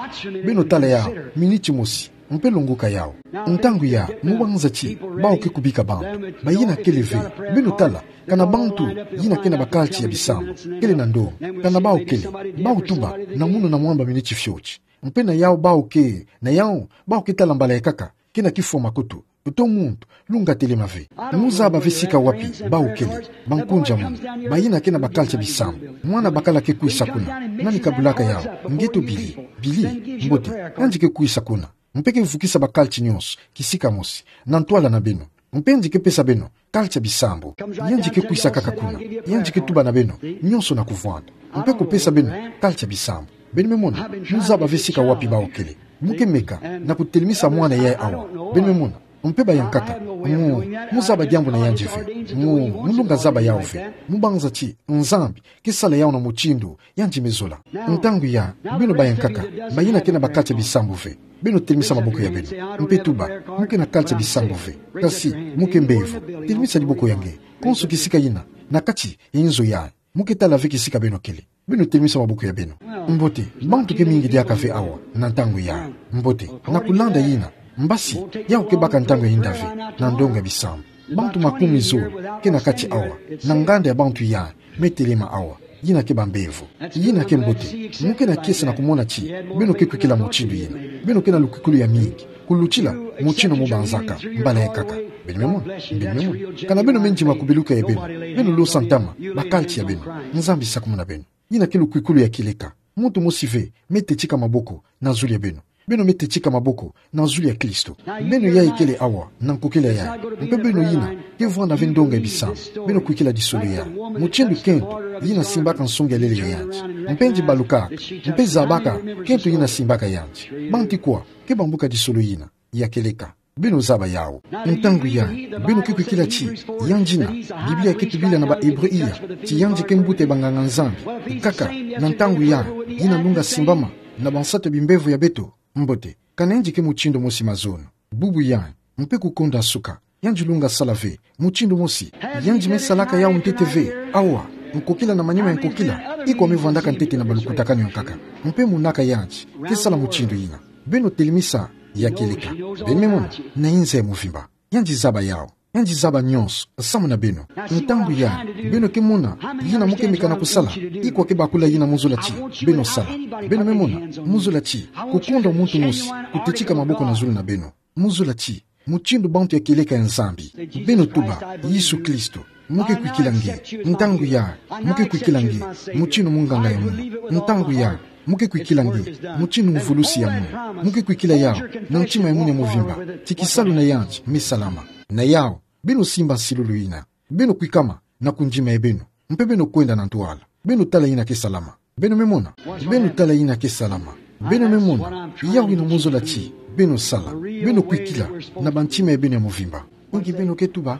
Beno tala yau miniti mosi, mpe longoka yau. Ntangu ya, mu banza ti, bawu ke kubika bantu, bayina kele ve. Beno tala, kana bantu yina ke na bakalti ya bisambu, kele na ndonga, kana bawu kele, bawu tuba na munu na mwamba miniti fioti. Mpe na yau bawu ke, na yau bawu ke tala mbala ya nkaka, ke na kifwa makutu, uto muntu lunga telema ve. Mu zaba ve sika wapi bawu kele, bankunja munu, bayina ke na bakalti ya bisambu. Mwana bakala ke kwisa kuna, nani kabulaka yau? Nge to Billy, Billy, mbote, yandi ke kwisa kuna. Mpe ke vukisa bakalti nyonso kisika mosi na ntwala na beno. Mpe yandi ke pesa beno kalti ya bisambu. Yandi ke kwisa kaka kuna, yandi ke tuba na beno nyonso na kuvwanda, mpe kupesa beno kalti ya bisambu. Beno me mona, mu zaba ve sika wapi bawu kele. Mu ke meka na kutelemisa mwana yayi awa. Beno me mona, mpe baya nkaka, mu, mu zaba diambu na yandi ve. Mu, mu lunga zaba yau ve. Mu banza ti Nzambi ke sala yau na mutindu yandi me zola. Ntangu ya, beno baya nkaka, bayina ke na bakalti ya bisambu ve, beno telemisa maboko ya beno, mpe tuba: Mu ke na kalti ya bisambu ve, kasi mu ke mbevo. Telemisa diboko ya nge, konso kisika yina na kati ya inzo yayi. Mu ke tala ve kisika beno kele, beno telemisa maboko ya beno. Mbote, bantu ke mingi diaka ve awa na ntangu ya. Mbote, na kulanda yina, mbasi yau ke baka ntangu ya inda ve na ndonga ya bisambu. Bantu makumi zole ke na kati awa, na nganda ya bantu yayi me telema awa. Yina ke bambevo. Yina ke mbote. Mu ke na kiese na kumona ti beno ke kwikila mutindu yina. Beno ke na lukwikulu ya mingi kulutila mutindu mu banzaka mbala ya nkaka. Beno me mona, beno me mona. Kana beno me ndima kubiluka ya beno, beno losa ntama bakalti ya beno. Nzambi sakumuna beno. Yina ke lukwikulu ya kieleka. Muntu mosi ve me tetika maboko na zulu ya beno. Beno me tetika maboko na zulu ya Klisto. Beno yayi kele awa na nkokila yayi, mpe beno yina ke vwanda ve ndonga ya bisambu, beno kwikila disolo yayi. Mutindu kento yina simbaka nsongi ya lele ya yandi, mpe yandi balukaka, mpe zabaka kento yina simbaka yandi. Bantu kwa ke bambuka disolo yina ya kieleka? Beno zaba yau. Ntangu ya, beno ke kwikila ti yandi yina, Biblia ke tubila na ba Hébreux iya ti yandi ke mbuta ya banganga-Nzambi. Kaka na ntangu ya, yina lunga simbama na bansatu ya bimbevo ya beto. Mbote, kana yandi ke mutindu mosi mazono, bubu yayi, mpe kukonda suka, yandi lunga sala ve mutindu mosi. Yandi me salaka yau ntete ve. Awa, nkokila na manima ya nkokila, ikwa me vwandaka ntete na balukutakanu ya nkaka, mpe monaka yandi ke sala mutindu yina. Beno telemisa ya kieleka. Beno me mona, na inza ya muvimba, yandi zaba yau. Yandi zaba nyonso samu na beno. Ntangu ya, beno ke mona yina mu ke meka na kusala, ikwa ke bakula yina mu zola ti beno sala. Beno me mona, mu zola ti kukonda muntu mosi kutetika maboko na zulu na beno. Mu zola ti mutindu bantu ya kieleka ya Nzambi, beno tuba: Yesu Klisto, mu ke kwikila nge. Ntangu ya, mu ke kwikila nge mutindu munganga ya munu. Ntangu ya, mu ke kwikila nge mutindu mvulusi ya munu. Mu ke kwikila yau na ntima ya munu ya muvimba ti kisalu na yandi me salama. Na yau, beno simba nsilulu yina. Beno kwikama na kundima ya beno, mpe beno kwenda na ntwala. Beno tala yina ke salama. Beno me mona, beno tala yina ke salama. Beno me mona, yau yina mu zola ti beno sala. Beno kwikila na bantima ya beno ya muvimba. Inki beno ke tuba?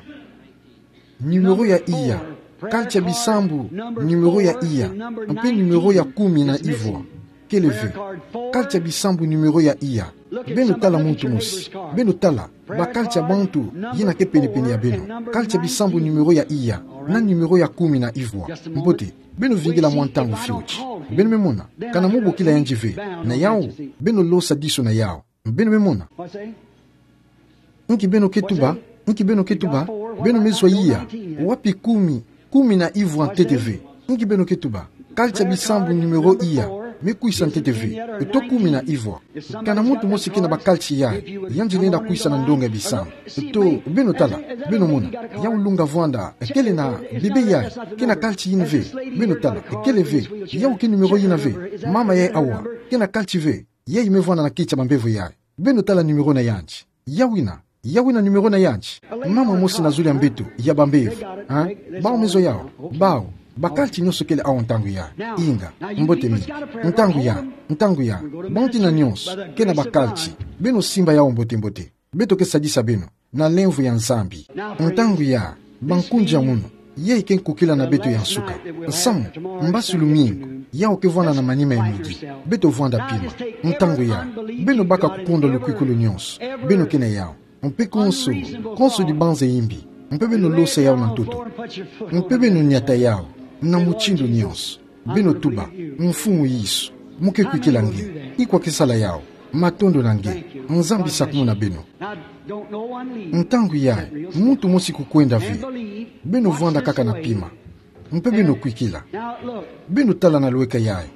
Numéro ya iya. Kalti ya bisambu, numéro ya iya, mpe numéro ya kumi na ivwa. Kele ve. Kalti ya bisambu, numéro ya iya. Beno tala muntu mosi. Beno tala bakalti ya bantu yina ke pene-pene ya beno. Kalti ya bisambu, numéro ya iya, na numéro ya kumi na ivwa. Mbote, beno vingila mwa ntangu fioti. Beno me mona, kana mu bokila yandi ve, na yau, beno losa diso na yau. Beno me mona. Inki beno ke tuba? Inki beno ke tuba? Beno me zwa iya. Wapi kumi, kumi na ivwa ntete ve? Inki beno ke tuba? Kalti ya bisambu, numéro iya, me kwisa ntete ve? To kumi na ivwa? Kana muntu mosi ke na bakalti yayi, yandi lenda kwisa na ndonga ya bisambu. To, beno tala, beno mona, yau lunga vwanda, kele na bebe yayi ke na kalti yina ve. Beno tala, kele ve. Yau ke numéro yina ve? Mama yayi awa ke na kalti ve? Yayi me vwanda na kiti ya bambevo yayi. Beno tala numéro na yandi. Yau yina, yau yina numéro na yandi. Mama mosi na zulu ya mbeto ya bambevo. Ha? Bau me zwa yau. Bau. Bakalti nyonso kele awa ntangu ya. Inga. Mbote mingi. Ntangu ya. Ntangu ya. Bantu yina nyonso ke na bakalti, beno simba yau mbote-mbote. Beto ke sadisa beno na lemvo ya Nzambi. Ntangu ya, bankunja munu, yayi ke nkokila na beto ya nsuka. Samu, mbasi lumingu, yau ke vwanda na manima ya midi. Beto vwanda pima. Ntangu ya, beno baka kukonda lukwikulu nyonso. Beno ke na yau. Mpe konso, konso dibanza ya imbi, mpe beno losa yau na ntoto. Mpe beno niata yau, na mutindu nyonso. Beno tuba: Mfumu Yesu, mo ke kwikila nge. Ikwa ke sala yau. Matondo na nge. Nzambi sakumuna beno. Ntangu yayi, muntu mosi kukwenda ve. Beno vwanda kaka na pima. Mpe beno kwikila. Beno tala na lweka yayi.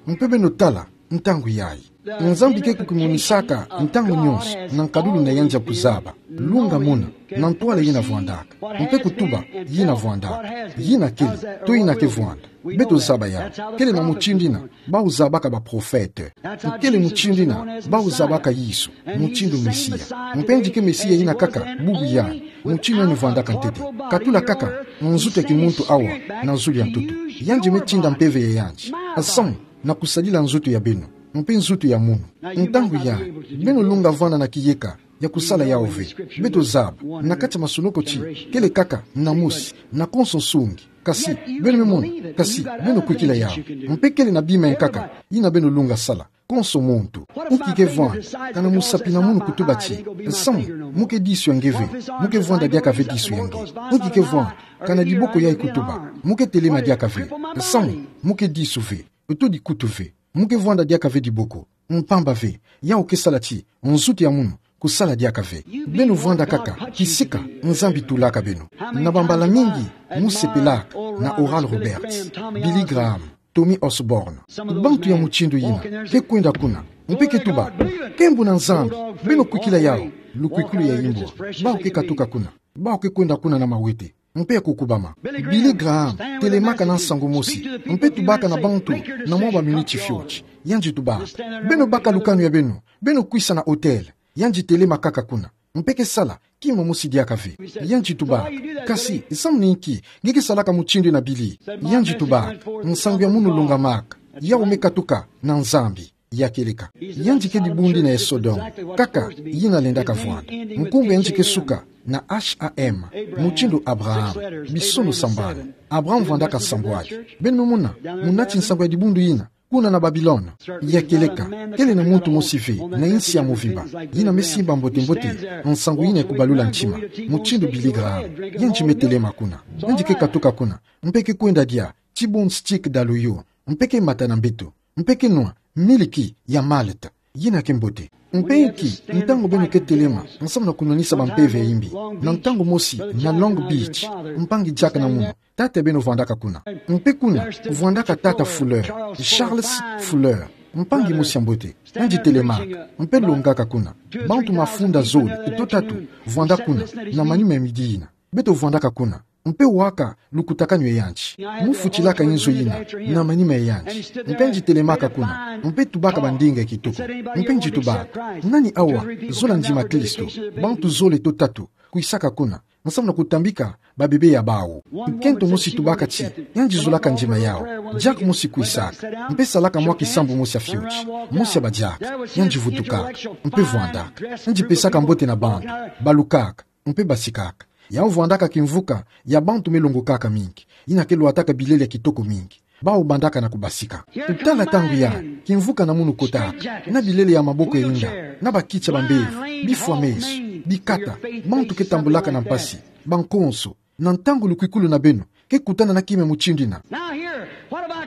Mpe beno tala, ntangu yayi. Nzambi ke kukimonisaka ntangu nyonso na nkadulu na yandi ya kuzaba, lunga muna, na ntwala yina vwandaka. Mpe kutuba: Yina vwandaka, yina kele, to yina ke vwanda. Beto zaba yau. Kele na mutindu yina bau zabaka baprofete. Kele mutindu yina bau zabaka Yesu, mutindu Mesia. Mpe yandi ke Mesia yina kaka bubu yayi, mutindu yandi vwandaka ntete. Katula kaka nzutu ya kimuntu awa na zulu ya ntoto. Yandi me tinda mpeve ya yandi, nsamu na kusadila nzutu ya beno, mpe nzutu ya munu. Ntangu yayi, beno lunga vwanda na kiyeka ya kusala yau ve. Beto zaba, na kati ya masoloko ti, kele kaka na mosi, na konso nsungi. Kasi, beno me mona, kasi, beno kwikila yau. Mpe kele na bima ya nkaka yina beno lunga sala, konso muntu. Inki ke vwanda, kana musapi na munu kutuba ti, nsamu, mo ke disu ya nge ve, mo ke vwanda diaka ve disu ya nge. Inki ke vwanda, kana diboko yayi kutuba, mo ke telema diaka ve, nsamu, mo ke disu ve, to dikutu ve, mo ke vwanda diaka ve diboko. Mpamba ve, yau ke sala ti nzutu ya munu kusala diaka ve. Beno vwanda kaka kisika Nzambi tulaka beno. Na bambala mingi mo sepelaka na Oral Roberts, Billy Graham, Tommy Osborn? Bantu ya mutindu yina ke kwenda kuna, mpe ke tuba: Nkembo na Nzambi. Beno kwikila yau, lukwikulu ya imbwa. Bau ke katuka kuna. Bau ke kwenda kuna na mawete mpe ya kukubama. Billy Graham telemaka na nsangu mosi, mpe tubaka na bantu na mwa baminiti fioti. Yandi tubaka: Beno baka lukanu ya beno, beno kwisa na hotel. Yandi telema kaka kuna, mpe ke sala kima mosi diaka ve. Yandi tubaka: Kasi, nsamu na inki nge ke salaka mutindu yina, Billy? Yandi tubaka: Nsangu ya munu longamaka, yau me katuka na Nzambi ya kieleka. Yandi ke dibundu yina ya Sodome, kaka yina lendaka vwanda. Nkumbu ya yandi ke suka na H A M, mutindu Abraham, bisono sambanu. Abraham vwandaka sambwadi. Beno me mona, muna ti nsangu ya dibundu yina, kuna na Babilone ya kieleka, kele na muntu mosi ve na insi ya movimba yina me simba mbote-mbote nsangu yina ya kubalula ntima, mutindu Billy Graham. Yandi me telema kuna. Yandi ke katuka kuna, mpe ke kwenda dia ti bon stick daloyo, mpe ke mata na mbeto, mpe ke nwa miliki ya malt yina ke mbote. Mpe inki, ntangu beno ke telema nsamu na kunwanisa bampeve ya imbi, na ntangu mosi na Long Beach, mpangi diaka na munu, tata ya beno vwandaka kuna. Mpe kuna vwandaka tata Fuller, Charles Fuller, mpangi mosi ya mbote. Yandi telemaka, mpe longaka kuna. Bantu mafunda zole to tatu vwanda kuna na manima ya midi yina. Beto vwandaka kuna, mpe waka lukutakanu ya yandi. Mo futilaka inzo yina na manima ya yandi. Mpe yandi telemaka kuna, mpe tubaka bandinga ya kitoko. Mpe yandi tubaka: Nani awa zola ndima Kristo? Bantu zole to tatu kwisaka kuna, nsamu na kutambika babebe ya bau. Nkento mosi tubaka ti yandi zolaka ndima yau. Diaka mosi kwisaka, mpe salaka mwa kisambu mosi ya fioti, mosi ya badiaka. Yandi vutukaka, mpe vwandaka. Yandi pesaka mbote na bantu, balukaka, mpe basikaka. Yau vwandaka kimvuka ya bantu me longokaka mingi, yina ke lwataka bilele ya kitoko mingi. Bau bandaka na kubasika. Tala ntangu yayi, kimvuka na munu kotaka, na bilele ya maboko ya inda, na bakiti ya bambevo, bifwa meso, bikata, bantu ke tambulaka na mpasi, bankonso, na ntangu lukwikulu na beno ke kutana na kima ya mutindu yina.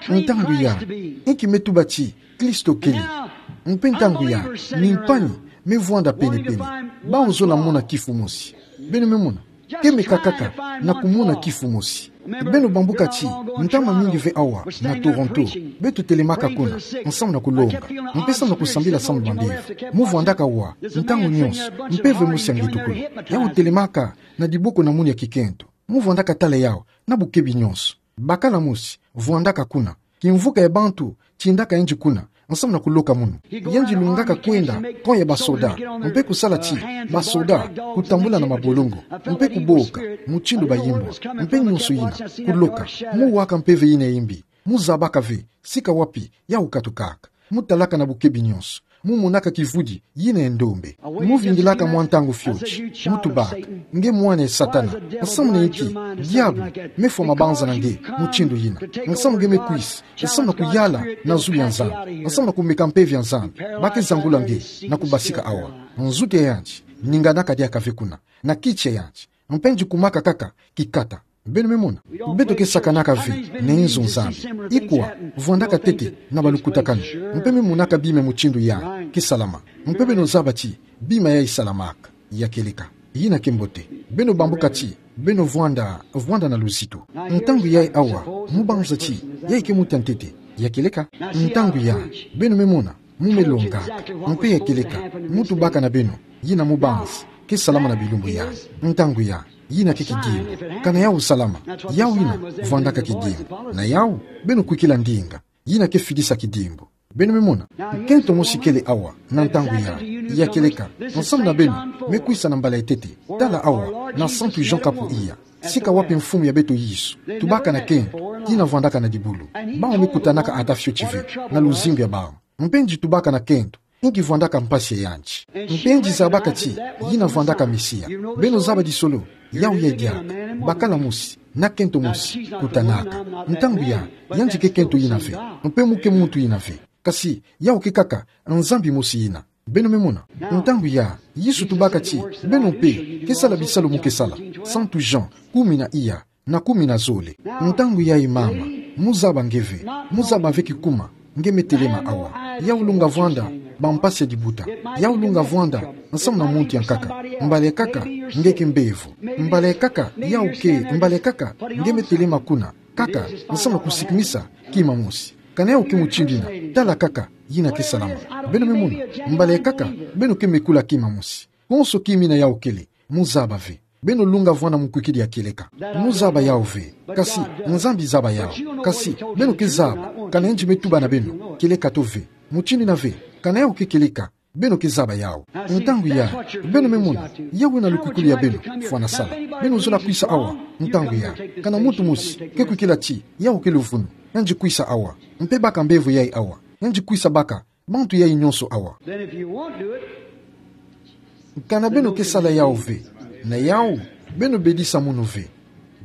Ntangu yayi, inki me tuba ti Kristo kele? Mpe ntangu yayi, mimpani me vwanda pene-pene. Bau zola mona kifu mosi. Beno me mona, ke meka kaka na kumona kifu mosi. Beno bambuka ti, ntama mingi ve awa na Toronto, beto telemaka kuna nsamu na kulonga, mpe samu na kusambila samu bambevo. Mo vwandaka wa, ntangu nyonso, mpeve mosi ya ngetukulu. Yau telemaka na diboko na munu ya kikento. Mo vwandaka tala yau na bukebi nyonso. Bakala mosi vwandaka kuna. Kimvuka ya bantu tindaka yandi kuna nsamu na kuloka munu. Yandi lungaka kwenda coin ya basoda, mpe kusala ti basoda kutambula na mabolongo, mpe kuboka mutindu bayimbwa, mpe nyonso yina, kuloka. Mo waka mpeve yina ya imbi. Mo zabaka ve sika wapi yau katukaka. Mo talaka na bukebi nyonso. Mo monaka kivudi yina ya ndombe. Mo vingilaka mwa ntangu fioti. Mo tubaka: Nge mwana ya Satana. Nsamu na inki diabulu me fwa mabanza na nge mutindu yina? Nsamu nge me kwisa, nsamu na kuyala na zulu ya Nzambi, nsamu na kumeka mpeve ya Nzambi. Ba ke zangula nge na kubasika awa. Nzutu ya yandi ninganaka diaka ve kuna, na kiti ya yandi, mpe ngikumaka kaka ki kata. Beno me mona. Beto ke sakanaka ve na inzo Nzambi. Ikwa vwandaka tete na balukutakanu, mpe me monaka bima mutindu ya ke salama. Mpe beno zaba ti bima yayi salamaka, ya kieleka. Yina ke mbote. Beno bambuka ti beno vwanda, vwanda na luzitu. Ntangu yayi awa, mu banza ti yayi ke muntu ya ntete, ya kieleka. Ntangu ya, beno me mona, mu me longaka, mpe ya kieleka, mu tubaka na beno, yina mu banza ke salama na bilumbu yai. Ntangu ya, yina ke kidimbu. Kana yawu salama, yawu yina vwandaka kidimbu. Na yawu, beno kwikila ndinga, yina ke fidisa kidimbu. Beno me mona. Kento mosi kele awa na ntangu ya, ya kieleka, nsamu na beno me kwisa na mbala ya ntete. Tala awa na Santu Jean kapu iya. Sika wapi mfumu ya beto Yesu, tubaka na kento yina vwandaka na dibulu. Bawu me kutanaka ata fioti ve na luzingu ya bawu. Mpe ngi tubaka na kento inki vwandaka mpasi ya yandi. Mpe ngi zabaka ti yina vwandaka Mesia. Beno zaba di solo, yawu yayi diaka bakala mosi na kento mosi kutanaka. Ntangu ya, yandi ke kento yina ve, mpe mu ke muntu yina ve. Kasi yawu ke kaka Nzambi mosi yina. Beno me mona. Ntangu ya, Yesu tubaka ti beno mpe ke sala bisalu mu ke sala. Santu Jean kumi na iya na kumi na zole. Ntangu yayi mama, mu zaba nge ve, mu zaba ve kikuma nge me telema awa. Yawu lunga vwanda bampasi ya dibuta. Yawu lunga vwanda nsamu na muntu ya nkaka. Mbala ya nkaka nge ke mbevo. Mbala ya nkaka yawu ke, mbala ya nkaka nge me telema kuna kaka nsamu na kusikimisa kima mosi. Kana yawu ke mutindu yina, tala kaka, yina ke salama. Beno me mona. Mbala ya nkaka beno ke mekula kima mosi. Konso kima yina yawu kele, mu zaba ve. Beno lunga vwanda mukwikidi ya kieleka. Mu zaba yawu ve. Kasi Nzambi zaba yawu. Kasi beno ke zaba kana yandi me tuba na beno kieleka to ve. Mutindu yina ve, kana yawu ke kieleka, beno ke zaba yawu. Ntangu ya, beno me mona, yawu na lukwikulu ya beno fwana sala. Beno zola kwisa awa. Ntangu ya, kana muntu mosi ke kwikila ti yawu ke luvunu, yandi kwisa awa. Mpe baka mbevo yayi awa, yandi kwisa baka bantu yayi nyonso awa. Then if you won't do it, kana beno ke sala yawu ve, na yawu, beno bedisa munu ve.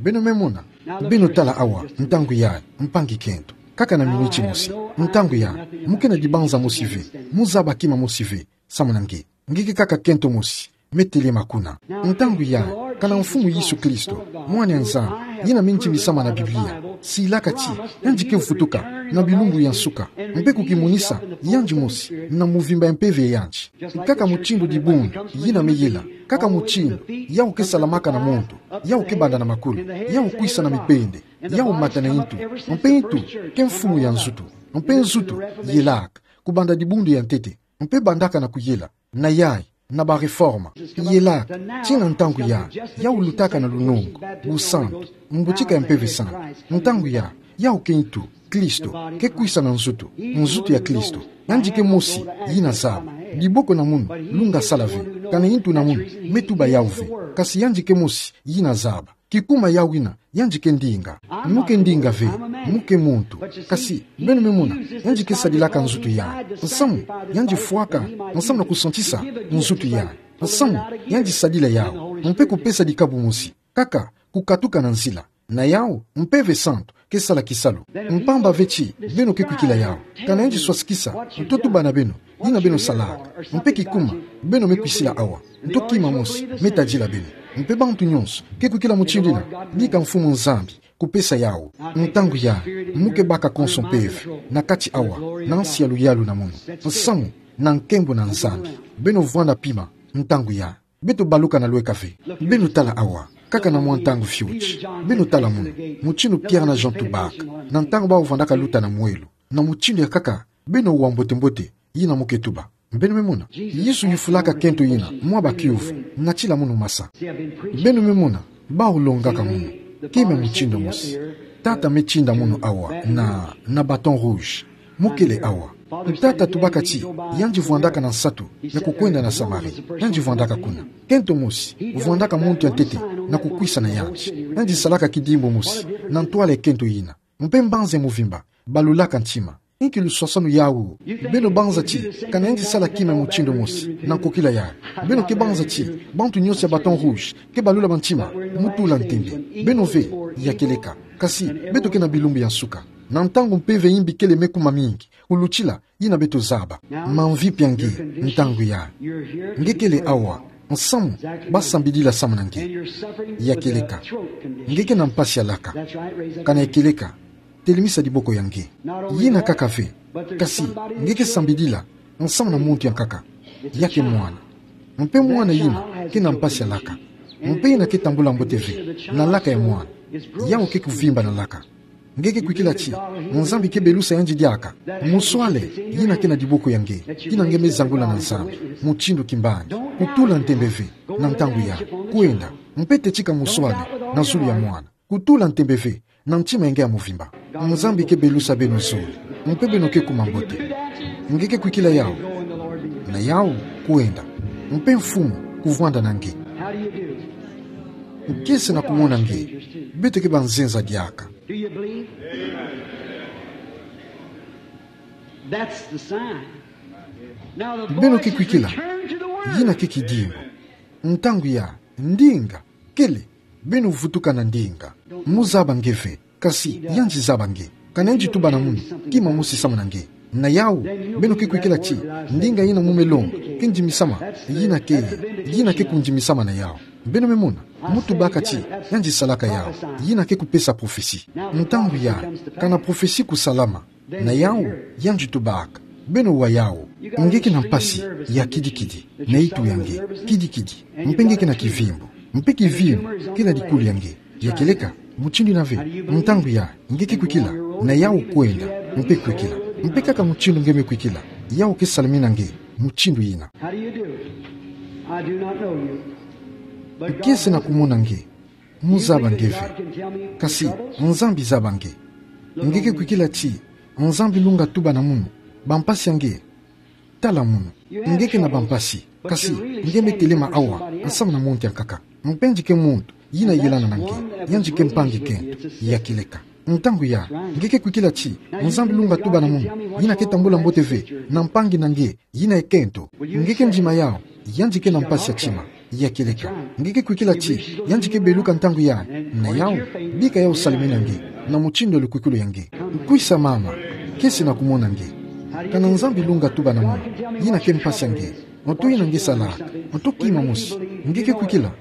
Beno me mona. Beno tala awa, ntangu ya, mpangi kento. Kaka na minuti mosi, ntangu ya, mu ke na dibanza mosi ve, mu zaba kima mosi ve samu na nge. Nge ke kaka kento mosi me telema kuna. Ntangu ya, kana Mfumu Yesu Kristo, Mwana ya Nzambi, yina me ndimisama na Biblia, silaka ti yandi ke vutuka na bilumbu ya nsuka, mpe kukimonisa yandi mosi na muvimba ya mpeve ya yandi. Kaka mutindu dibundu yina me yela, kaka mutindu yawu ke salamaka na muntu, yawu ke banda na makulu, yawu kwisa na mipende, yawu mata na intu, mpe intu ke mfumu ya nzutu, mpe nzutu yelaka kubanda dibundu ya ntete, mpe bandaka na kuyela, na yayi, na ba réforme, yelaka, tii na ntangu ya, yawu lutaka na lunongo, busantu, mbutika ya Mpeve Santu. Ntangu ya, yawu ke intu, Kristo, ke kwisa na nzutu, nzutu ya Kristo. Yandi ke mosi yina zaba. Diboko na munu lunga sala ve, kana intu na munu me tuba yawu ve. Kasi yandi ke mosi yina zaba. Kikuma yawu yina, yandi ke ndinga. Mu ke ndinga ve, mu ke muntu. Kasi, beno me mona, yandi ke sadilaka nzutu yayi. Nsamu, yandi fwaka nsamu na kusantisa nzutu yayi. Nsamu, yandi sadila yawu, mpe kupesa dikabu mosi, kaka kukatuka na nzila. Na yawu, Mpeve Santu ke sala kisalu. Mpamba ve ti beno ke kwikila yawu. Kana yandi swasikisa nto tuba na beno, yina beno salaka, mpe kikuma beno me kwisila awa, nto kima mosi me tadila beno. Mpe bantu nyonso ke kwikila mutindu yina, bika Mfumu Nzambi kupesa yawu. Ntangu ya, mu ke baka konso mpeve na kati awa, na nsi ya luyalu na munu. Nsamu na nkembo na Nzambi. Beno vwanda pima ntangu ya. Beto baluka na lweka ve. Beno tala awa, kaka na mwa ntangu fioti. Beno tala munu, mutindu Pierre na Jean tubaka, na ntangu bawu vwandaka luta na mwelo, na mutindu ya kaka beno wa mbote-mbote yina mu ke tuba. Beno me mona, Yesu yufulaka kento yina mwa bakiuvu, natila munu masa. Beno me mona, bawu longaka munu kima mutindu mosi. Tata me tinda munu awa na, na bâton rouge. Mu kele awa. Tata tubaka ti yandi vwandaka na nsatu ya kukwenda na Samarie. Yandi vwandaka kuna. Kento mosi vwandaka muntu ya ntete na kukwisa na yandi. Yandi salaka kidimbu mosi na ntwala ya kento yina. Mpe mbanza ya muvimba balulaka ntima. Inki luswaswanu yawu? Beno banza ti kana yandi sala kima mutindu mosi na nkokila yayi, beno ke banza ti bantu nyonso ya bâton rouge ke balula bantima mu tula ntembe? Beno ve, ya kieleka. Kasi beto ke na bilumbu ya nsuka, na ntangu mpeve ya imbi kele me kuma mingi kulutila yina beto zaba. Mamvi pia nge ntangu yayi. Nge kele awa, Nsamu, ba sambidila samu na nge. Ya kieleka. Nge ke na mpasi ya laka. Kana ya kieleka. Telemisa diboko ya nge. Yina kaka ve. Kasi, nge ke sambidila nsamu na muntu ya nkaka. Ya ke mwana. Mpe mwana yina ke na mpasi ya laka. Mpe yina ke tambula mbote ve na laka ya mwana. Yawu ke kuvimba na laka. Nge ke kwikila ti Nzambi ke belusa yandi diaka. Muswale yina ke na diboko ya nge, yina nge me zangula na Nzambi mutindu kimbangi. Kutula ntembe ve na ntangu ya. Kwenda. Mpe tetika muswale na zulu ya mwana. Kutula ntembe ve na ntima ya nge ya muvimba. Nzambi ke belusa beno zole. Mpe beno ke kuma mbote. Nge ke kwikila yawu. Na yawu, kwenda. Mpe Mfumu kuvwanda na nge. Kiese na kumona nge. Beto ke banzenza diaka. Do you believe? That's the sign. Now the Beno boy ke says, kwikila. "Return to the word." Yina ke kidimbu. Ntangu ya ndinga, kele, beno vutuka na ndinga. Muzaba nge ve, kasi yandi zaba nge. Kana yandi tuba na munu kima mosi samu na nge. Na yawu, beno ke kwikila ti ndinga yina mu me longa ke ndimisama, yina ke, yina ke kundimisama na yawu. Beno me mona, mu tubaka ti yandi salaka yawu, yina ke kupesa prophetie. Ntangu ya, kana prophetie kusalama, na yawu, yandi tubaka. Beno wa yawu. Nge ke na mpasi ya kidikidi na itu ya nge, kidikidi. Mpe nge ke na kivimbu. Mpe kivimbu ke na dikulu ya nge. Ya kieleka, mutindu yina ve. Ntangu ya, nge ke kwikila. Na yawu, kwenda. Mpe kwikila. Mpe kaka mutindu nge me kwikila, yawu ke salamina nge mutindu yina. How do you do? I do not know you. But God Kiese na kumona nge. Muzaba nge ve. Kasi Nzambi zaba nge. Nge ke kwikila ti Nzambi lunga tuba na munu bampasi ya nge. Tala munu. Nge ke na bampasi. Kasi nge me telema awa nsamu na muntu ya nkaka. Mpe yandi ke muntu yina yelana na nge. Yandi ke mpangi kento. Ya kieleka. Ntangu ya, nge ke kwikila ti Nzambi lunga tuba na munu yina ke tambula mbote ve na mpangi na nge, yina ekento. Nge ke ndima yawu, yandi ke na mpasi ya tima. Ya kieleka. Nge ke kwikila ti yandi ke beluka ntangu ya. Na yawu, bika yawu salamina nge na mutindu ya lukwikulu ya nge. Kwisa mama. Kiese na kumona nge. Kana Nzambi lunga tuba na munu, yina ke mpasi ya nge. Nto yina nge salaka. Nto kima mosi. Nge ke kwikila.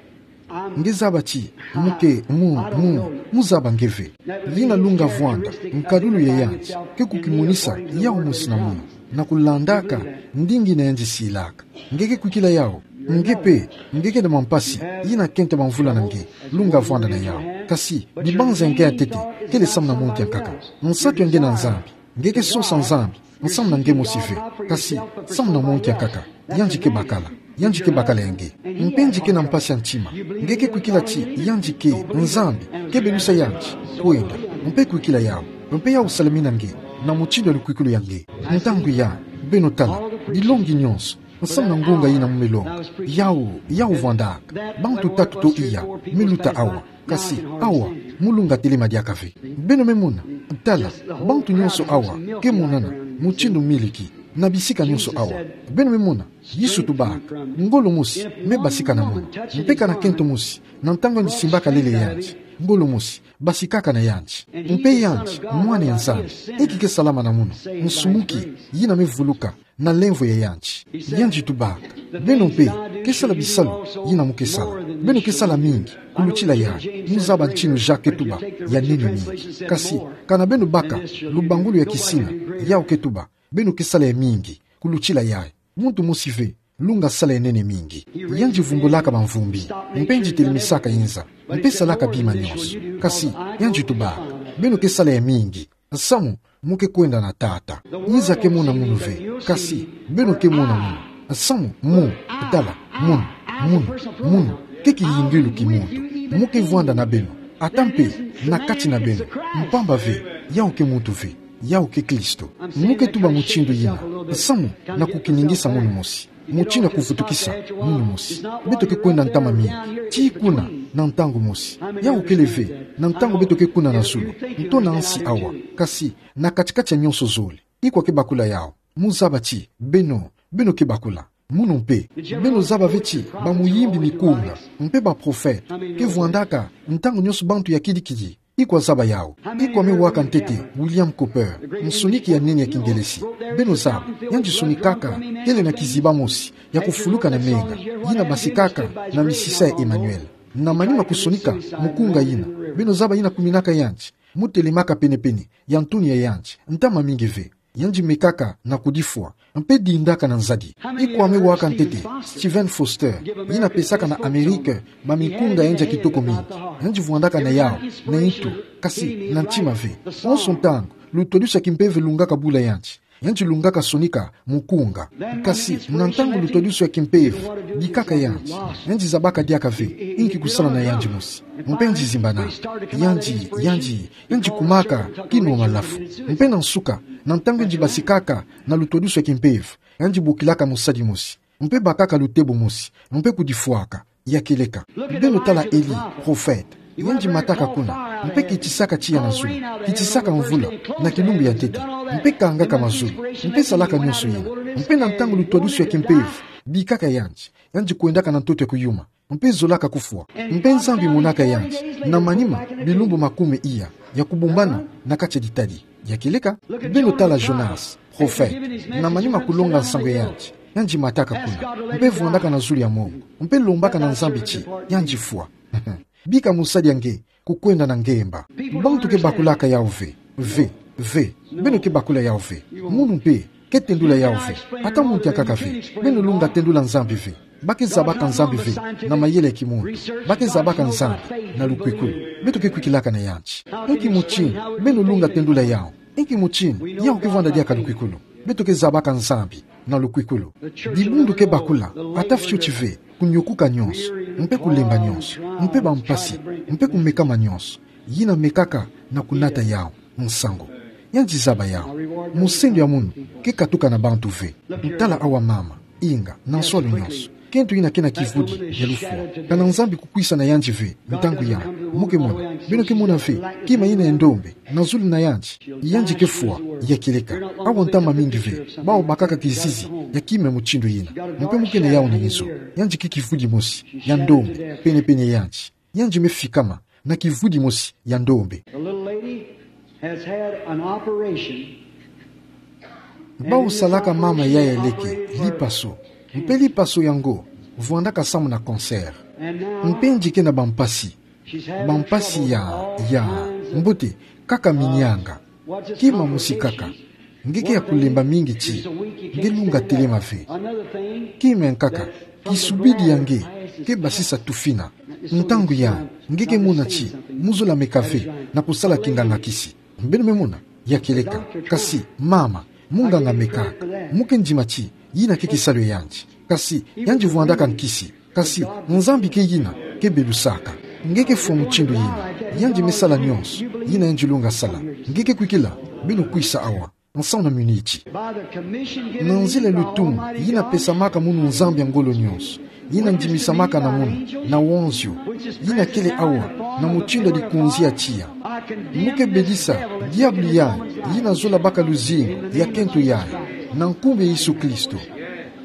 Nge zaba ti mu ke, mu, mu, muzaba nge ve. Yina lunga vwanda nkadulu ya yandi ke kukimonisa yawu mosi na munu, na kulandaka ndinga yina yandi silaka. Nge ke kwikila yawu. Nge mpe, nge ke na mampasi yina kento mamvula na nge. Lunga vwanda na yawu. Kasi bibanza ya nge ya ntete kele samu na muntu ya nkaka. Nsatu ya nge na Nzambi. Nge ke sosa Nzambi nsamu na nge mosi ve, kasi samu na muntu ya nkaka. Yandi ke bakala. Yandi ke bakala ya nge. Mpe yandi ke na mpasi ya ntima. Nge ke kwikila ti yandi ke, Nzambi ke belusa yandi. Kwenda. Mpe kwikila yawu. Mpe yawu salamina nge na mutindu ya lukwikulu ya nge. Ntangu ya, beno tala bilongi nyonso nsamu na ngunga yina mu me longa. Yawu, yawu vwandaka. Bantu tatu to iya me luta awa. Kasi awa, mu lunga telema diaka ve. Beno me mona. Tala, bantu nyonso awa ke monana mutindu miliki na bisika nyonso awa. Beno me mona. Yesu tubaka, ngolo mosi me basika na munu. Mpe kana kento mosi, na ntangu yandi simbaka lele yandi, ngolo mosi basikaka na yandi. Mpe yandi mwana ya Nzambi, inki ke salama na munu? Nsumuki yina me vuluka na lemvo ya yandi. Yandi tubaka, beno mpe ke sala bisalu yina mu ke sala. Beno ke sala mingi kulutila yayi. Muzaba ntinu Jacques ke tuba, ya nene mingi. Kasi kana beno baka lubangulu ya kisina, yawu ke tuba, beno ke sala ya mingi kulutila yayi. Muntu mosi ve lunga sala ya nene mingi. Yandi vumbulaka bamvumbi, mpe yandi telemisaka inza, mpe salaka bima nyonso. Kasi yandi tubaka, beno ke sala ya mingi nsamu mu ke kwenda na Tata. Inza ke mona munu ve, kasi beno ke mona munu. Nsamu mu, tala, munu, munu, munu ke kiyingilu ki muntu. Mu ke vwanda na beno, ata mpe na kati na beno. Mpamba ve, yawu ke muntu ve, yawu ke Kristo. Mu ke tuba mutindu yina nsamu na kukiningisa munu mosi, mutindu ya kuvutukisa munu mosi. Beto ke kwenda ntama mingi tii kuna na ntangu mosi. Yawu kele ve na ntangu beto ke kuna na zulu, nto na nsi awa, kasi na kati-kati ya nyonso zole. Ikwa ke bakula yawu? Muzaba ti beno, beno ke bakula. Munu mpe, beno zaba ve ti bamuyimbi mikunga mpe baprofete ke vwandaka ntangu nyonso bantu ya kidi-kidi. Iko azaba yawu. Iko ame waka ntete William Cowper, nsoniki ya nene ya Kingelesi? Beno zaba, yandi sonikaka, kele na kiziba mosi ya kufuluka na menga, yina basikaka na misisa ya Emmanuel. Na manima kusonika mukunga yina, beno zaba yina kuminaka yandi, mutelemaka pene-pene ya ntoni ya yandi, ntama mingi ve. Yandi mekaka na kudifwa, mpe dindaka na nzadi. Iko ame waka ntete Stephen Foster, yina pesaka na Amerike mamikunga yandi ya kitoko mingi? Yandi vwandaka na yawu na ntu, kasi na ntima ve. Onso ntangu lutwadusu ya kimpeve lungaka bula yandi, yandi lungaka sonika mukunga. Kasi na ntangu lutwadusu ya kimpeve bikaka yandi, yandi zabaka diaka ve inki kusala na yandi mosi. Mpe yandi zimbanaka, yandi, yandi, yandi kumaka kino malafu. Mpe na nsuka, na ntangu yandi basikaka na lutwadusu ya kimpeve, yandi bokilaka mosadi mosi, mpe bakaka lutebo mosi, mpe kudifwaka. Ya kieleka. Beno tala Eli, profete. Yandi mataka kuna, mpe kitisaka tiya na zulu, kitisaka mvula na kilumbu ya ntete, mpe kangaka mazulu, mpe salaka nyonso yina. Mpe na ntangu lutwadusu ya kimpeve bikaka yandi, yandi kwendaka na ntoto ya kuyuma, mpe zolaka kufwa. Mpe Nzambi monaka yandi na manima bilumbu makumi iya ya kubumbana na kati ya ditadi. Ya kieleka. Beno tala Jonas, profete. Na manima kulonga nsangu ya yandi, yandi mataka kuna, mpe vwandaka na zulu ya mongo, mpe lombaka na Nzambi ti yandi fwa. Bika mosadi ya nge kukwenda na ngemba. Bantu ke bakulaka yawu ve. Ve, ve. Beno ke bakula yawu ve. Munu mpe ke tendula yawu ve. Ata muntu ya nkaka ve. Beno lunga tendula Nzambi ve. Ba ke zabaka Nzambi ve na mayele ya kimuntu. Ba ke zabaka Nzambi na lukwikulu. Beto ke kwikilaka na yandi. Inki mutindu beno lunga tendula yawu? Inki mutindu yawu ke vwanda diaka lukwikulu? Beto ke zabaka Nzambi na lukwikulu. Dibundu ke bakula, ata fioti ve, kunyokuka nyonso, mpe kulemba nyonso, mpe bampasi, mpe kumekama nyonso. Yina mekaka na kunata yawu nsangu. Yandi zaba yawu. Musendo ya munu ke katuka na bantu ve. Tala awa mama, inga, na nswalu nyonso. Kento yina ke na kivudi ya lufwa. Kana Nzambi kukwisa na yandi ve, ntangu yandi. Mu ke mona, beno ke mona ve, kima yina ya ndombe na zulu na yandi. Yandi ke fwa, ya kieleka. Awa ntama mingi ve bawu bakaka kizizi ya kima ya mutindu yina. Mpe mu ke na yawu na nizo. Yandi ke kivudi mosi ya ndombe pene-pene ya yandi. Yandi me fikama na kivudi mosi ya ndombe. The little lady has had an operation. Bawu salaka mama yayi ya leke lipaso. Mpe lipaso yango vwandaka samu na cancer. Mpe yandi ke na bampasi. Bampasi ya, ya, mbote, kaka minyanga. Kima mosi kaka. Nge ke ya kulemba mingi ti nge lunga telema ve. Kima ya nkaka, kisubidi ya nge ke basisa tufina. Ntangu yandi, nge ke mona ti mu zola meka ve na kusala kinganga-kisi. Beno me mona, ya kieleka. Kasi mama, munganga mekaka. Mu ke ndima ti yina ke kisalu ya yandi. Kasi yandi vwandaka nkisi. Kasi Nzambi ke yina ke belusaka. Nge ke fwa mutindu yina. Yandi me sala nyonso yina yandi lunga sala. Nge ke kwikila? Beno kwisa awa nsamu na miniti. Na nzila lutumu yina pesamaka munu Nzambi ya ngolo nyonso, yina ndimisamaka na munu na wanzio, yina kele awa na mutindu ya likonzi ya tiya, mu ke bedisa diabulu yayi yina zola baka luzingu ya kento yayi, na nkumbu ya Yesu Kristo.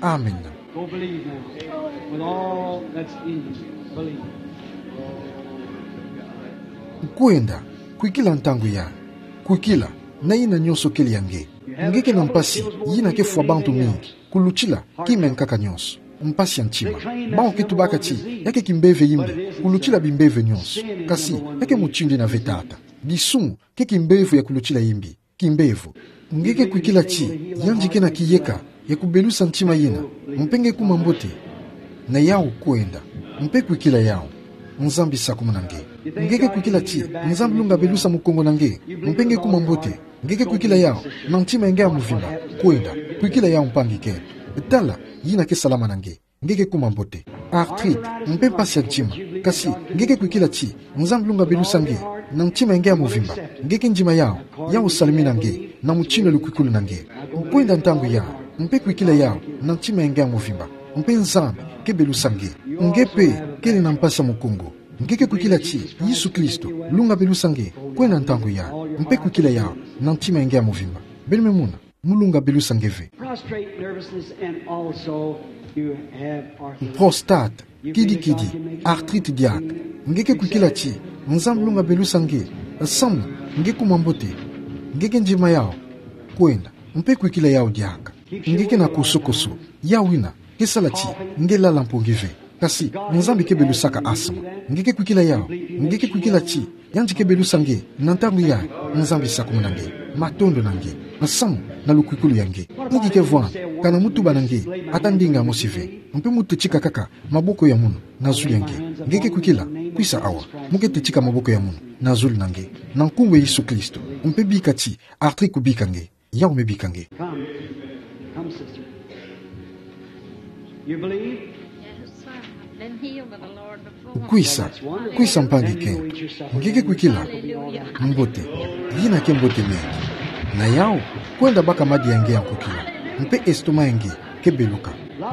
Amen. Go believe now. With all that's in you, believe. Kwenda, kwikila ntangu yayi. Kwikila, na yina nyonso kele ya nge. Nge ke na mpasi yina ke fwa bantu mingi kulutila kima ya nkaka nyonso. Mpasi ya ntima. Bawu ke tubaka ti ya ke kimpeve yimbi kulutila bimpeve nyonso. Kasi ya ke mutindu yina ve tata. Disumu ke kimbevo ya kulutila yimbi. Kimbevo. Nge ke kwikila ti yandi ke na kiyeka ya kubelusa ntima yina, mpe nge kuma mbote? Na yawu kwenda, mpe kwikila yawu. Nzambi sakumuna nge. Nge ke kwikila ti Nzambi lunga belusa mukongo na nge, mpe nge kuma mbote? Nge ke kwikila yawu na ntima ya nge ya muvimba? Kwenda, kwikila yawu mpangi kento. Tala, yina ke salama na nge. Nge ke kuma mbote. Arthrite, mpe mpasi ya ntima. Kasi nge ke kwikila ti Nzambi lunga belusa nge na ntima ya nge ya muvimba? Nge ke ndima yawu, yawu salamina nge na mutindu ya lukwikulu na nge. Kwenda ntangu yayi, mpe kwikila yawu na ntima ya nge ya muvimba, mpe Nzambi ke belusa nge. Nge mpe kele na mpasi ya mukongo. Nge ke kwikila ti Yesu Kristo lunga belusa nge? Kwenda ntangu yayi, mpe kwikila yawu na ntima ya nge ya muvimba. Beno me mona, mu lunga belusa nge ve. Prostrate nervousness, and also you have arthritis. Prostate, kidi-kidi, arthrite diaka. Nge ke kwikila ti Nzambi lunga belusa nge Nsamu, nge kuma mbote, nge ke ndima yao, kwenda, mpe kwikila yao diaka. Nge ke na kosokoso, yawina, ke sala ti, nge lala mpongi ve. Kasi, Nzambi ke belusaka asma. Nge ke kwikila yao, nge ke kwikila ti, yandi ke belusa nge, na ntangu yayi, Nzambi sakumuna nge, matondo na nge, nsamu, na lukwikulu ya nge. Inki ke vwanda, kana mutuba na nge, ata ndinga mosi ve. Mpe mu tetika kaka, maboko ya munu, na zulu ya nge. Nge ke kwikila, kwisa awa. Mu ke tetika maboko ya munu, na zulu na nge. Na nkumbu ya Yesu Kristo, mpe bika ti, artri kubika nge. Yao me bika nge. Come. Come, sister. You believe? Yes, sir. I've been healed by the Lord before. Kwisa, kwisa mpangi kento. Nge ke kwikila. Hallelujah. Mbote. Yina ke mbote mengi. Na yao, kwenda baka madi ya nge ya nkokila. Mpe estomac ya nge, ke beluka.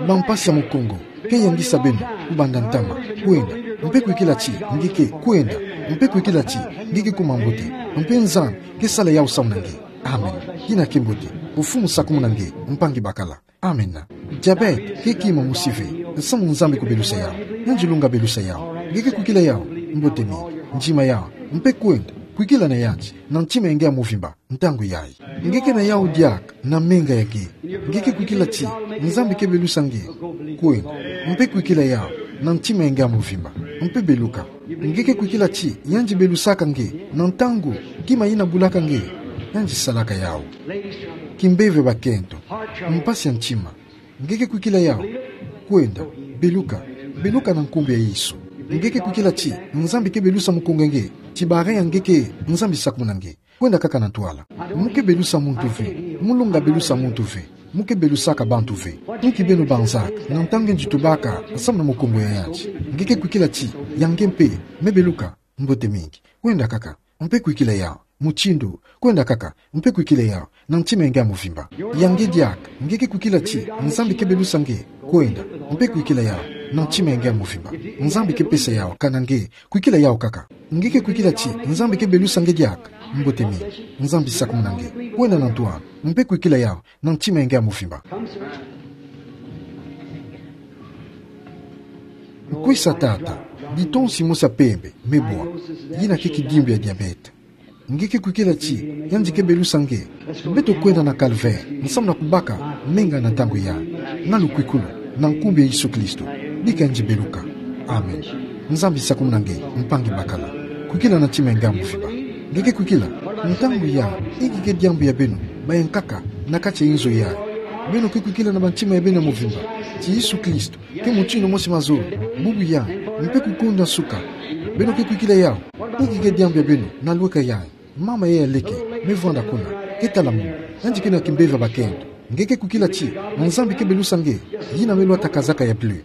Bampasi ya mukongo, ke yangisa beno, kubanda ntama, kwenda. Mpe kwikila ti, nge ke, kwenda. Mpe kwikila ti, nge ke kuma mbote. Mpe Nzambi, ke sala yao samu na nge. Amen. Yina ke mbote. Mfumu sakumuna nge, mpangi bakala. Amen. Diabète, ke kima mosi ve. Nsamu Nzambi kubelusa yao. Yandi lunga belusa yao. Nge ke kwikila yao. Mbote mingi. Ndima yao. Mpe kwenda. Kwikila na yandi. Na ntima ya nge ya mvimba. Ntangu yayi. Nge ke na yao diaka. Na menga ya nge. Nge ke kwikila ti. Nzambi ke belusa nge. Kwenda. Mpe kwikila yao. Na ntima ya nge ya mvimba. Mpe beluka. Nge ke kwikila ti, yandi belusaka nge, na ntangu, kima yina bulaka nge, yandi salaka yao. Kimpeve bakento, mpasi ya ntima. Nge ke kwikila yao, kwenda, beluka, beluka na nkumbu ya Yesu. Nge ke kwikila ti, Nzambi ke belusa mukongo ya nge, ti bara ya nge ke, Nzambi sakumuna nge. Kwenda kaka na ntwala. Mu ke belusa muntu ve. Mu lunga belusa muntu ve. Mu ke belusaka bantu ve. Inki beno banzaka, na ntangu nge tubaka, samu na mukongo ya yandi. Nge ke kwikila ti, ya nge mpe, me beluka, mbote mingi. Kwenda kaka, mpe kwikila yao. Mutindu, kwenda kaka, mpe kwikila yao. Na ntima ya nge ya mvimba. Ya nge diaka, nge ke kwikila ti, Nzambi ke belusa nge, kwenda, mpe kwikila yao. Na ntima ya nge ya mvimba. Nzambi ke pesa yao, kana nge, kwikila yao kaka. Nge ke kwikila ti, Nzambi ke belusa nge diaka. Mbote mingi. Nzambi sakumuna nge. Kwenda na ntwala. Mpe kwikila yao. Na ntima ya nge ya mvimba. Kwisa tata. Ditonsi mosi ya pembe. Me bwa. Yina ke kidimbu ya diabète. Nge ke kwikila ti, yandi ke belusa nge. Beto kwenda na calvaire, samu na kubaka, menga na ntangu yayi. Na lukwikulu, na nkumbu ya Yesu Kristo. Bika yandi beluka. Amen. Nzambi sakumuna nge, mpangi bakala. Kwikila na ntima ya nge ya mvimba. Nge ke kwikila, ntangu yayi, inki ke diambu ya beno, bayankaka, na kati ya nzo yayi. Beno ke kwikila na bantima ya beno ya mvimba. Ti Yesu Kristo. Ke mutindu mosi mazolo, bubu yayi, mpe kukunda nsuka. Beno ke kwikila yao, inki ke diambu ya beno, na lweka yayi, mama yayi ya leke, me vwanda kuna, ke tala munu, yandi ke na kimpeve bakento, nge ke kwikila ti, Nzambi ke belusa nge, yina me lwata kazaka ya bleu.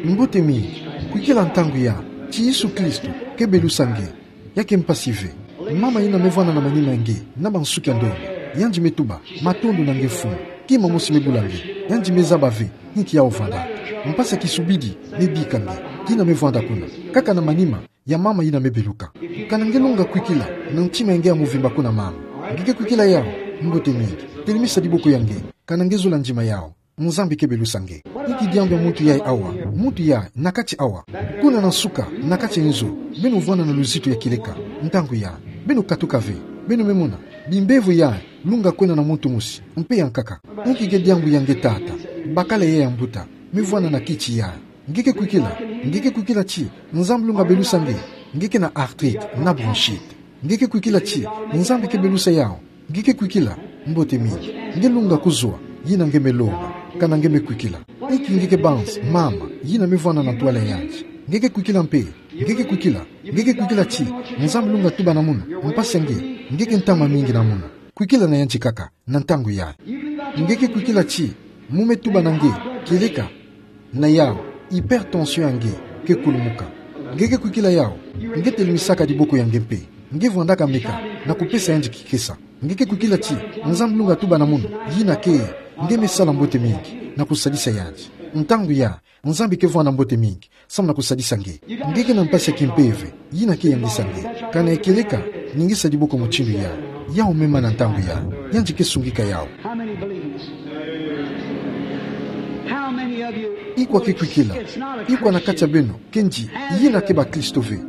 Mbote mingi, kwikila ntangu yayi, ti Yesu Kristo, ke belusa nge. Ya ke mpasi ve. Mama yina me vwanda na manima ya nge, na bansuki ya ndombe. Yandi me tuba, matondo na nge Mfumu. Kima mosi me bula nge. Yandi me zaba ve, inki yau vwandaka. Mpasi ya kisubidi, me bika nge. Yina me vwanda kuna. Kaka na manima, ya mama yina me beluka. Kana nge lunga kwikila, na ntima ya nge ya mvimba kuna mama. Nge ke kwikila yau, mbote mingi. Telemisa diboko ya nge. Kana nge zola ndima yau. Nzambi ke belusa nge. Inki diambu ya muntu yayi awa? Muntu yayi, na kati awa. Kuna na nsuka, na kati nzo, beno vwanda na luzitu ya kieleka. Ntangu yayi, beno katuka ve, beno me mona. Bimbevo yayi, lunga kwenda na muntu mosi, mpe yankaka. Inki ke diambu ya nge tata? Bakala yayi ya mbuta, me vwanda na kiti yayi. Nge ke kwikila, nge ke kwikila ti, Nzambi lunga belusa nge, nge ke na arthrite, na bronchite. Nge ke kwikila ti, Nzambi ke belusa yau. Nge ke kwikila, mbote mingi. Nge lunga kuzwa, yina nge me lomba, kana nge me kwikila. Inki nge ke banza, mama, yina me vwanda na ntwala ya yandi. Nge ke kwikila mpe, nge ke kwikila, nge ke kwikila ti, Nzambi lunga tuba na munu, mpasi ya nge, nge ke ntama mingi na munu. Kwikila na yandi kaka, na ntangu yayi. Nge ke kwikila ti, mu me tuba na nge, kieleka, na yau, hypertension ya nge, ke kulumuka. Nge ke kwikila yau, nge telemisaka diboko ya nge mpe. Nge vwandaka meka, na kupesa yandi kikesa. Nge ke kwikila ti, Nzambi lunga tuba na munu, yina ke, nge me sala mbote mingi, na kusadisa yandi. Ntangu yayi, Nzambi ke vwanda mbote mingi, samu na kusadisa nge. Nge ke na mpasi ya kimpeve, yina ke yangisa nge. Kana ya kieleka, ningisa diboko mutindu yayi. Yau me mana ntangu yayi, yandi ke sungika yau. How many believes? How many of you? Ikwa ke kwikila? Ikwa na kati ya beno, ke nge, yina ke bakristo ve?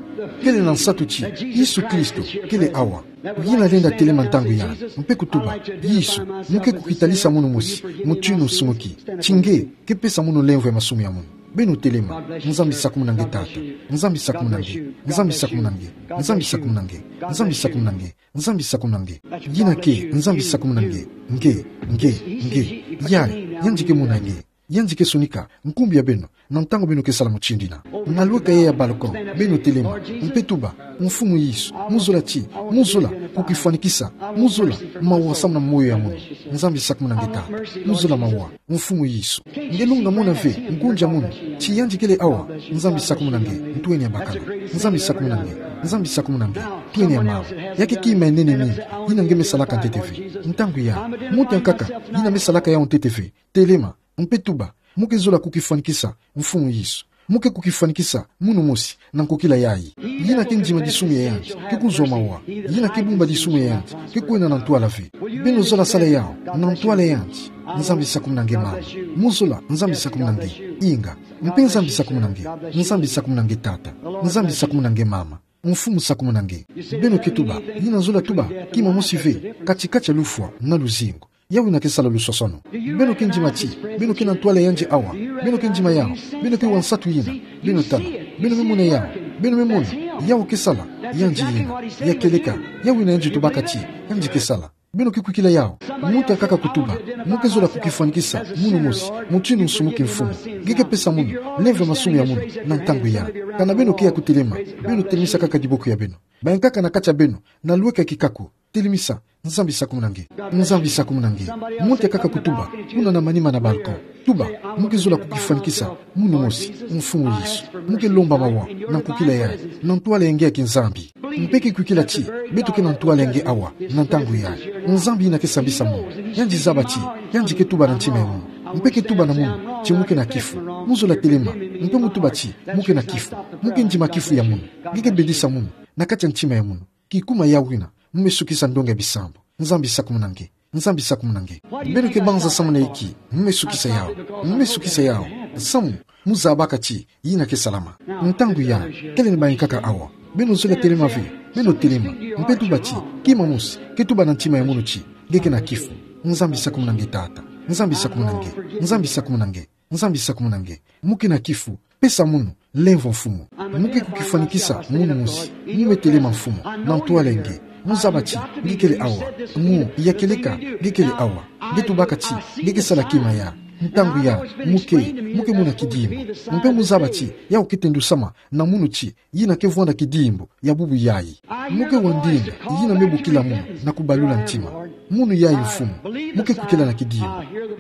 Kele na nsatu ti Yesu Kristo kele awa. Ngina lenda telema ntangu ya, mpe kutuba: Yesu, mo ke kukitalisa munu mosi mutinu nsumuki, ti nge ke pesa munu lemvo ya masumu ya munu. Beno telema. Nzambi sakumuna nge tata. Nzambi sakumuna nge. Nzambi sakumuna nge. Nzambi sakumuna nge. Nzambi sakumuna nge. Nzambi sakumuna nge. Ngina ke, Nzambi sakumuna nge. Nge, nge, nge. Yari, yandi ke mona nge. Yandi ke sonika nkumbu ya beno na ntangu beno ke sala mutindu yina. Na lweka ya balcon, beno telema, mpe tuba: Mfumu Yesu, mo zola ti, mo zola kukifwanikisa, mo zola mawa samu na moyo ya munu. Nzambi sakumuna nge tata. Mo zola mawa, Mfumu Yesu. Nge longa mona ve ngunza munu, ti yandi kele awa. Nzambi sakumuna nge, ntweni ya bakala. Nzambi sakumuna nge. Nzambi sakumuna nge, ntweni ya mama. Ya ke kima ya nene mingi yina nge me salaka ntete ve. Ntangu ya, muntu ya nkaka yina me salaka yau ntete ve, telema, mpe tuba: Mo ke zola kukifwanikisa, Mfumu Yesu. Mo ke kukifwanikisa munu mosi na nkokila yayi. Yina ke ndima disumu ya yandi, ke kuzwa mawa. Yina ke bumba disumu ya yandi, ke kwenda na ntwala ve. Beno zola sala yau na ntwala ya yandi. Nzambi sakumuna nge mama. Mo zola, Nzambi sakumuna nge. Inga. Mpe Nzambi sakumuna nge. Nzambi sakumuna nge tata. Nzambi sakumuna nge mama. Mfumu sakumuna nge. Beno ke tuba, yina zola tuba kima mosi ve kati-kati ya lufwa na luzingu. Yau yina ke sala lusosono. Beno ke ndima ti beno ke na ntwala ya yandi awa. Beno ke ndima yau. Beno ke wa nsatu yina. Beno tala. Beno me mona yau. Beno me mona. Yau ke sala. Yandi yina. Ya kieleka. Yau yina yandi tubaka ti yandi ke sala. Beno ke kwikila yau. Muntu ya nkaka kutuba: Mo ke zola kukifwanikisa munu mosi mutinu nsumuki, Mfumu. Nge ke pesa munu lemvo ya masumu ya munu na ntangu ya. Kana beno ke ya kutelema, beno telemisa kaka diboko ya beno. Bankaka na kati ya beno, na lweka kikaku, telemisa: Nzambi sakumuna nge. Nzambi sakumuna nge. Muntu ya nkaka kutuba kuna na manima na balcon. Tuba: Mo ke zola kukifwanikisa munu mosi, Mfumu Yesu. Mo ke lomba mawa na nkokila yayi, na ntwala ya nge ya kinzambi. Mpe ke kwikila ti beto ke na ntwala ya nge awa na ntangu yayi. Nzambi yina ke sambisa munu. Yandi zaba ti yandi ke tuba na ntima ya munu. Mpe ke tuba na munu ti mo ke na kifu. Mo zola telema, mpe mo tuba ti mo ke na kifu. Mo ke ndima kifu ya munu. Nge ke bedisa munu na kati ya ntima ya munu. Kikuma yau yina, mo me sukisa ndonga ya bisambu. Nzambi sakumuna nge. Nzambi sakumuna nge. Beno ke banza samu na inki? Mo me sukisa yau. Mo me sukisa yau samu mo zabaka ti yina ke salama. Ntangu ya, kele na bankaka awa. Beno zola telema ve. Beno telema, mpe tuba ti kima mosi ke tuba na ntima ya munu ti nge ke na kifu. Nzambi sakumuna nge tata. Nzambi sakumuna nge. Nzambi sakumuna nge. Nzambi sakumuna nge. Mo ke na kifu. Pesa munu lemvo, Mfumu. Mo ke kukifwanikisa munu mosi. Mo me telema, Mfumu, na ntwala ya nge. Mo zaba ti nge kele awa. Mo, ya kieleka, nge kele awa. Nge tubaka ti nge ke sala kima ya. Ntangu ya, mo ke, mo ke mona kidimbu. Mpe mo zaba ti yau ke tendusama na munu ti yina ke vwanda kidimbu ya bubu yayi. Mo ke wa ndinga yina me bokila munu na kubalula ntima. Munu yayi, Mfumu, mo ke kwikila na kidimbu.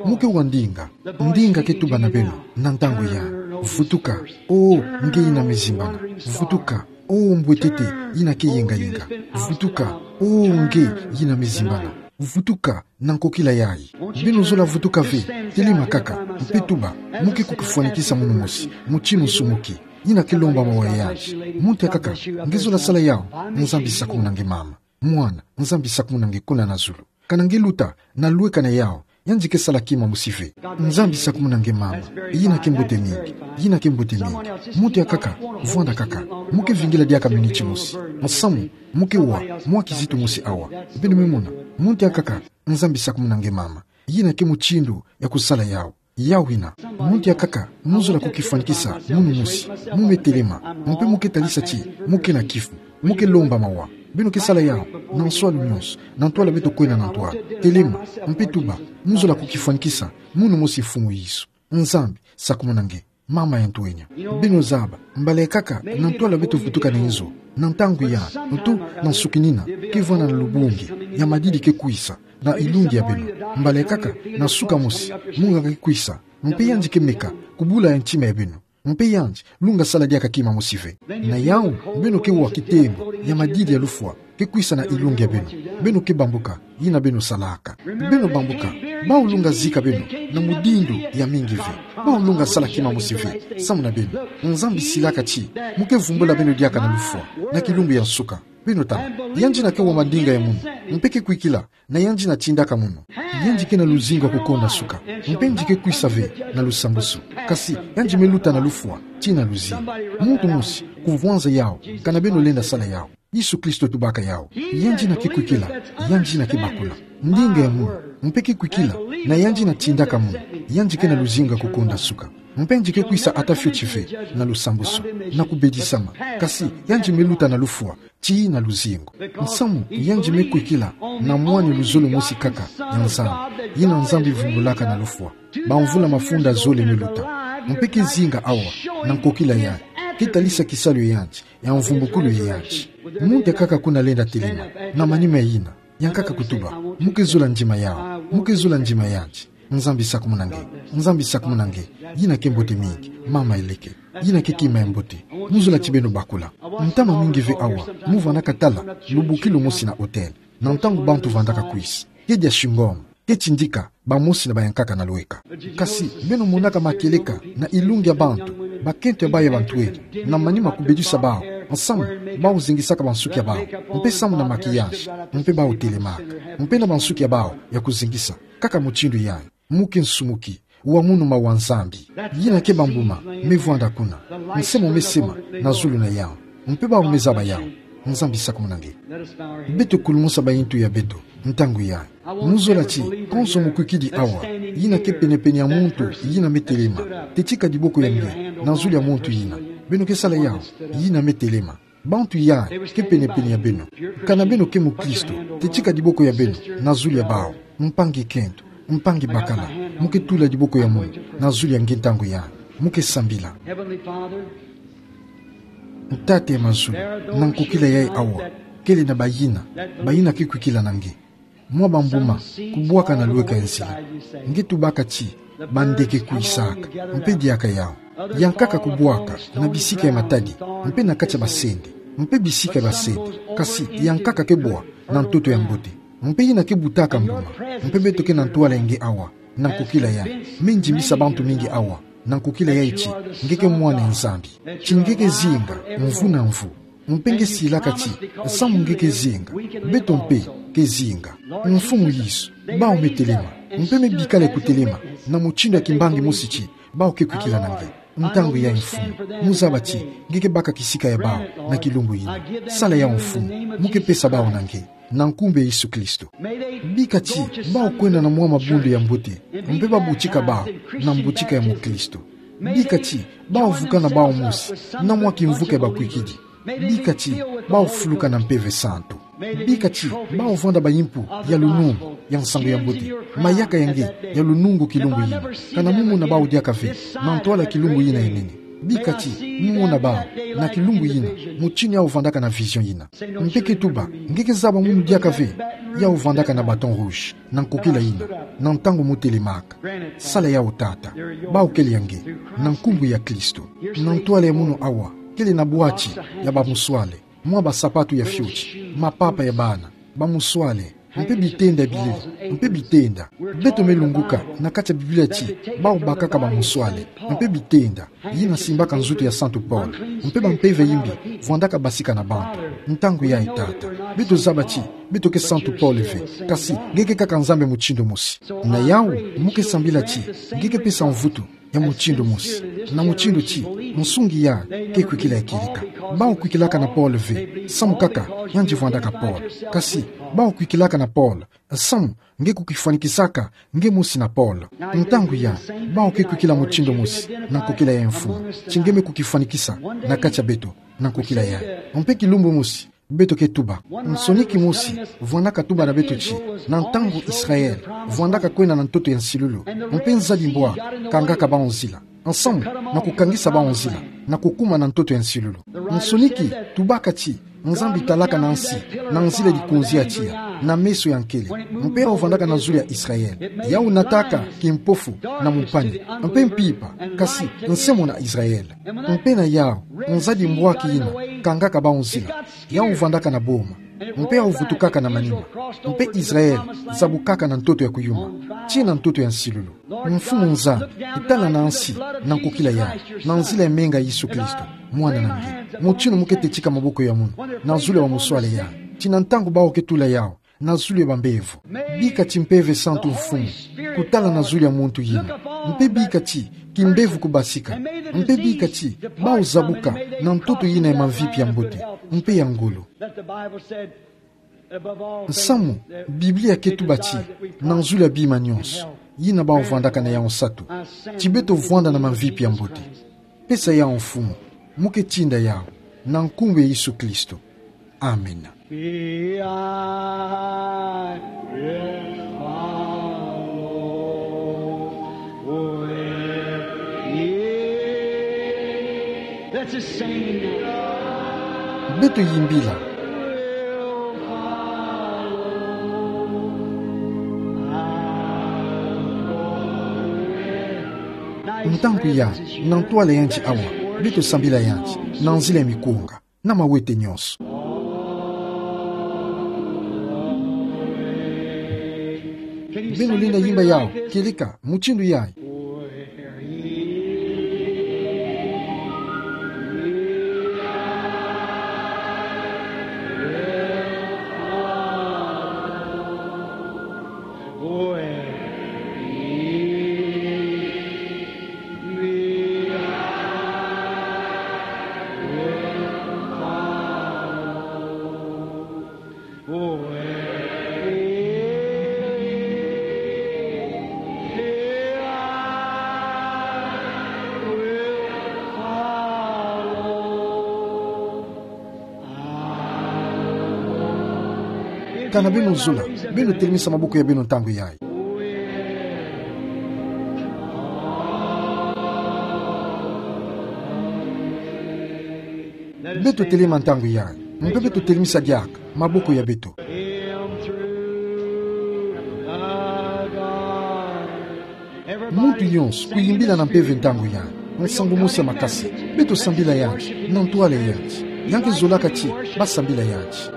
Mo ke wa ndinga. Ndinga ke tuba na beno na ntangu ya: Vutuka, O nge yina me zimbana. Vutuka, O mbwetete yina ke yengayenga. Vutuka, O nge yina me zimbana. Vutuka na nkokila yayi. Beno zola vutuka ve. Telema kaka, mpe tuba: Mo ke kukifwanikisa munu mosi mutinu nsumuki, yina ke lomba mawa ya yandi. Muntu ya nkaka, nge zola sala yau. Nzambi sakumuna nge mama. Mwana, Nzambi sakumuna nge kuna na zulu. Kana nge luta na lweka na yau, yandi ke sala kima mosi ve. Nzambi sakumuna nge mama. Yina ke mbote mingi. Yina ke mbote mingi. Muntu ya nkaka, vwanda kaka. Mo ke vingila diaka miniti mosi. Nsamu, mo ke wa mwa kizito mosi awa. Beno me mona. Muntu ya nkaka, Nzambi sakumuna nge mama. Yina ke mutindu ya kusala yau. Yau yina, muntu ya nkaka, mo zola kukifwanikisa munu mosi. Mo me telema, mpe mo ke talisa ti mo ke na kifu. Mo ke lomba mawa. Beno ke sala yau na nswalu nyonso, na ntwala beto kwenda na ntwala. Telema, mpe tuba: Mo zola kukifwanikisa munu mosi, Mfumu Yesu. Nzambi sakumuna nge, mama ya ntwenya. Beno zaba, mbala ya nkaka, na ntwala beto vutuka na inzo, na ntangu ya, ntu na nsukinina, ke vwanda na lubungi ya madidi ke kwisa na ilungi ya beno. Mbala ya nkaka, na suka mosi, munganga ke kwisa, mpe yandi ke meka kubula ya ntima ya beno. Mpe yandi lunga sala diaka kima mosi ve. Na yau, beno ke wa kitembo ya madidi ya lufwa ke kwisa na ilungi ya beno. Beno ke bambuka yina beno salaka. Beno bambuka. Bau lunga zika beno na mudindu ya mingi ve? Bau lunga sala kima mosi ve samu na beno? Nzambi silaka ti mo ke vumbula beno diaka na lufwa, na kilumbu ya nsuka. Beno tala, yandi yina ke wa mandinga ya munu, mpe ke kwikila na yandi yina tindaka munu. Yandi ke na luzingu ya kukonda suka, mpe yandi ke kwisa ve na lusambusu. Kasi yandi me luta na lufwa, tii na luzingu. Muntu mosi, kuvwanza yawu, kana beno lenda sala yawu. Yesu Kristo tubaka yawu. Yandi ina ke kwikila, yandi ina ke bakula. Ndinga ya munu, mpe ke kwikila, na yandi ina tindaka munu, yandi ke na luzingu ya kukunda suka. Mpe yandi ke kwisa ata fioti ve, na lusambusu, na kubedisama. Kasi, yandi me luta na lufwa, tii na luzingu. Nsamu, yandi me kwikila, na mwane luzolo mosi kaka, ya Nzambi, yina Nzambi vumbulaka na lufwa. Bamvula mafunda zole me luta. Mpe ke zinga awa, na nkokila yandi. Ke talisa kisalu ya yandi, ya mvumbukulu ya yandi. Muntu ya nkaka kuna lenda telema, na manima yina. Ya nkaka kutuba, mu ke zola ndima yawu, mu ke zola ndima yandi. Nzambi sakumuna nge, Nzambi sakumuna nge. Yina ke mbote mingi, mama eleke. Yina ke kima ya mbote. Mu zola ti beno bakula. Ntama mingi ve awa, mu vandaka tala, lubukilu mosi na hôtel. Na ntangu bantu vandaka kwisa. Ke dia shingoma, ke tindika, bamosi na bayankaka na lweka. Kasi, beno monaka makieleka, na ilungi ya bantu, bakento ya bawu ya bantwele, na manima kubedisa bawu, nsamu, bawu zingisaka bansuki ya bawu, mpe samu na maquillage, mpe bawu telemaka, mpe na bansuki ya bawu, ya kuzingisa, kaka mutindu yandi, mu ke nsumuki, wa munu mawa Nzambi. Yina ke bambuma, me vwanda kuna, nsemo me sema, na zulu na yawu, mpe bawu me zaba yawu, Nzambi sakumuna nge. Beto kulumusa bayintu ya beto, ntangu yandi. Mu zola ti, konso mukwikidi awa, yina ke penepene ya muntu, yina me telema, tetika diboko ya nge, na zulu ya muntu yina. Beno ke sala yawu, yina me telema. Bantu yandi, ke penepene ya beno. Kana beno ke mukristo, tetika diboko ya beno, na zulu ya bawu. Mpangi kento, mpangi bakala, mu ke tula diboko ya munu, na zulu ya nge ntangu yandi. Mu ke sambila. Heavenly Father, Tata ya mazulu, na nkokila yayi awa, kele na bayina, bayina ke kwikila na nge. Mwa bambuma, kubwaka na lweka ya nzila. Nge tubaka ti, bandeke kwisaka, mpe diaka yawu. Ya nkaka kubwaka, na bisika ya matadi, mpe na kati ya basende, mpe bisika ya basende, kasi ya nkaka ke bwa, na ntoto ya mbote. Mpe yina ke butaka mbuma, mpe beto ke na ntwala ya nge awa, na nkokila yayi. Me ndimbisa bantu mingi awa, na nkokila yayi ti, nge ke mwana ya Nzambi. Ti nge ke zinga, mvu na mvu. Mpe nge silaka ti, samu nge ke zinga, beto mpe ke zinga. Mfumu Yesu, bawu me telema, mpe me bikala kutelema, na mutindu ya kimbangi mosi ti, bawu ke kwikila na nge. Ntangu yayi Mfumu, mu zaba ti, nge ke baka kisika ya bawu, na kilumbu yina. Sala yawu Mfumu, mu ke pesa bawu na nge. Na nkumbu ya Yesu Kristo. Bika ti, bawu kwenda na mwa mabundu ya mbote, mpe babutika bawu, na mbutika ya mukristo. Bika ti, bawu vukana bawu mosi, na mwa kimvuka ya bakwikidi. Bika ti, bawu fuluka na Mpeve Santu. Bika ti, bawu vwanda bayimpu, ya lunungu, ya nsangu ya mbote. Mayaka ya nge, ya lunungu kilumbu yina. Kana mu mona bawu diaka ve, na ntwala kilumbu yina ya nene. Bika ti, mu mona bawu, na kilumbu yina, mutindu yawu vandaka na vision yina. Mpe ke tuba, nge ke zaba munu diaka ve, yawu vandaka na bâton rouge, na nkokila yina, na ntangu mu telemaka. Sala yawu Tata, bawu kele ya nge, na nkumbu ya Kristo. Na ntwala ya munu awa, kele na bwati, ya bamuswale, mwa basapatu ya fioti, mapapa ya bana, bamuswale, mpe bitenda bilele, mpe bitenda. Beto me lunguka, na kati ya Biblia ti, bawu bakaka bamuswale, mpe bitenda. Yina simbaka nzutu ya Santu Paul, mpe bampeve yimbi, vwandaka basika na bantu. Ntangu yayi Tata, beto zaba ti, beto ke Santu Paul ve, kasi, nge ke kaka Nzambi mutindu mosi. Na yawu, mu ke sambila ti, nge ke pesa mvutu, ya mutindu mosi. Na mutindu ti, nsungi yayi, ke kwikila ya kieleka. Bawu kwikilaka na Paul ve, samu kaka, yandi vwandaka Paul. Kasi, bawu kwikilaka na Paul, samu, nge kukifwanikisaka, nge mosi na Paul. Ntangu yayi, bawu ke kwikila mutindu mosi, na nkokila yayi Mfumu. Ti nge me kukifwanikisa, na kati ya beto, na nkokila yayi. Mpe kilumbu mosi, beto ke tuba. Nsoni kimosi, vwandaka tuba na beto ti, na ntangu Israel, vwandaka kwenda na ntoto ya nsilulu. Mpe nzadi mbwa, kangaka bawu nzila. Nsamu, na kukangisa bawu nzila, na kukuma na ntoto ya nsilulu. Nsoni ki, tubaka ti, Nzambi talaka na nsi, na nzila dikunzi ya tiya, na meso ya nkele, mpe yawu vandaka na zulu ya Israel. Yawu nataka, kimpofu, na mumpani, mpe mpimpa, kasi, nsemona Israel. Mpe na yawu, nzadi mbwaki yina, kangaka bawu nzila, yawu vandaka na boma, mpe yawu vutukaka na manima, mpe Israel, zabukaka na ntoto ya kuyuma, tii na ntoto ya nsilulu. Mfumu Nzambi, tala na nsi, na nkokila yayi, na nzila ya menga Yesu Kristo, mwana na nge. Mutindu mu ke tetika maboko ya munu, na zulu ya bamuswale yayi. Ti na ntangu bawu ke tula yawu, na zulu ya bambevo. Bika ti Mpeve Santu Mfumu kutala na zulu ya muntu yina, mpe bika ti kimbevo kubasika, mpe bika ti bau zabuka na ntoto yina ya mamvipi ya mbote mpe ya ngolo. Nsamu, Biblia ke tuba ti, na zulu ya bima nyonso, yina bau vwandaka na yau nsatu, ti beto vwanda na mamvipi ya mbote. Pesa yau Mfumu, mu ke tinda yau, na nkumbu ya Yesu Kristo. Amen. Let's just sing. Beto yimbila. Ntangu ya, na ntwala ya nti awa, beto sambila ya nti, na nzila ya mikunga na mawete nyonso. Beno lenda yimba yau, keleka, mutindu yayi. Kana beno zola, beno telemisa maboko ya beno ntangu yayi. Beto telema ntangu yayi, mpe beto telemisa diaka maboko ya beto. Muntu nyonso kuyimbila na mpeve ntangu yayi, nsangu mosi ya makasi. Beto sambila ya nti, na ntwala ya nti. Yau ke zolaka ti basambila ya nti.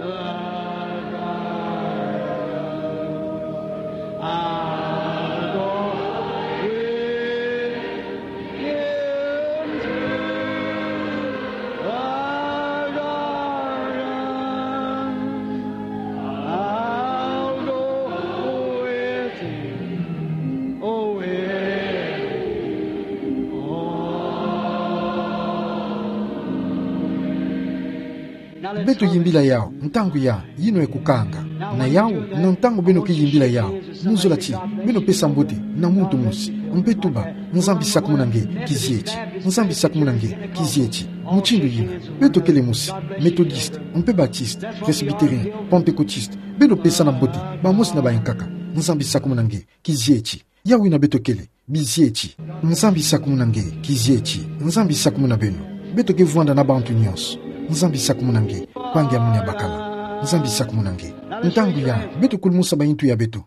Beto yimbila yau ntangu ya, yino ya kukanga. Na yau, na ntangu beno ke yimbila yau, muzola ti beno pesa mbote na muntu mosi, mpe tuba: Nzambi sakumuna nge, kizieti. Nzambi sakumuna nge, kizieti. Mutindu yina, beto kele mosi, Methodiste, mpe Baptiste, Presbytérien, Pentecôtiste, beno pesa na mbote bamosi na bayankaka: Nzambi sakumuna nge, kizieti. Yau yina beto kele, bizieti. Nzambi sakumuna nge, kizieti. Nzambi sakumuna beno. Beto ke vwanda na bantu nyonso. Nzambi sakumuna nge, mpangi ya munu ya bakala. Nzambi sakumuna nge. Ntangu ya, beto kulumusa bayintu ya beto.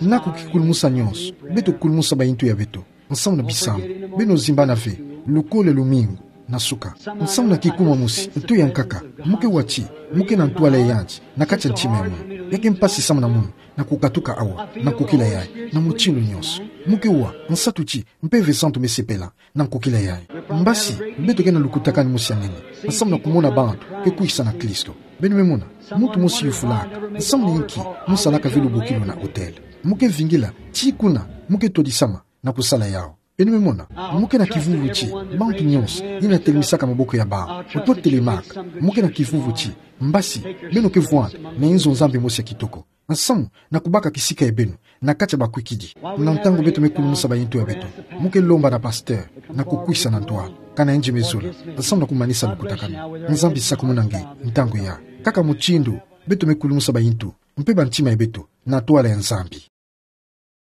Naku kikulumusa nyonso, beto kulumusa bayintu ya beto. Nsamu na bisambu, beno zimbana ve, lukole lumingu, na suka. Nsamu na kikuma mosi, nto yankaka, mu ke wa ti, mu ke na ntwala ya nti, na kati ya ntima ya munu. Ya ke mpasi samu na munu, na kukatuka awa, na nkokila yayi, na mutindu nyonso. Mu ke wa, nsatu ti, Mpeve Santu mesepela, na nkokila yayi. Mbasi, beto ke na lukutakanu mosi ya nene, nsamu na kumona bantu ke kwisa na Kristo. Beno me mona, muntu mosi yufulaka, nsamu na inki, mu salaka ve lubokilu na autel. Mu ke vingila, ti kuna, mu ke todisama na kusala yau. Beno me mona, mu ke na kivuvu ti bantu nyonso yina telemisaka maboko ya bau, oto telemaka, mu ke na kivuvu ti mbasi beno ke vwanda na inzo Nzambi mosi ya kitoko. Nsamu na kubaka kisika ya beno na kati ya bakwikidi. Na ntangu beto me kulumusa bayintu ya beto, mu ke lomba na pasteur na kukwisa na ntwala, kana yandi me zola, nsamu na kumanisa lukutakanu. Nzambi sakumuna nge, ntangu ya. Kaka mutindu beto me kulumusa bayintu, mpe bantima ya beto, na ntwala ya Nzambi.